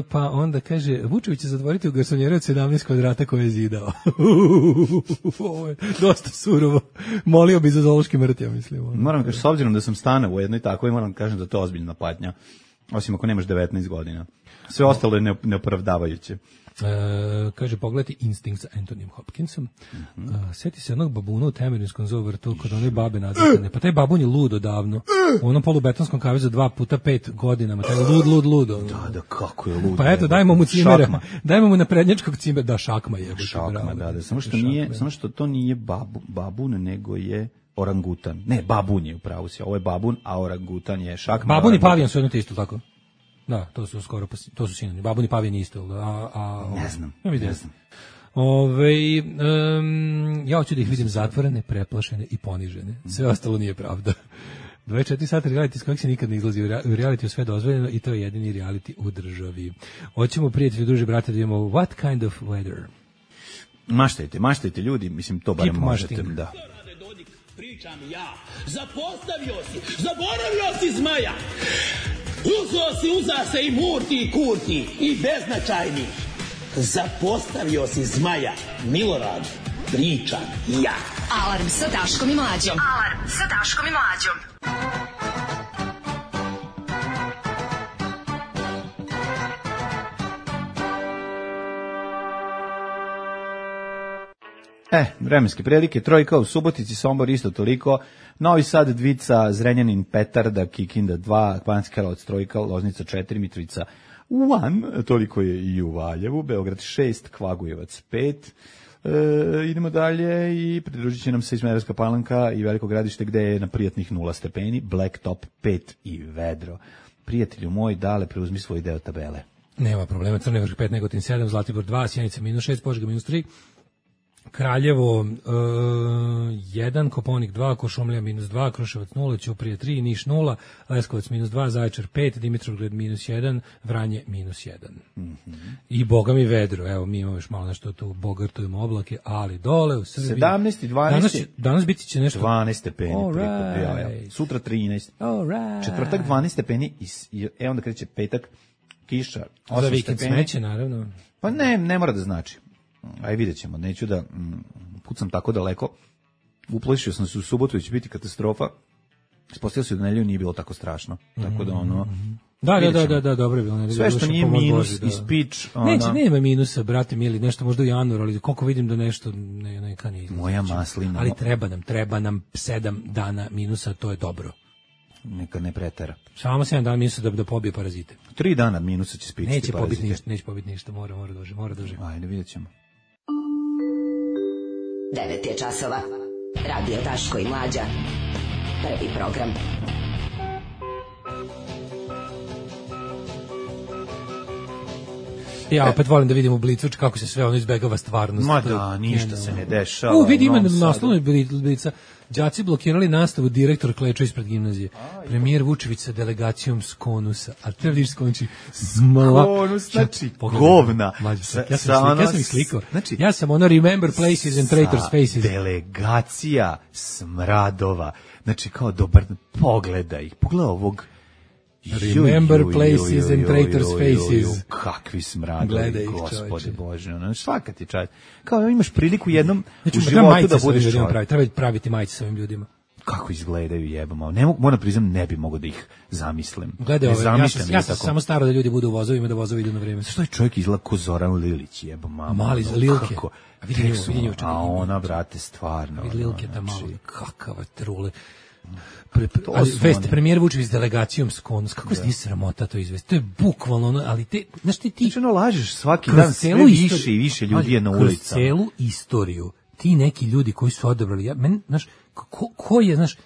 Pa onda kaže Vučević će zatvoriti u garsonjeru od 17 kvadrata koje je zidao. Ovo je dosta surovo. Molio bi za zoološki mrtja, mislim. Moram kažem, s obzirom da sam stane u jednoj takvoj, moram kažem da to je ozbiljna patnja. Osim ako nemaš 19 godina. Sve ostalo je neopravdavajuće. Kaže, pogledajte Instinct sa Anthonyem Hopkinsom. Sjeti se jednog babuna u Temerinskom zovrtu kod one babe nadzirane. Pa taj babun je lud odavno. U onom polubetonskom kavezu 2x5 godinama. Taj lud. Da, kako je lud. Pa eto, dajmo mu cimera. Dajmo mu naprednjačkog cimera. Da, šakma je. Šakma, da. Samo što to nije babun, nego je orangutan. Ne, babun je upravo si. Ovo je babun, a orangutan je šakma. Babun i pavijan su jedno te isto, tako? Da, to su sinonimi. Babun i pavijan isto. Ne znam. Ja hoću da ih vidim zatvorene, preplašene i ponižene. Sve ostalo nije pravda. 24 sata reality s kojeg se nikad ne izlazi. U reality je sve dozvoljeno i to je jedini reality u državi. Hoćemo, prijatelji, druži, brate, da imamo what kind of weather? Maštajte ljudi, mislim, to barem možete. Da. Pričam ja. Zaboravio si zmaja. Uza se i murti i kurti i beznačajni. Zapostavio si zmaja. Milorad, pričam ja. Alarm sa Daškom i Mlađom. Vremenske prilike, trojka u Subotici, Sombor isto toliko, Novi Sad, Dvica, Zrenjanin, Petarda, Kikinda 2, Banjski Karlovac, trojka, Loznica 4, Mitrovica 1, toliko je i u Valjevu, Beograd 6, Kvagujevac 5, idemo dalje i pridružit će nam se Smederevska Palanka i Veliko Gradište gde je na prijatnih 0 stepeni, Blacktop 5 i vedro. Prijatelju moj, Dale, preuzmi svoj deo tabele. Nema problema, Crni Vrh 5, Negotin 7, Zlatibor 2, Sjenica -6, Požega -3, Kraljevo 1, Koponik 2, Košumlija -2, Kruševac 0, Ćuprija 3, Niš 0, Leskovac -2, Zaječar 5, Dimitrovgrad -1, Vranje -1. I boga mi vedro, evo mi imamo još malo nešto tu, bogartujemo oblake, ali dole u Srbiji 17 i 12. Danas biti će nešto 12 stepeni. Sutra 13. Četvrtak 12 stepeni i onda kreće petak, kiša 8 za vikend smeće, naravno. Pa ne mora da znači. Aj vidjet ćemo, neću da pucam tako daleko. Uplašio sam se u subotu, će biti katastrofa. Ispostavio se da nedelju nije bilo tako strašno. Tako da ono... Da, dobro je bilo. Sve što nije minus i speech... Nema minusa, brate mili, nešto možda u januaru, ali koliko vidim da nešto neka nije. Moja maslina. Ali treba nam 7 dana minusa, to je dobro. Neka ne pretera. Samo 7 dana minusa da pobije parazite. 3 dana minusa će spičiti parazite. Neće pobiti ništa, mora duže. Ajde, vidjet ćemo. 9 je časova. Radio Daško i Mlađa. Prvi program. Ja opet volim da vidim u Blicu kako se sve ono izbegava stvarnost. Ma da, ništa se ne dešava. Vidi ima naslovno Blica. Đaci blokirali nastavu, direktor klečao ispred gimnazije. Premijer Vučević sa delegacijom s Konusa. A te vidiš Konči Konus, znači govna. Ja sam ih slikao. Ja sam ono remember places and traitors faces. Delegacija smradova. Znači kao dobar, pogledaj ovog. Remember places and traitors faces. Kakvi smradovi, Gospode Bože. Svaka ti čast. Kao imaš priliku jednom u životu da budeš čovjek. Treba praviti majice sa ovim ljudima. Kako izgledaju jebamo. Moram priznam, ne bi mogao da ih zamislim. Gledaj, ja sam samo staro da ljudi budu u vozovima, da vozovi idu na vreme. Što je čovjek izgleda ko Zoran Lilić, jebamo. Mali za Lilke. A ona, brate, stvarno. Vidi Lilke da malo, kakava trule. Premijer Vučević s delegacijom s Konus, kako se nije sramota to izvesti, to je bukvalno ono, ali te, znaš ti lažeš svaki dan, sve više i više ljudi je na ulicama. Kroz celu istoriju, ti neki ljudi koji su odabrali, znaš, ko je, znaš,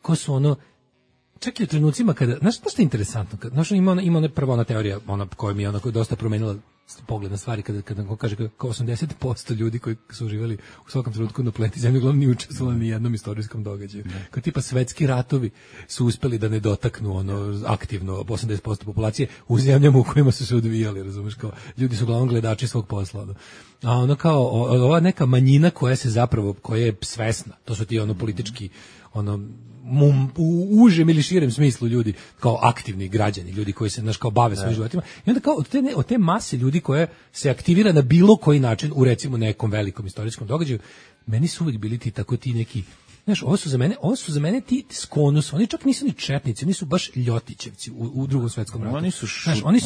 ko su ono, čak i u trenucima kada, znaš što je interesantno, znaš, ima prva ona teorija, ona koja mi je onako dosta promenila pogled na stvari, kada kaže kao 80% ljudi koji su živjeli u svakom trenutku na planeti Zemlji uglavnom nije učestvovali ni jednom istorijskom događaju. Kao tipa svetski ratovi su uspeli da ne dotaknu ono aktivno 80% populacije u zemljama u kojima su se odvijali, razumeš, kao ljudi su uglavnom gledači svog posla. No. A ono kao ova neka manjina koja je svesna, to su ti ono politički u užem ili širem smislu ljudi, kao aktivni građani, ljudi koji se kao bave svojim životima. I onda kao od te mase ljudi koje se aktivira na bilo koji način u recimo nekom velikom istorijskom događaju, meni su uvijek bili ti neki Znaš, ovo su za mene ti skonus, oni čak nisu ni četnici, oni su baš ljotićevci u Drugom svetskom ratu.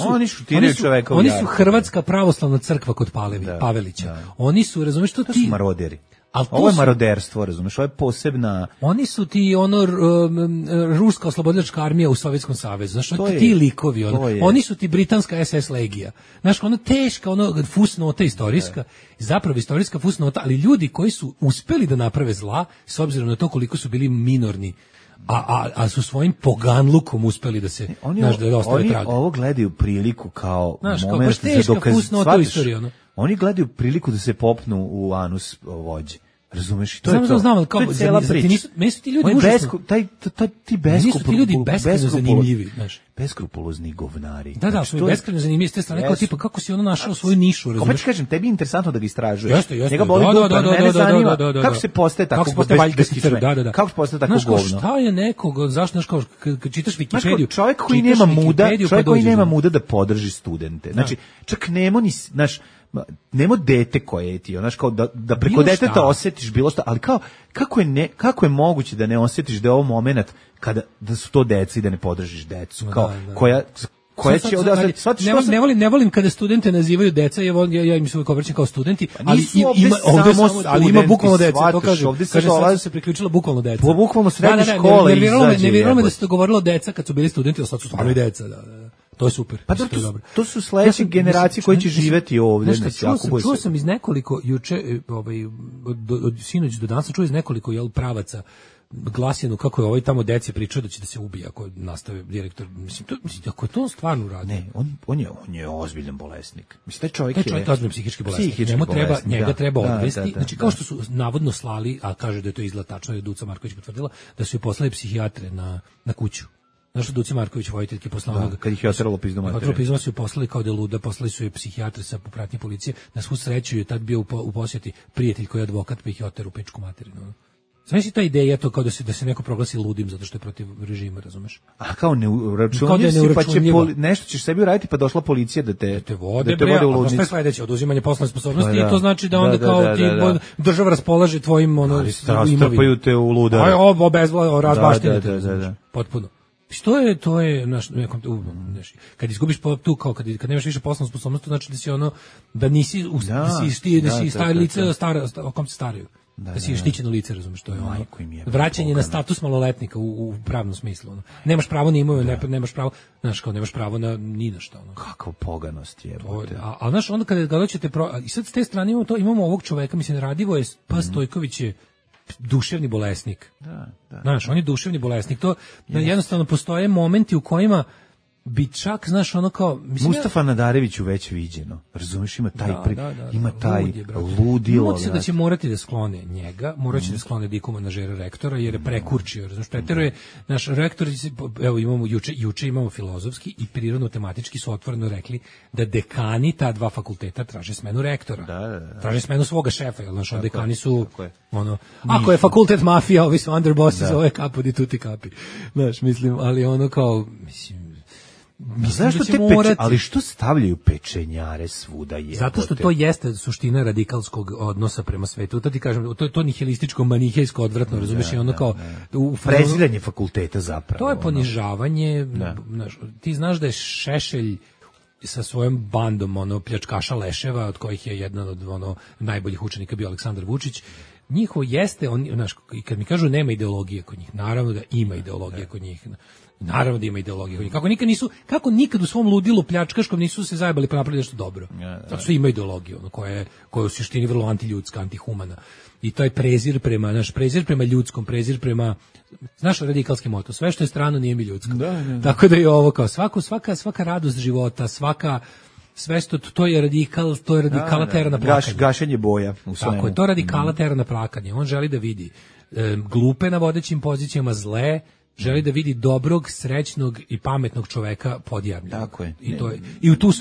Oni šutiraju čoveka u Oni su Hrvatska pravoslavna crkva kod Pavelića. Da. Oni su, razumeš, to su maroderi. Ovo je maroderstvo, razumeš, ovo je posebna... Oni su ti, ruska oslobodilačka armija u Sovjetskom savezu, znaš, ti likovi, oni su ti britanska SS legija. Znaš, teška, fusnota istorijska, zapravo istorijska fusnota, ali ljudi koji su uspeli da naprave zla, s obzirom na to koliko su bili minorni, a su svojim poganlukom uspeli da se, da ostave trage. Oni ovo gledaju priliku kao moment za dokazivanje. Oni gledaju priliku da se popnu u anus vođe. Razumeš? To je to. Znam, kao to je cijela priča. Meni su ti ljudi užasno... Ti beskrupulozno zanimljivi, znaš. Beskrupulozni govnari. Da, su beskrupulozno zanimljivi s te strane, kao tipa kako si našao svoju nišu, razumeš? Opet kažem, tebi je interesantno da ga istražuješ. Jeste. Njega boli dupa, mene zanima kako se postaje tako beskičmen. Kako se postaje tako govno. Znaš, šta je nekog, zašto, znaš, kao, kad čitaš Wikipediju... Čovjek koji nema muda da podrži studente. Znači, čak nemo dete koje ti, znaš, kao da preko deteta osjetiš bilo što, ali kao, kako je moguće da ne osjetiš da je ovo moment da su to deca i da ne podržiš decu, kao, koja će ne volim kada studente nazivaju deca, ja im se uvijek obraćam kao studenti, ali ima bukvalno deca, to kaže sad se priključila bukvalno deca. Bukvalno srednje škole izađe. Ne vjerujem da se to govorilo deca kad su bili studenti, a sad su stvarno i deca, to je super. Pa to su sledeće generacije koje će živeti ovdje. Čuo sam iz nekoliko, juče, od sinoć do danas, čuo iz nekoliko pravaca glasinu kako je tamo deci pričao da će da se ubije ako nastave direktor. Mislim, ako je to stvarno radi. Ne, on je ozbiljan bolesnik. Mislim, taj čovjek je ozbiljan psihički bolesnik. Njega treba odvesti. Znači, kao što su navodno slali, a kaže da je to izgleda tačno, je Duca Marković potvrdila, da su je poslali psihijatre na kuću. Znaš što Duci Marković, vojiteljke poslanog... Kad ih je oteralo pizdu materiju. Oteralo pizdu su je poslali kao da je luda, poslali su je psihijatre sa popratnje policije. Na svu sreću je tad bio u posjeti prijatelj koji je advokat, pa ih je oterao u pečku materiju. Sve si ta ideja to kao da se neko proglasi ludim zato što je protiv režima, razumeš? A kao neuračunljiv si, pa će nešto ćeš sebi uraditi, pa došla policija da te vode u ludnicu. Sve sledeće, oduzimanje poslovne sposobnosti i to znači da onda kao ti država raspolaže tvojim imovinom. Strpaju te u luda. Razbaštenje. Potpuno. To je kad izgubiš tu kao kad nemaš više poslovnu sposobnost, to znači da si da nisi stari lice stara, o kom se staraju. Da si štićeno lice, razumeš, to je vraćanje na status maloletnika u pravnom smislu. Nemaš pravo na imovinu, nemaš pravo, znaš, kao nemaš pravo na ni na šta. Kakva poganost je. A znaš, onda kada doćete i sad s te strane imamo ovog čoveka, mislim, Radivo je Stojković je duševni bolesnik. Znaš, on je duševni bolesnik. To jednostavno postoje momenti u kojima bi čak, znaš, kao... Mustafa Nadareviću već viđeno. Razumiješ, ima taj ludilo. Da će morati da sklone njega, morat će da sklone Diku manažera rektora, jer je prekurčio. Razumiješ, preteruje, naš rektor, evo imamo juče imamo filozofski i prirodno-tematički su otvoreno rekli da dekani ta dva fakulteta traže smenu rektora. Traže smenu svoga šefa, jer naš dekani su... Ako je fakultet mafija, ovi su underbossi, zove kapo di tuti kapi. Znaš, mislim, ali kao, mislim, zašto ali što stavljaju pečenjare svuda je? Zato što to jeste suština radikalskog odnosa prema svetu. To ti kažem, to nihilističko, manihejsko, odvratno, razumiješ, i kao... Preziranje fakulteta zapravo. To je ponižavanje. Ti znaš da je Šešelj sa svojom bandom pljačkaša leševa, od kojih je jedan od najboljih učenika bio Aleksandar Vučić. Njihovo jeste, i kad mi kažu nema ideologije kod njih, naravno da ima ideologije kod njih. Naravno da ima ideologije kod njih. Kako nikad u svom ludilu pljačkaškom nisu se zajebali pa napravili nešto dobro. Tako su ima ideologiju, koja je u suštini vrlo antiljudska, antihumana. I to je prezir prema ljudskom, prezir prema, znaš, radikalski moto, sve što je strano nije mi ljudsko. Tako da je ovo kao svaka radost života, sve što to je radikala tera na plakanje. Gašenje boja u svemu. Tako je, to radikala tera na plakanje. On želi da vidi glupe na vodećim pozicijama, zle, želi da vidi dobrog, srećnog i pametnog čoveka podjavljenog. Tako je. I u tu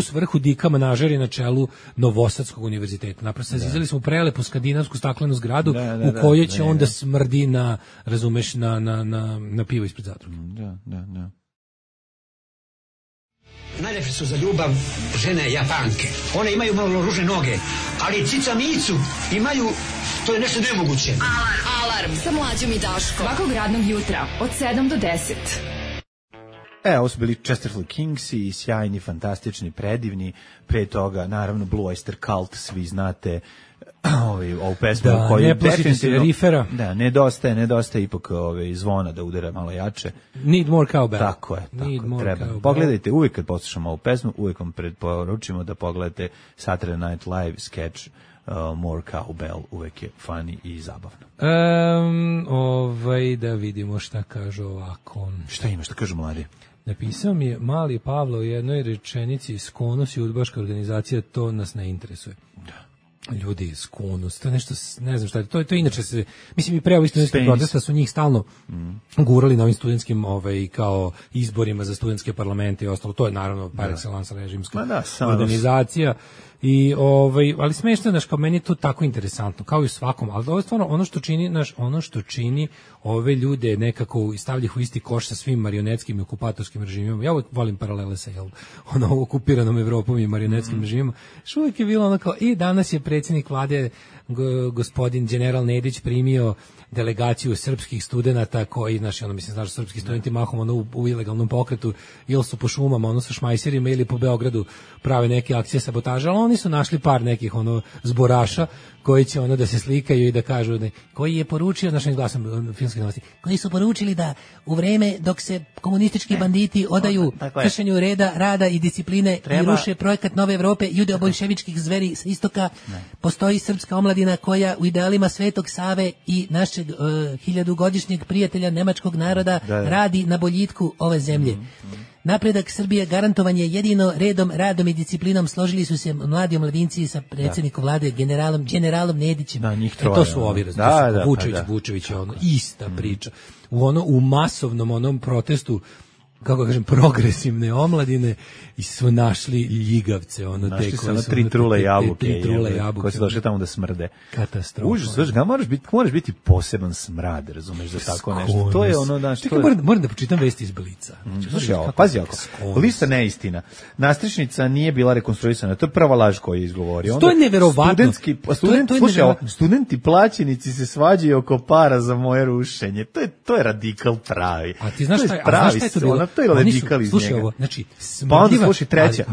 svrhu Dika Manažer je na čelu Novosadskog univerziteta. Naprosto zazidali smo prelepu skandinavsku staklenu zgradu u kojoj će onda smrdi na, razumeš, na pivo ispred zatvora. Da. Najlepše su za ljubav žene Japanke. One imaju malo ružne noge, ali cica micu imaju To je nešto nemoguće. Alarm sa Mlađom i Daškom. Svakog radnog jutra od 7 do 10. Ovo su bili Chesterfield Kingsi, sjajni, fantastični, predivni. Pre toga, naravno, Blue Oyster Cult, svi znate ovu pesmu koju ne plašite se rifera. Da, nedostaje ipak zvona da udara malo jače. Need more cowbell. Tako je, treba. Pogledajte, uvijek kad poslušamo ovu pesmu, uvijek vam preporučimo da pogledate Saturday Night Live sketch More Cowbell, uvijek je funny i zabavno. Da vidimo šta kaže ovako. Šta ima, šta kažu mladi? Napisao mi je Mali Pavlo u jednoj rečenici Skonos i udbaška organizacija, to nas ne interesuje. Da. Ljudi iz Skonos, to je nešto, ne znam šta je, to inače se, mislim i pre ovih studentskih protesta su njih stalno gurali na ovim studentskim kao izborima za studentske parlamente i ostalo, to je naravno par excellence režimska organizacija. I ali smešno je, kao meni je to tako interesantno, kao i u svakom, ali ovo je stvarno ono što čini ove ljude nekako stavlja ih u isti koš sa svim marionetskim i okupatorskim režimima. Ja uvijek volim paralele sa okupiranom Evropom i marionetskim režimima. Što uvijek je bilo ono kao, danas je predsjednik vlade gospodin general Nedić primio delegaciju srpskih studenata koji, znaš, srpski studenti mahom u ilegalnom pokretu ili su po šumama, sa šmajserima ili po Beogradu prave neke akcije sabotaža, ali oni su našli par nekih zboraša koji će da se slikaju i da kažu koji je poručio, našim glasom filmske novosti, koji su poručili da u vreme dok se komunistički banditi odaju kršenju reda, rada i discipline i ruše projekat Nove Evrope judeo-bolševičkih zveri sa istoka, postoji srpska omladina koja u idealima Svetog Save i našeg 1000-godišnjeg prijatelja nemačkog naroda radi na boljitku ove zemlje. Napredak Srbije garantovan je jedino redom, radom i disciplinom, složili su se mladi omladinci sa predsjednikom vlade generalom Nedićem. To su ovi Vučević, ista priča. U masovnom protestu, kako kažem, progresivne omladine i su našli ljigavce. Našli su tri trule jabuke koje su došle tamo da smrde. Katastrofa. Užas, moraš biti poseban smrad, razumeš, za tako nešto. To je moram da pročitam vesti iz Blica. Pazi ovako, lista neistina. Nastrešnica nije bila rekonstruisana, to je prva laž koju je izgovorio. To je neverovatno. Studenti plaćenici se svađaju oko para za moje rušenje. To je radikal pravi. A ti znaš šta je to bilo? To je radikal iz njega. Slušaj ovo, znači, pa onda slušaj treća.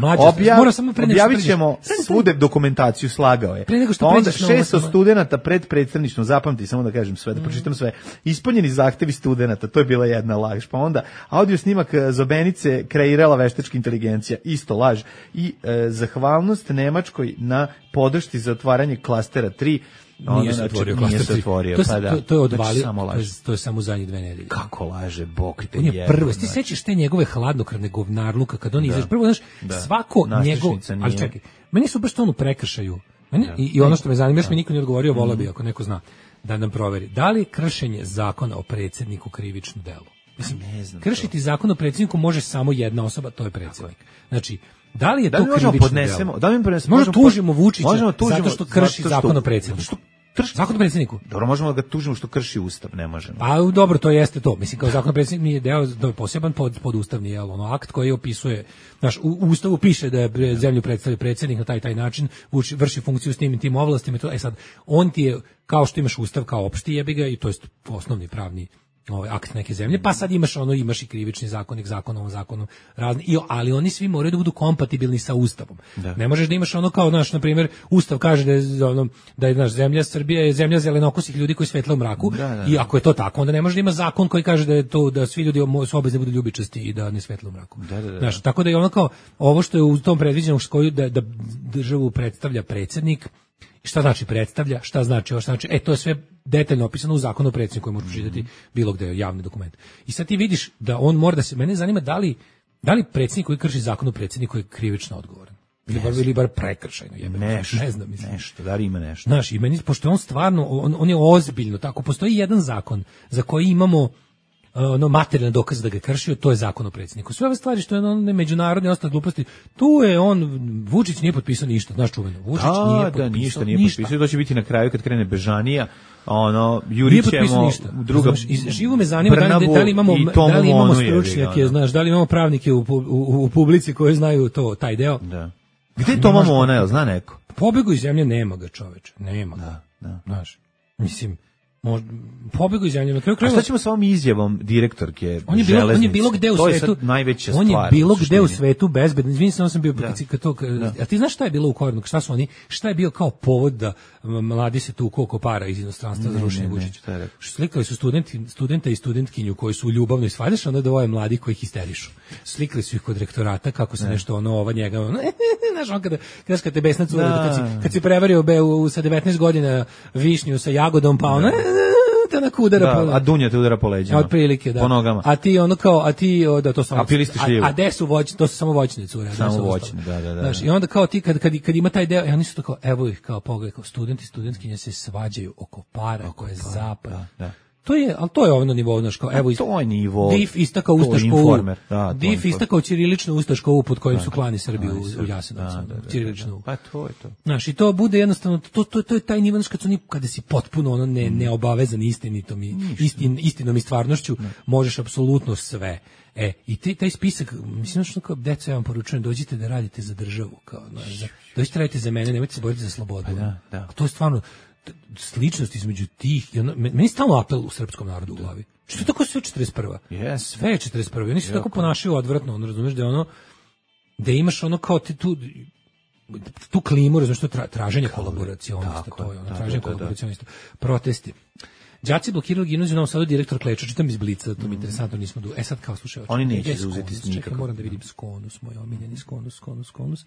Objavit ćemo svu dokumentaciju, slagao je. Pa onda 600 studenata pred predstavništvom, zapamti, samo da kažem sve, da pročitam sve. Ispunjeni zahtevi studenata, to je bila jedna laž. Pa onda audio snimak Zobenice kreirala veštačka inteligencija, isto laž. I zahvalnost Nemačkoj na podršci za otvaranje klastera 3. Nije se otvorio. To je odvalio, to je samo zadnjih 2 nedelje. Kako laže, Bog te jebe. Prvo, ti sećaš te njegove hladnokrvne govnarluka kad on izađe. Prvo, znaš, svako njegov, ali čekaj, meni su baš to u prekršaju. I ono što me zanima, još mi niko nije odgovorio, volao bi ako neko zna da nam proveri. Da li kršenje zakona o predsjedniku krivično delo? Mislim, kršiti zakon o predsjedniku može samo jedna osoba, to je predsjednik. Znači, da li je to krivično delo? Možda tužimo Vučića zato što krši zakon o predsjedniku. Zakon o predsjedniku? Dobro, možemo da ga tužimo što krši ustav, ne možemo. Pa dobro, to jeste to. Mislim, kao zakon o predsjedniku nije deo, da je poseban podustavni akt koji opisuje, znaš, u ustavu piše da je zemlju predstavlja predsjednik na taj način, vrši funkciju s tim ovlastima. Sad, on ti je, kao što imaš ustav kao opšti jebiga, i to je osnovni pravni akt neke zemlje, pa sad imaš i krivični zakonik, zakonom razni, ali oni svi moraju da budu kompatibilni sa ustavom. Ne možeš da imaš kao, naš, na primjer, ustav kaže da je naš zemlja Srbija je zemlja zelenokosih ljudi koji svetle u mraku, i ako je to tako, onda ne može da ima zakon koji kaže da je to, da svi ljudi su obavezni da budu ljubičasti i da ne svetle u mraku. Znaš, tako da je kao ovo što je u tom predviđenom da državu predstavlja predsjednik. Šta znači predstavlja, šta znači, to je sve detaljno opisano u zakonu o predsjedniku koji možeš pročitati bilo gde, javni dokument. I sad ti vidiš da on mora da se, mene zanima da li predsjednik koji krši zakon o predsjedniku je krivično odgovoran. Ili bar prekršajno, ne znam, mislim. Nešto, da li ima nešto. Znaš, i meni, pošto on stvarno, on je ozbiljno, tako, postoji jedan zakon za koji imamo materijalne dokaze da ga kršio, to je zakon o predsjedniku. Sve ove stvari što je međunarodne ostale gluposti, tu je Vučić nije potpisao ništa, znaš čuveno. Vučić nije potpisao. To će biti na kraju kad krene Bežanija, jurit ćemo druga. Živo me zanima da li imamo stručnjake, znaš, da li imamo pravnike u publici koji znaju taj deo. Da. Gde je Toma Mona, zna neko? Pobegu iz zemlje, nema ga, čoveče, nema ga. Da. Znaš. Mislim, pobegao iz zemlje. A šta ćemo sa ovom izjavom direktorke železnice? On je bilo gde u svetu. Najveća on stvar. Je bilo gde u svetu bezbedno. Izvinite, sam bio kad to. A ti znaš šta je bilo u korenu? Šta je bio kao povod da mladi se tu koliko para iz inostranstva za rušenje Vučića? Slikali su studenta i studentkinju koji su ljubavno i svadeš, onda dvoje mladi koji ih histerišu. Slikali su ih kod rektorata kako se nešto ova njega. Znaš, on kad te besnac kad si prevario sa 19 godina višnju sa jagodom, pa ono te na udara po, a dunja te udara po leđima. Otprilike, da. Po nogama. A ti ono kao, da to samo. A gde su voćne, to su samo voćne cure. Samo voćne, da. Znaš, i onda kao ti kad ima taj deo, oni su to kao, evo ih kao pogledaj, kao studenti i studentkinje se svađaju oko para, koje je zapad. Da. To je ono nivo, znaš, kao, evo, to je nivo. DIF istakao ustaškovu, DIF istakao ćiriličnu ustaškovu pod kojim su klani Srbiju u Jasenovcu, ćiriličnu. Pa to je to. Znaš, i to bude jednostavno, to je taj nivo, kada si potpuno ono neobavezan istinom i stvarnošću, možeš apsolutno sve. I taj spisak, mislim, što kao deco, ja vam poručujem, dođite da radite za državu, kao, dođite radite za mene, nemojte se boriti za slobodu. To je stvarno sličnost između tih, meni je stalno apel u srpskom narodu u glavi. Što je tako sve 41. Yes. Sve je 41. Oni se tako ponašaju odvratno, ono, razumeš, da imaš ono kao tu klimu, razumeš, to traženje kolaboracionista, to je ono, traženje kolaboracionista. Protesti. Đaci blokirali gimnaziju u Novom Sadu, direktor Kleča, čitam iz Blica, to mi je interesantno, nismo sad kao slušaj. Oni neće zauzeti s nikako. Moram da vidim Skonus, moj omiljeni Skonus.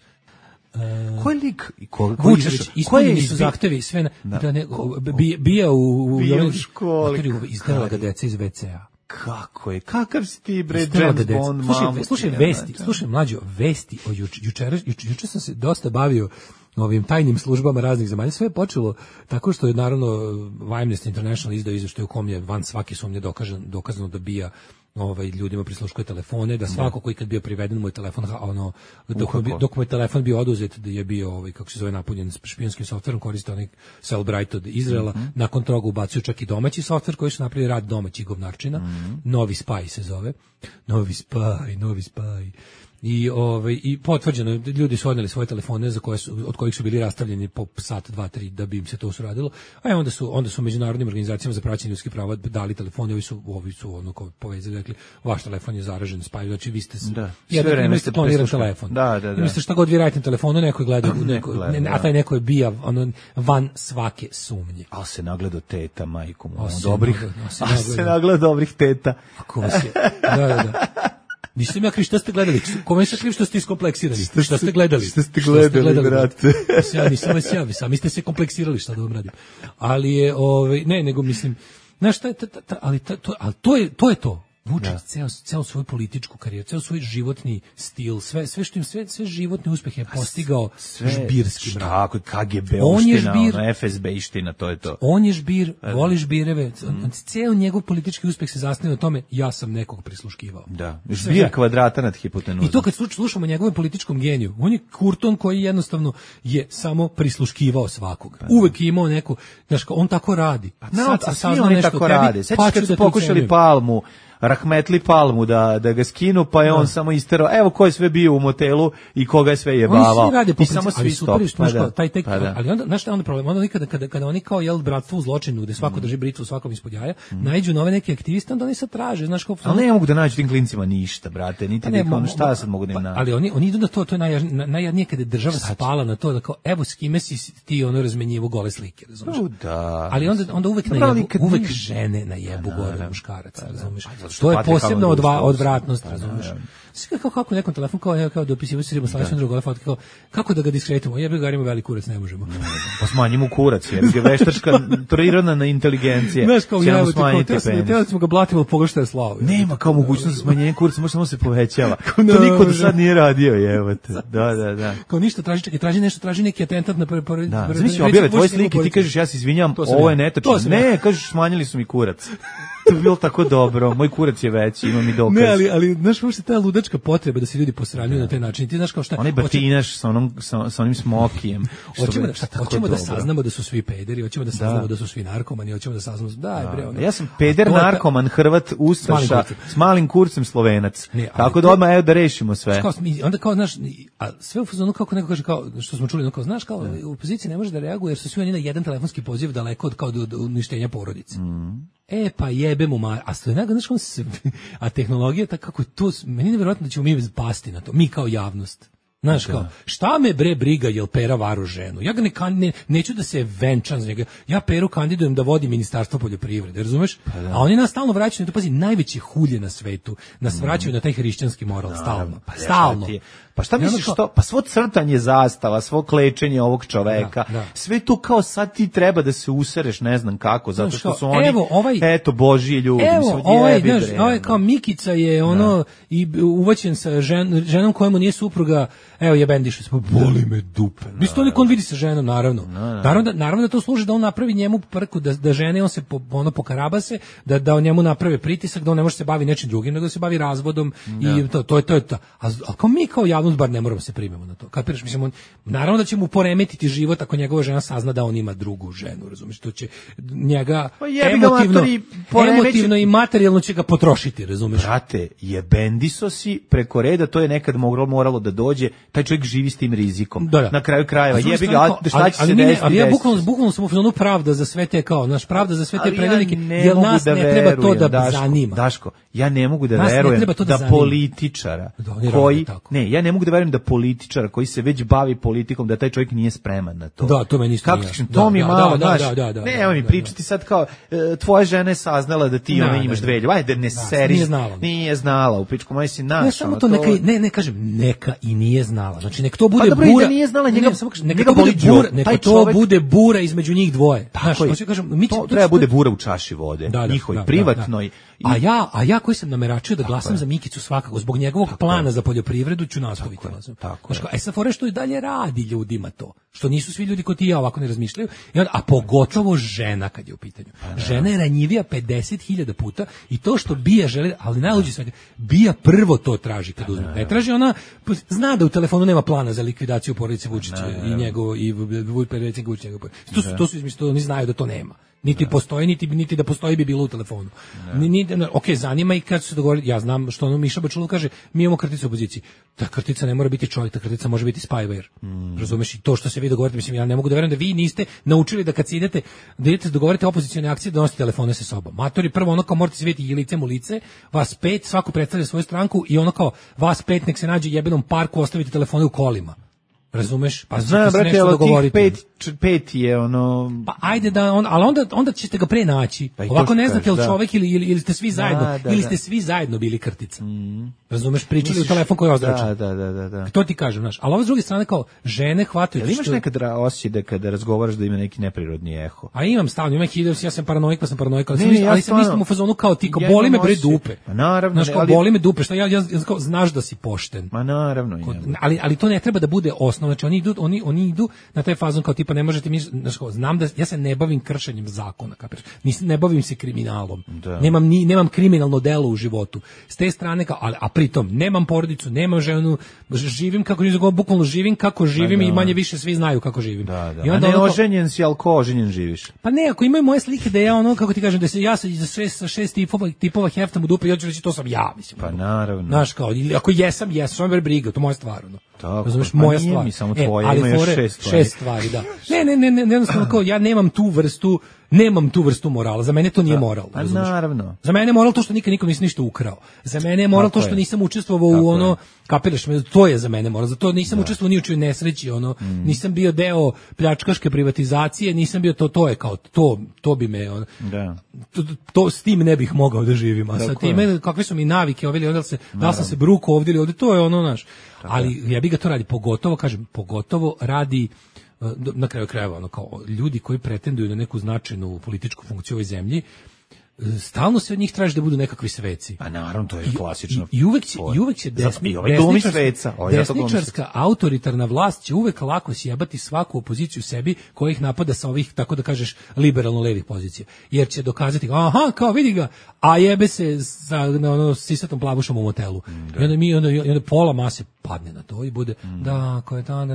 Ko je lik? Vučević, ispunjeni su zahtevi sve bija u školi. Izdala ga deca iz WC-a. Kako je? Kakav si ti, bre, James Bond, mamu? Slušaj, mlađo, vesti o juče sam se dosta bavio ovim tajnim službama raznih zemalja. Sve je počelo tako što je, naravno, Amnesty International izdao izveštaj u kom je van svake sumnje dokazano da bija ljudima prisluškuje telefone, da svako koji kad bio priveden mu je telefon, dok mu je telefon bio oduzet, da je bio kako se zove, napunjen špijunskim softverom, koristio onaj Cellbrite od Izraela, nakon toga ubacio čak i domaći softver koji su napravili rad domaćih govnarčina, Novi Spy se zove, Novi Spy. I potvrđeno, ljudi su odneli svoje telefone od kojih su bili rastavljeni po sat, 2, 3 da bi im se to uradilo. A onda su međunarodnim organizacijama za praćenje ljudskih prava dali telefone, ovi su ono povezali, rekli, vaš telefon je zaražen spaj, znači vi ste imali ste kloniran telefon. Imate šta god vi radite na telefonu, neko je gledao, a taj neko je bija van svake sumnje. Ali se nagledao teta, majku mu, dobrih teta. Ako vas je, da. Nisam ja kriv, šta ste gledali? Kome se kriv što ste iskompleksirani? Šta ste gledali? Šta ste gledali, brate? Nisam vas ja, sami ste se kompleksirali, šta da vam radim. Ali je, nego mislim, znaš šta je, ali to je to. Vučić ceo svoju političku karijeru, ceo svoj životni stil, sve životne uspehe je postigao žbirskim radom. Tako, KGB-ovština, FSB-iština, to je to. On je žbir, voli žbireve, ceo njegov politički uspeh se zasniva na tome, ja sam nekog prisluškivao. Da, žbir kvadrata nad hipotenuzom. I to kad slušamo njegovom političkom geniju, on je Kurton koji jednostavno je samo prisluškivao svakog. Uvek je imao neku, znaš, on tako radi. A svi oni tako rade. Sećaš kad su pokušali Palmu, Rahmetli Palmu da ga skinu, pa je on samo isterao, evo ko je sve bio u motelu i koga je sve jebavao. Oni svi rade i samo svi stop. Ali onda, znaš šta je onda problem? Onda kada oni kao bratstvo u zločinu, gde svako drži britvu svakom ispod jaja, naiđu nove neke aktiviste, onda oni sad traže, znaš kao... Ali ne mogu da nađu tim klincima ništa, brate, niti šta sad mogu da im nađu. Ali oni idu na to je najjadnije kada je država spala na to, da kao, evo s kime si ti razmenjivo gole slike, razumiješ? Ali onda uvek žene najebu gore muškaraca, razumiješ? To je posebno odvratnost, razumiješ? Kako nekom telefon, kao dopisivo se riba sa Aleksandrom Gole fotke, kako da ga diskretimo? Jebe ga, ima veliki kurac, ne možemo. Pa smanjimo kurac, jer je veštačka prirodna inteligencija. Znaš, kao ja, teo smo ga blatimo, pogledaj šta je slavo. Nema kao mogućnost smanjenja kuraca, može samo se povećava. To niko do sad nije radio, jebate. Da. Kao ništa, traži neki atentat na prvi. Da, zamisli, objave tvoje slike, ti kažeš, ja se izvinjam, ovo je netačno. Ne, kažeš, smanjili su mi kurac. To bi bilo tako dobro. Moj kurac je veći, imam i dokaz. Ne, ali znaš, uopšte ta ludačka potreba da se ljudi posranjuju na taj način. Ti znaš kao šta... Onaj batinaš sa onim smokijem. Hoćemo da saznamo da su svi pederi, hoćemo da saznamo da su svi narkomani, hoćemo da saznamo... Ja sam peder, narkoman, Hrvat, ustaša, s malim kurcem Slovenac. Tako da odmah, evo da rešimo sve. Onda kao, znaš, a sve u fazonu kako neko kaže, kao, što smo čuli, kao, znaš, kao, u opoziciji ne može da reaguje jer su svi oni na jedan telefonski poziv daleko od kao do uništenja porodice. Pa jebe mu a znaš, a tehnologija tako kako to, meni je nevjerojatno da ćemo mi pasti na to, mi kao javnost. Znaš, kao, šta me bre briga jel Pera varu ženu? Ja ga neću da se venčam za njega. Ja Peru kandidujem da vodi Ministarstvo poljoprivrede, razumeš? A oni nas stalno vraćaju na to, pazi, najveće hulje na svetu. Nas vraćaju na taj hrišćanski moral, stalno. Stalno. Pa šta misliš što? Pa svo crtanje zastava, svo klečenje ovog čoveka, sve to kao sad ti treba da se usereš, ne znam kako, zato što su oni, eto, božji ljudi. Evo, ovaj kao Mikica je ono i uvaćen sa ženom kojemu nije supruga, evo jebendiše se, boli me dupe. Mislim, to niko on vidi sa ženom, naravno. Naravno da to služi da on napravi njemu prku, da žene, on se pokarabase, da on njemu naprave pritisak, da on ne može se bavi nečim drugim, nego da se bavi razvodom i to je to. A kao mi kao javnost bar ne moramo se primemo na to. Kapiraš, mislim, naravno da će mu poremetiti život ako njegova žena sazna da on ima drugu ženu, razumiješ, to će njega emotivno i materijalno će ga potrošiti, razumiješ. Brate, jebendiso si preko reda, to je nekad moralo da dođe, taj čovjek živi s tim rizikom. Na kraju krajeva, jebi ga, šta će se desiti? Ali ja bukvalno sam u fazonu pravda za sve te kao, naš pravda za sve te predelnike, jer nas ne treba to da zanima. Daško, ja ne mogu da verujem da političara koji, ja ne mogu da verujem da političar koji se već bavi politikom, da taj čovjek nije spreman na to. Da, to meni isto nije. To mi je malo, znaš, nema mi pričati sad kao, tvoja žena je saznala da ti imaš dve ljubavi, ajde ne seri, nije znala, u pičku moj si naš. Ne, samo to ne kažem, neka i nije znala, znači nek to bude bura, neka to bude bura između njih dvoje. To treba bude bura u čaši vode, njihovoj, privatnoj. A ja koji sam nameračio da glasam za Mikicu svakako, zbog njegovog plana za poljoprivredu ću nastaviti. SFOR što i dalje radi ljudima to, što nisu svi ljudi koji ti ja ovako ne razmišljaju, a pogotovo žena kad je u pitanju. Žena je ranjivija 50.000 puta i to što Bija želi, ali najluđe svega, Bija prvo to traži kad uzme. Ne traži ona, zna da u telefonu nema plana za likvidaciju porodice Vučića i njegov, i predsjednik Vučića. To su izmislili, oni znaju da to nema. Niti postoji, niti da postoji bi bilo u telefonu. Ok, zanima i kad su se dogovorili, ja znam što ono Miša Bačulov kaže, mi imamo krticu u opoziciji. Ta krtica ne mora biti čovjek, ta krtica može biti spyware. Razumeš, i to što se vi dogovorite, mislim, ja ne mogu da verujem da vi niste naučili da kad se idete dogovorite opozicione akcije, da nosite telefone sa sobom. Matori, prvo ono kao morate se vidjeti i licem u lice, vas 5, svako predstavlja svoju stranku i ono kao vas 5 nek se nađe u jebenom parku, ostavite telefone u kolima. Razumeš? Pa znam, brate, ali tih pet je ono... Pa ajde da, ali onda ćete ga pre naći. Ovako ne znate, ili čovek ili ste svi zajedno, ili ste svi zajedno bili krtica. Razumeš, pričali u telefon koji je ozračen. Da. To ti kažem, znaš. Ali ovo s druge strane kao, žene hvataju... Ali imaš nekad osjećaj da kada razgovaraš da ima neki neprirodni eho? A imam stalno, imam ja sam paranoik, ali sam mislim u fazonu kao ti, kao boli me bre dupe. Pa naravno. Znaš, kao boli me dupe, šta ja znaš da si pošten. Ma naravno. Ali to ne treba da bude osnov. Znači oni idu na taj fazon kao tipa ne možete mi, znam da ja se ne bavim kršenjem zakona, kapiraš? Ne bavim se kriminalom. Nemam kriminalno delo u životu. S te strane kao, a pritom nemam porodicu, nemam ženu, živim kako bukvalno živim kako živim i manje više svi znaju kako živim. I onda ne oženjen si, al ko oženjen živiš? Pa ne, ako imaju moje slike da ja ono kako ti kažem da se ja sa 6 tipova heftam u dupe, ja ću reći to sam ja, mislim. Pa naravno. Znaš kao, ako jesam, samo briga, to moja stvar, ono. Razumeš, moja stvar. Mi samo tvoje, ima još 6 stvari, da. Ne, jednostavno kao, ja nemam tu vrstu morala, za mene to nije moral. Pa naravno. Za mene je moral to što nikom nisam ništa ukrao. Za mene je moral to što nisam učestvovao u ono, kapiraš me, to je za mene moral. Zato nisam učestvovao ni u čijoj nesreći, ono, nisam bio deo pljačkaške privatizacije, nisam bio to je kao, to bi me, ono, to s tim ne bih mogao da živim, a sa time, kakve su mi navike, da li sam se bruko ovdje ili ovdje, to je ono, naš. Ali ja bih ga to radi, pogotovo radi na kraju krajeva, ono kao ljudi koji pretenduju na neku značajnu političku funkciju u ovoj zemlji, stalno se od njih traži da budu nekakvi sveci. Pa naravno, to je klasično. I uvek će desničarska autoritarna vlast će uvek lako sjebati svaku opoziciju sebi koja ih napada sa ovih, tako da kažeš, liberalno-levih pozicija. Jer će dokazati, aha, kao vidi ga, a jebe se sa sisatom plavušom u motelu. I onda pola mase padne na to i bude, da, ko je to,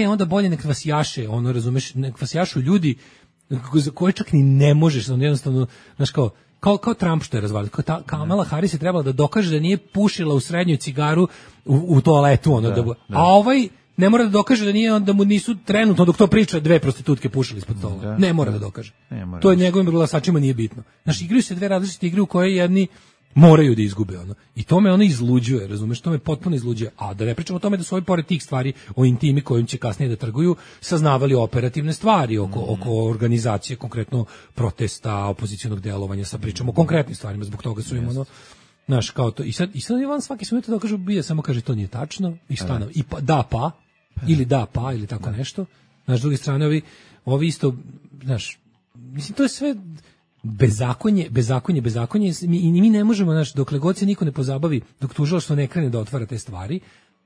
onda bolje nek vas jaše, razumeš, nek vas jašu ljudi za koje čak ni ne možeš, jednostavno, znaš kao Trump što je razvalio, Kamala Harris je trebala da dokaže da nije pušila u srednjoj cigaru u toaletu, a ovaj ne mora da dokaže da nije, da mu nisu trenutno dok to priča 2 prostitutke pušili ispod stola. Ne mora da dokaže. To je njegovim glasačima nije bitno. Znaš, igraju se 2 različite igre u koje jedni moraju da izgube i to me izluđuje, razumeš, to me potpuno izluđuje. A da ne pričamo o tome da su ovi pored tih stvari o intimi kojim će kasnije da trguju saznavali operativne stvari oko organizacije, konkretno protesta, opozicionog delovanja, sa pričamo o konkretnim stvarima, zbog toga su im znaš, kao to, i sad Ivan svaki se da kažu, bije, samo kaže to nije tačno, i stano, i ili ili tako nešto. Znaš, s druge strane, ovi isto, znaš, mislim, to je sve bezakonje i mi ne možemo, znaš, dokle god se niko ne pozabavi, dok tužilaštvo ne krene da otvara te stvari,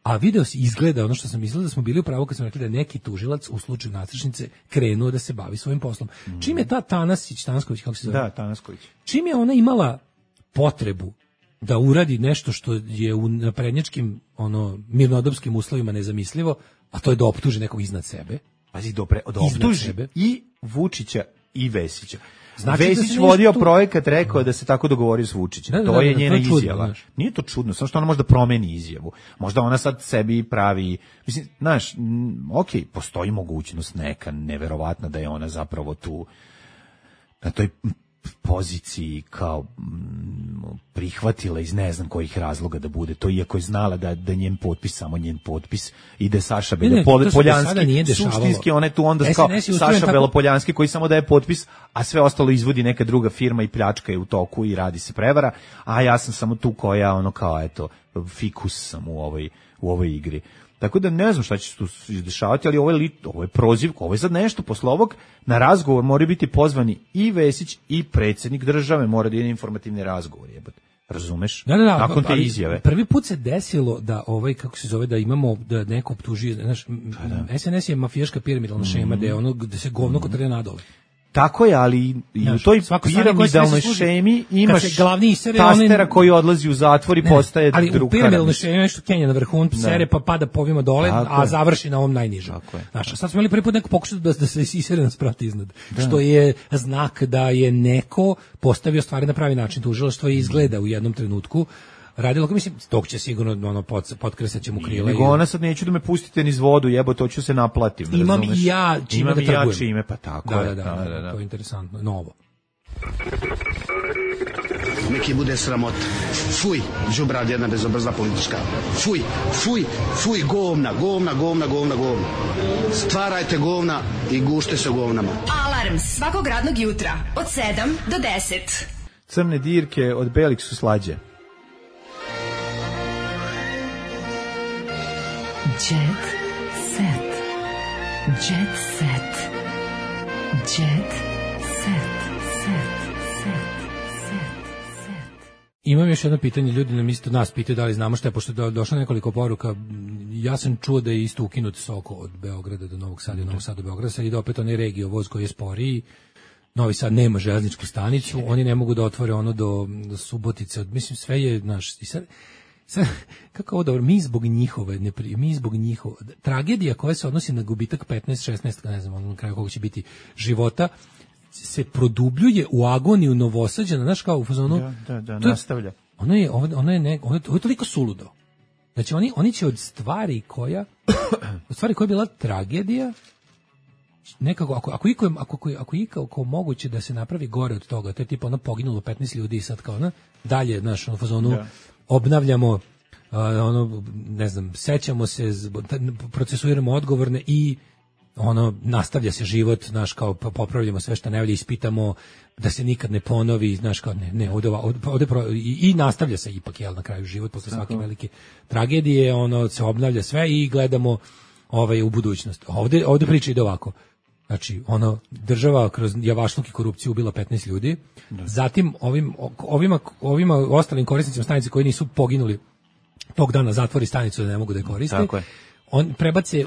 a video se izgleda, ono što sam mislila da smo bili u pravu kad smo rekli da neki tužilac u slučaju Nastrešnice krenuo da se bavi svojim poslom. Čim je ta Tanasković, kako se zove? Da, Tanasković. Čim je ona imala potrebu da uradi nešto što je u naprednjačkim, mirnodopskim uslovima nezamislivo, a to je da optuži nekog iznad sebe. Pazi, da optuži i Vučića i Vesića. Znači Vesić vodio projekat, rekao da se tako dogovorio s Vučićem. To je njena izjava. Nije to čudno, samo što ona možda promeni izjavu. Možda ona sad sebi pravi, mislim, znaš, okej, postoji mogućnost neka neverovatna da je ona zapravo tu na toj poziciji kao prihvatila iz ne znam kojih razloga da bude to, iako je znala da njen potpis, samo njen potpis, ide Saša Belopoljanski, suštinski ona je tu onda kao Saša Belopoljanski koji samo daje potpis, a sve ostalo izvodi neka druga firma i pljačka je u toku i radi se prevara, a ja sam samo tu koja kao eto fikus sam u ovoj igri. Tako da ne znam šta će se tu dešavati, ali ovo je prozivka, ovo je sad nešto, posle ovog na razgovor moraju biti pozvani i Vesić i predsjednik države, mora da ide informativni razgovor, jebate. Razumeš? Da, nakon te izjave. Prvi put se desilo da kako se zove, da imamo, da neko optuži, znaš, SNS je mafijaška piramidalna šema, gde se govno kotrlja nadole. Tako je, ali i u toj piramidalnoj šemi imaš tastera koji odlazi u zatvor i postaje drug karamid. Ali u piramidalnoj šemi nešto Kenja na vrhun sere pa pada povima dole, a završi na ovom najnižem. Znaš, sad smo imali prvi put neko pokušati da se isere nas prati iznad. Što je znak da je neko postavio stvari na pravi način. Tužilaštvo je izgleda u jednom trenutku radilo, mislim, tog će sigurno potkresat će mu krila. Nego ona sad neću da me pustite niz vodu, jebo, to ću se naplatim. Imam i ja čime da trgujem. Pa tako je. Da, to je interesantno, novo. Neki bude sramot. Fuj, đubrad jedna bezobrazna politička. Fuj, govna. Stvarajte govna i gušte se govnama. Alarm svakog radnog jutra od 7 do 10. Crne dirke od belih su slađe. Jet set. Imam još jedno pitanje, ljudi nam isto nas pitaju da li znamo šta je, pošto je došlo nekoliko poruka. Ja sam čuo da je isto ukinut Soko od Beograda do Novog Sada i Novog Sada do Beograda, sad ide opet onaj regio voz koji je sporiji. Novi Sad nema železničku stanicu, oni ne mogu da otvore ono do Subotice, mislim sve je, znaš, i sad kako ovo dobro, mi zbog njihove tragedija koja se odnosi na gubitak 15-16, ne znam, na kraju koliko će biti života, se produbljuje u agoniju Novosađana, znaš, kao u fazonu. Da, nastavlja. Ono je toliko suludo. Znači, oni će od stvari koja je bila tragedija, nekako, ako je ikako moguće da se napravi gore od toga, to je tipa ono poginulo 15 ljudi i sad kao ono, dalje, znaš, ono fazonu, obnavljamo, ne znam, sećamo se, procesuiramo odgovorne i nastavlja se život, znaš, kao popravljamo sve što ne valja, ispitamo da se nikad ne ponovi, znaš, kao i nastavlja se ipak, jel, na kraju život posle svake velike tragedije, se obnavlja sve i gledamo u budućnost. Ovde priča ide ovako. Znači, država kroz javašluk i korupciju ubila 15 ljudi. Zatim ovima ostalim korisnicima stanice koji nisu poginuli tog dana zatvori stanicu da ne mogu da je koriste. Tako je. On prebace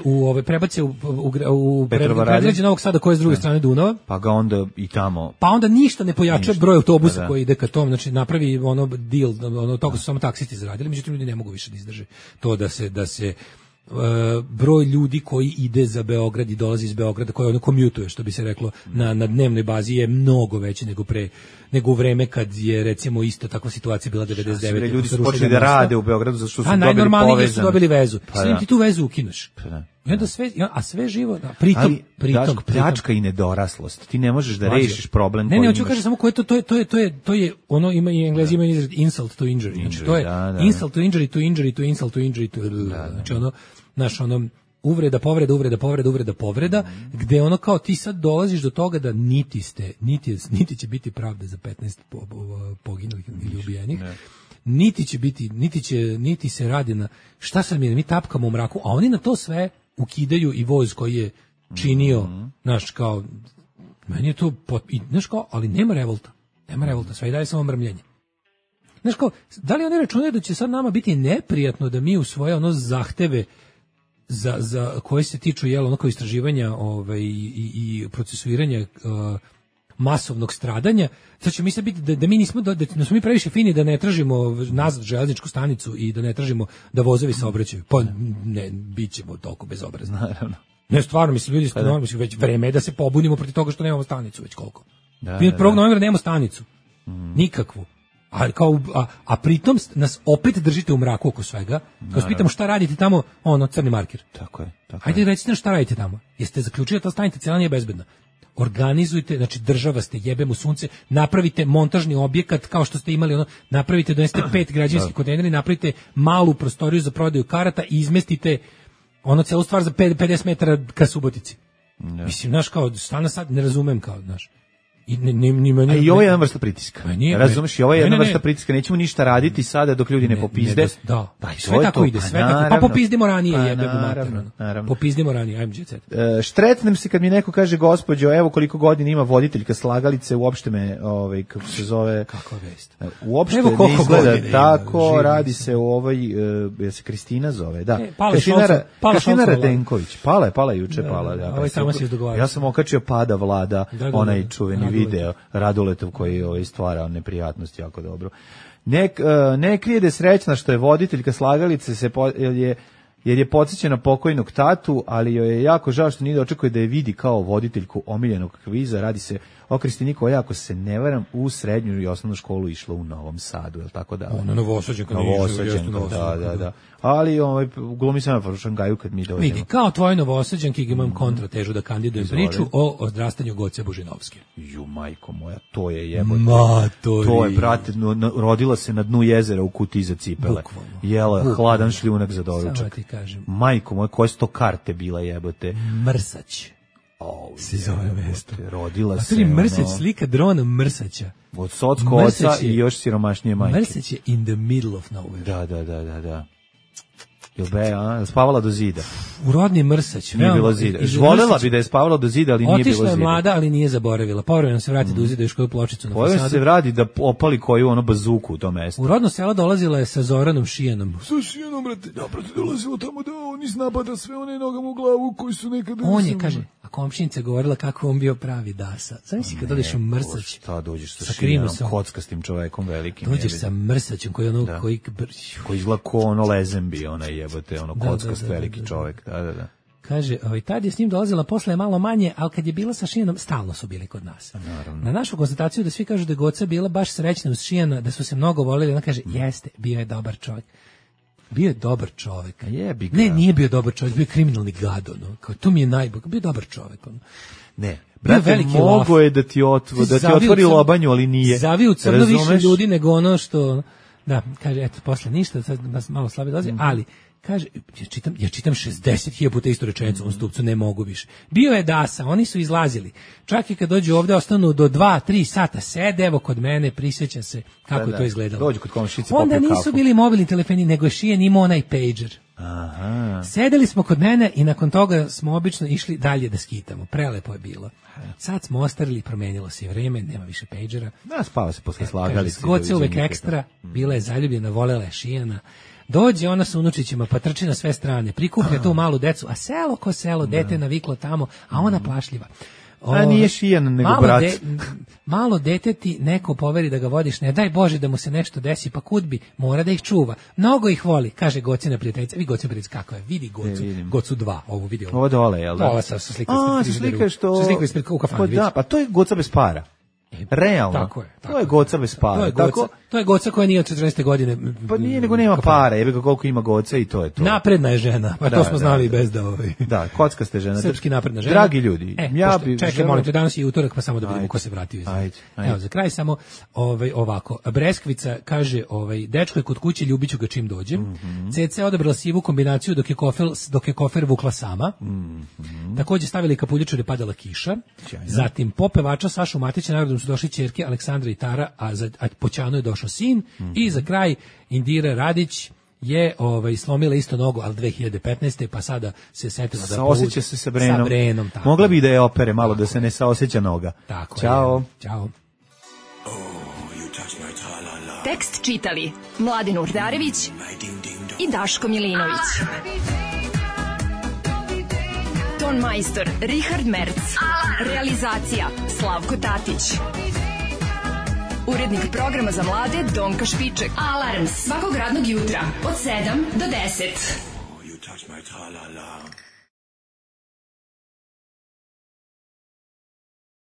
u predgrađe Novog Sada koje je s druge strane Dunava. Pa ga onda i tamo. Pa onda ništa ne pojača broj autobusa koji ide ka tom, znači napravi deal, toga su samo taksisti zaradili, međutim ljudi ne mogu više da izdrže to da se broj ljudi koji ide za Beograd i dolazi iz Beograda, koji kommutuje, što bi se reklo, na dnevnoj bazi je mnogo veći nego u vreme kad je recimo isto takva situacija bila 99. Ljudi su počeli da rade u Beogradu zato što su dobili najnormalnije su dobili vezu. Sve ti tu vezu ukineš. I onda sve živo, pritom pljačka i nedoraslost. Ti ne možeš da rešiš problem koji imaš. Ne, hoću kažem samo koje to je ono ima i Englezi imaju izraz insult to injury. Znači to je insult to injury to injury to insult to injury to. Znači uvreda, gde ono kao ti sad dolaziš do toga da niti će biti pravde za 15 poginulih ili ubijenih, niti se radi na šta sad mi tapkamo u mraku, a oni na to sve ukidaju i voz koji je činio, znaš, kao, meni je to, znaš kao, ali nema revolta, sve i dalje samo mrmljenje. Znaš kao, da li oni računaju da će sad nama biti neprijatno da mi u svoje zahteve za koje se tiču kao istraživanja i procesuiranja masovnog stradanja, sad će mi se biti da mi nismo, da smo mi previše fini da ne tražimo nazad železničku stanicu i da ne tražimo da vozovi saobraćaju. Pa ne, bit ćemo toliko bezobrazni. Naravno. Ne, stvarno, ljudi, već vreme je da se pobunimo protiv toga što nemamo stanicu već koliko. Mi od 1. novembra nemamo stanicu. Nikakvu. A pritom nas opet držite u mraku oko svega. Kad pitamo šta radite tamo, crni marker. Tako je. Hajde recite šta radite tamo. Jeste zaključili da ta stanica cijela nije bezbedna? Organizujte, znači država ste, jebem u sunce, napravite montažni objekat kao što ste imali, napravite, donesite 5 građevinskih kontejnera, napravite malu prostoriju za prodaju karata i izmestite celu stvar za 50 metara ka Subotici. Mislim, znaš, kao, stana sad ne razumem, kao, znaš. I ovo je jedna vrsta pritiska. Razumeš, i ovo je jedna vrsta pritiska. Nećemo ništa raditi sada dok ljudi ne popizde. Da, sve tako ide, sve tako. Pa popizdimo ranije, jebemo materno. Popizdimo ranije, ajmo djecet. Štretnem se kad mi neko kaže, gospođo, evo koliko godina ima voditeljka slagalice, uopšte me, kako se zove... Kakva vest. Uopšte ne izgleda tako, radi se o ja se Kristina zove, da. Kristina Radenković. Pala je juče. Ja sam okačio Pada Vlada, onaj čuveni video Raduletov koji stvara neprijatnosti jako dobro. Ne krije da je srećna što je voditeljka slagalice jer je podsjećena pokojnog tatu, ali joj je jako žao što nije da očekuje da je vidi kao voditeljku omiljenog kviza. Radi se o Kristini koja, ako se ne varam, u srednju i osnovnu školu išla u Novom Sadu, je li tako da? Novosađenka, da. Ali glumi se na Šangaju kad mi dođemo. Vidi, kao tvoj Novosađenki imam kontratežu da kandidujem priču o odrastanju Goce Božinovske. Ju, majko moja, to je jebote. To je, brate, rodila se na dnu jezera u kutiji za cipele. Jela hladan šljunak za doručak. Majko moja, koje su to karte bila, jebote? Mrsać. Se zove mesto. Rodila se. Mrsać, slika drona Mrsaća. Od Socko oca i još siromašnije majke. Mrsać je in the middle of nowhere. Da. Spavala do zida. U rodni Mrsać. Nije bilo zida. Volela bi da je spavala do zida, ali nije bilo zida. Otišla je mlada, ali nije zaboravila. Povremeno se vrati do zida još koju pločicu na fasadu. Povremeno se vrati da opali koju bazuku u tom mestu. U rodno selo dolazila je sa Zoranom Šijanom. Sa Šijanom, brate. Napravo dolazila tamo da on iznapada sve one nogama u glavu koji su nekada... On je, kaže, a komšinica govorila kako on bio pravi dasa. Znam si kad dođeš u Mrsać. Šta dođeš sa Šijanom, kockastim čovjekom velikim. Dođeš sa Mrsaćem koji izgleda ko lezembi, jebote, kockast veliki čovjek, da. Kaže, tad je s njim dolazila, posle je malo manje, ali kad je bila sa Šijanom, stalno su bili kod nas. Naravno. Na našu konstataciju da svi kažu da je Goca bila baš srećna uz Šijana, da su se mnogo voljeli, ona kaže, jeste, bio je dobar čovjek. Bio je dobar čovjek. Ne, nije bio dobar čovjek, bio je kriminalni gad, kao, to mi je najbolj, bio je dobar čovjek. Ne, brate, mogo je da ti otvori lobanju, ali nije. Zaviju crno više ljudi nego ono što... Da, kaže, eto, posle ništa, sad nas malo slabije dolazi, ali, kaže, ja čitam 60.000 puta istu rečenicu, on stupcu, ne mogu više. Bio je dasa, oni su izlazili. Čak i kad dođu ovde, ostanu do 2-3 sata, sede, evo kod mene, prisjeća se kako je to izgledalo. Dođu kod komšice, popiju onda nisu bili mobilni telefoni, nego je Šijan imao onaj pager. Aha. Sedeli smo kod mene i nakon toga smo obično išli dalje da skitamo. Prelepo je bilo. Sad smo ostarili, promenilo se vreme, nema više pejđera. Da, spava se posle slagalice. Goce uvek ekstra, bila je zaljubljena, volela je Šijana. Dođe ona sa unučićima, pa trči na sve strane, prikuplja tu malu decu, a selo ko selo, dete naviklo tamo, a ona plašljiva. A nije Šijan, nego brat. Malo dete ti neko poveri da ga vodiš, ne daj Bože da mu se nešto desi, pa kud bi, mora da ih čuva. Mnogo ih voli, kaže Gocina prijateljica. Vi Gocina prijateljica, kako je, vidi Gocu, Gocu 2, ovu vidi ovo. Ovo dole, jel da? Ova sa slikom u kafanu. Da, pa to je Goca bez para. Realno. Tako je. To je Goca bez para. To je Goca koja nije od 14. godine. Pa nije, nego nema para, jebe ga koliko ima Goca i to je to. Napredna je žena, pa to smo znali i bez da ovaj. Da, kockaste žena. Srpski napredna žena. Dragi ljudi, čekaj, molim te, danas je utorak, pa samo da vidimo ko se vratio iz. Evo, za kraj samo ovako. Breskvica kaže, dečko je kod kuće, ljubiću ga čim dođe. CC odabrala sivu kombinaciju dok je kofer vukla sama. Takođe stavili kapuljaču jer je padala kiša. Zatim popevača Sašu Matića, nagradom su došli ćerke Aleksandra i Tara, a po Ćanu je došao sin. I za kraj Indira Radić je slomila isto nogu, ali 2015. pa sada se setila da saoseća se sa Brenom. Mogla bi da je opere malo, da se ne saoseća noga. Tako Ćao. Ćao. Tekst čitali Mladin Urdarević i Daško Milinović. Ton majstor Richard Merc. Realizacija Slavko Tatić. Urednik programa za mlade Donka Špiček. Alarms svakog radnog jutra od 7 do 10.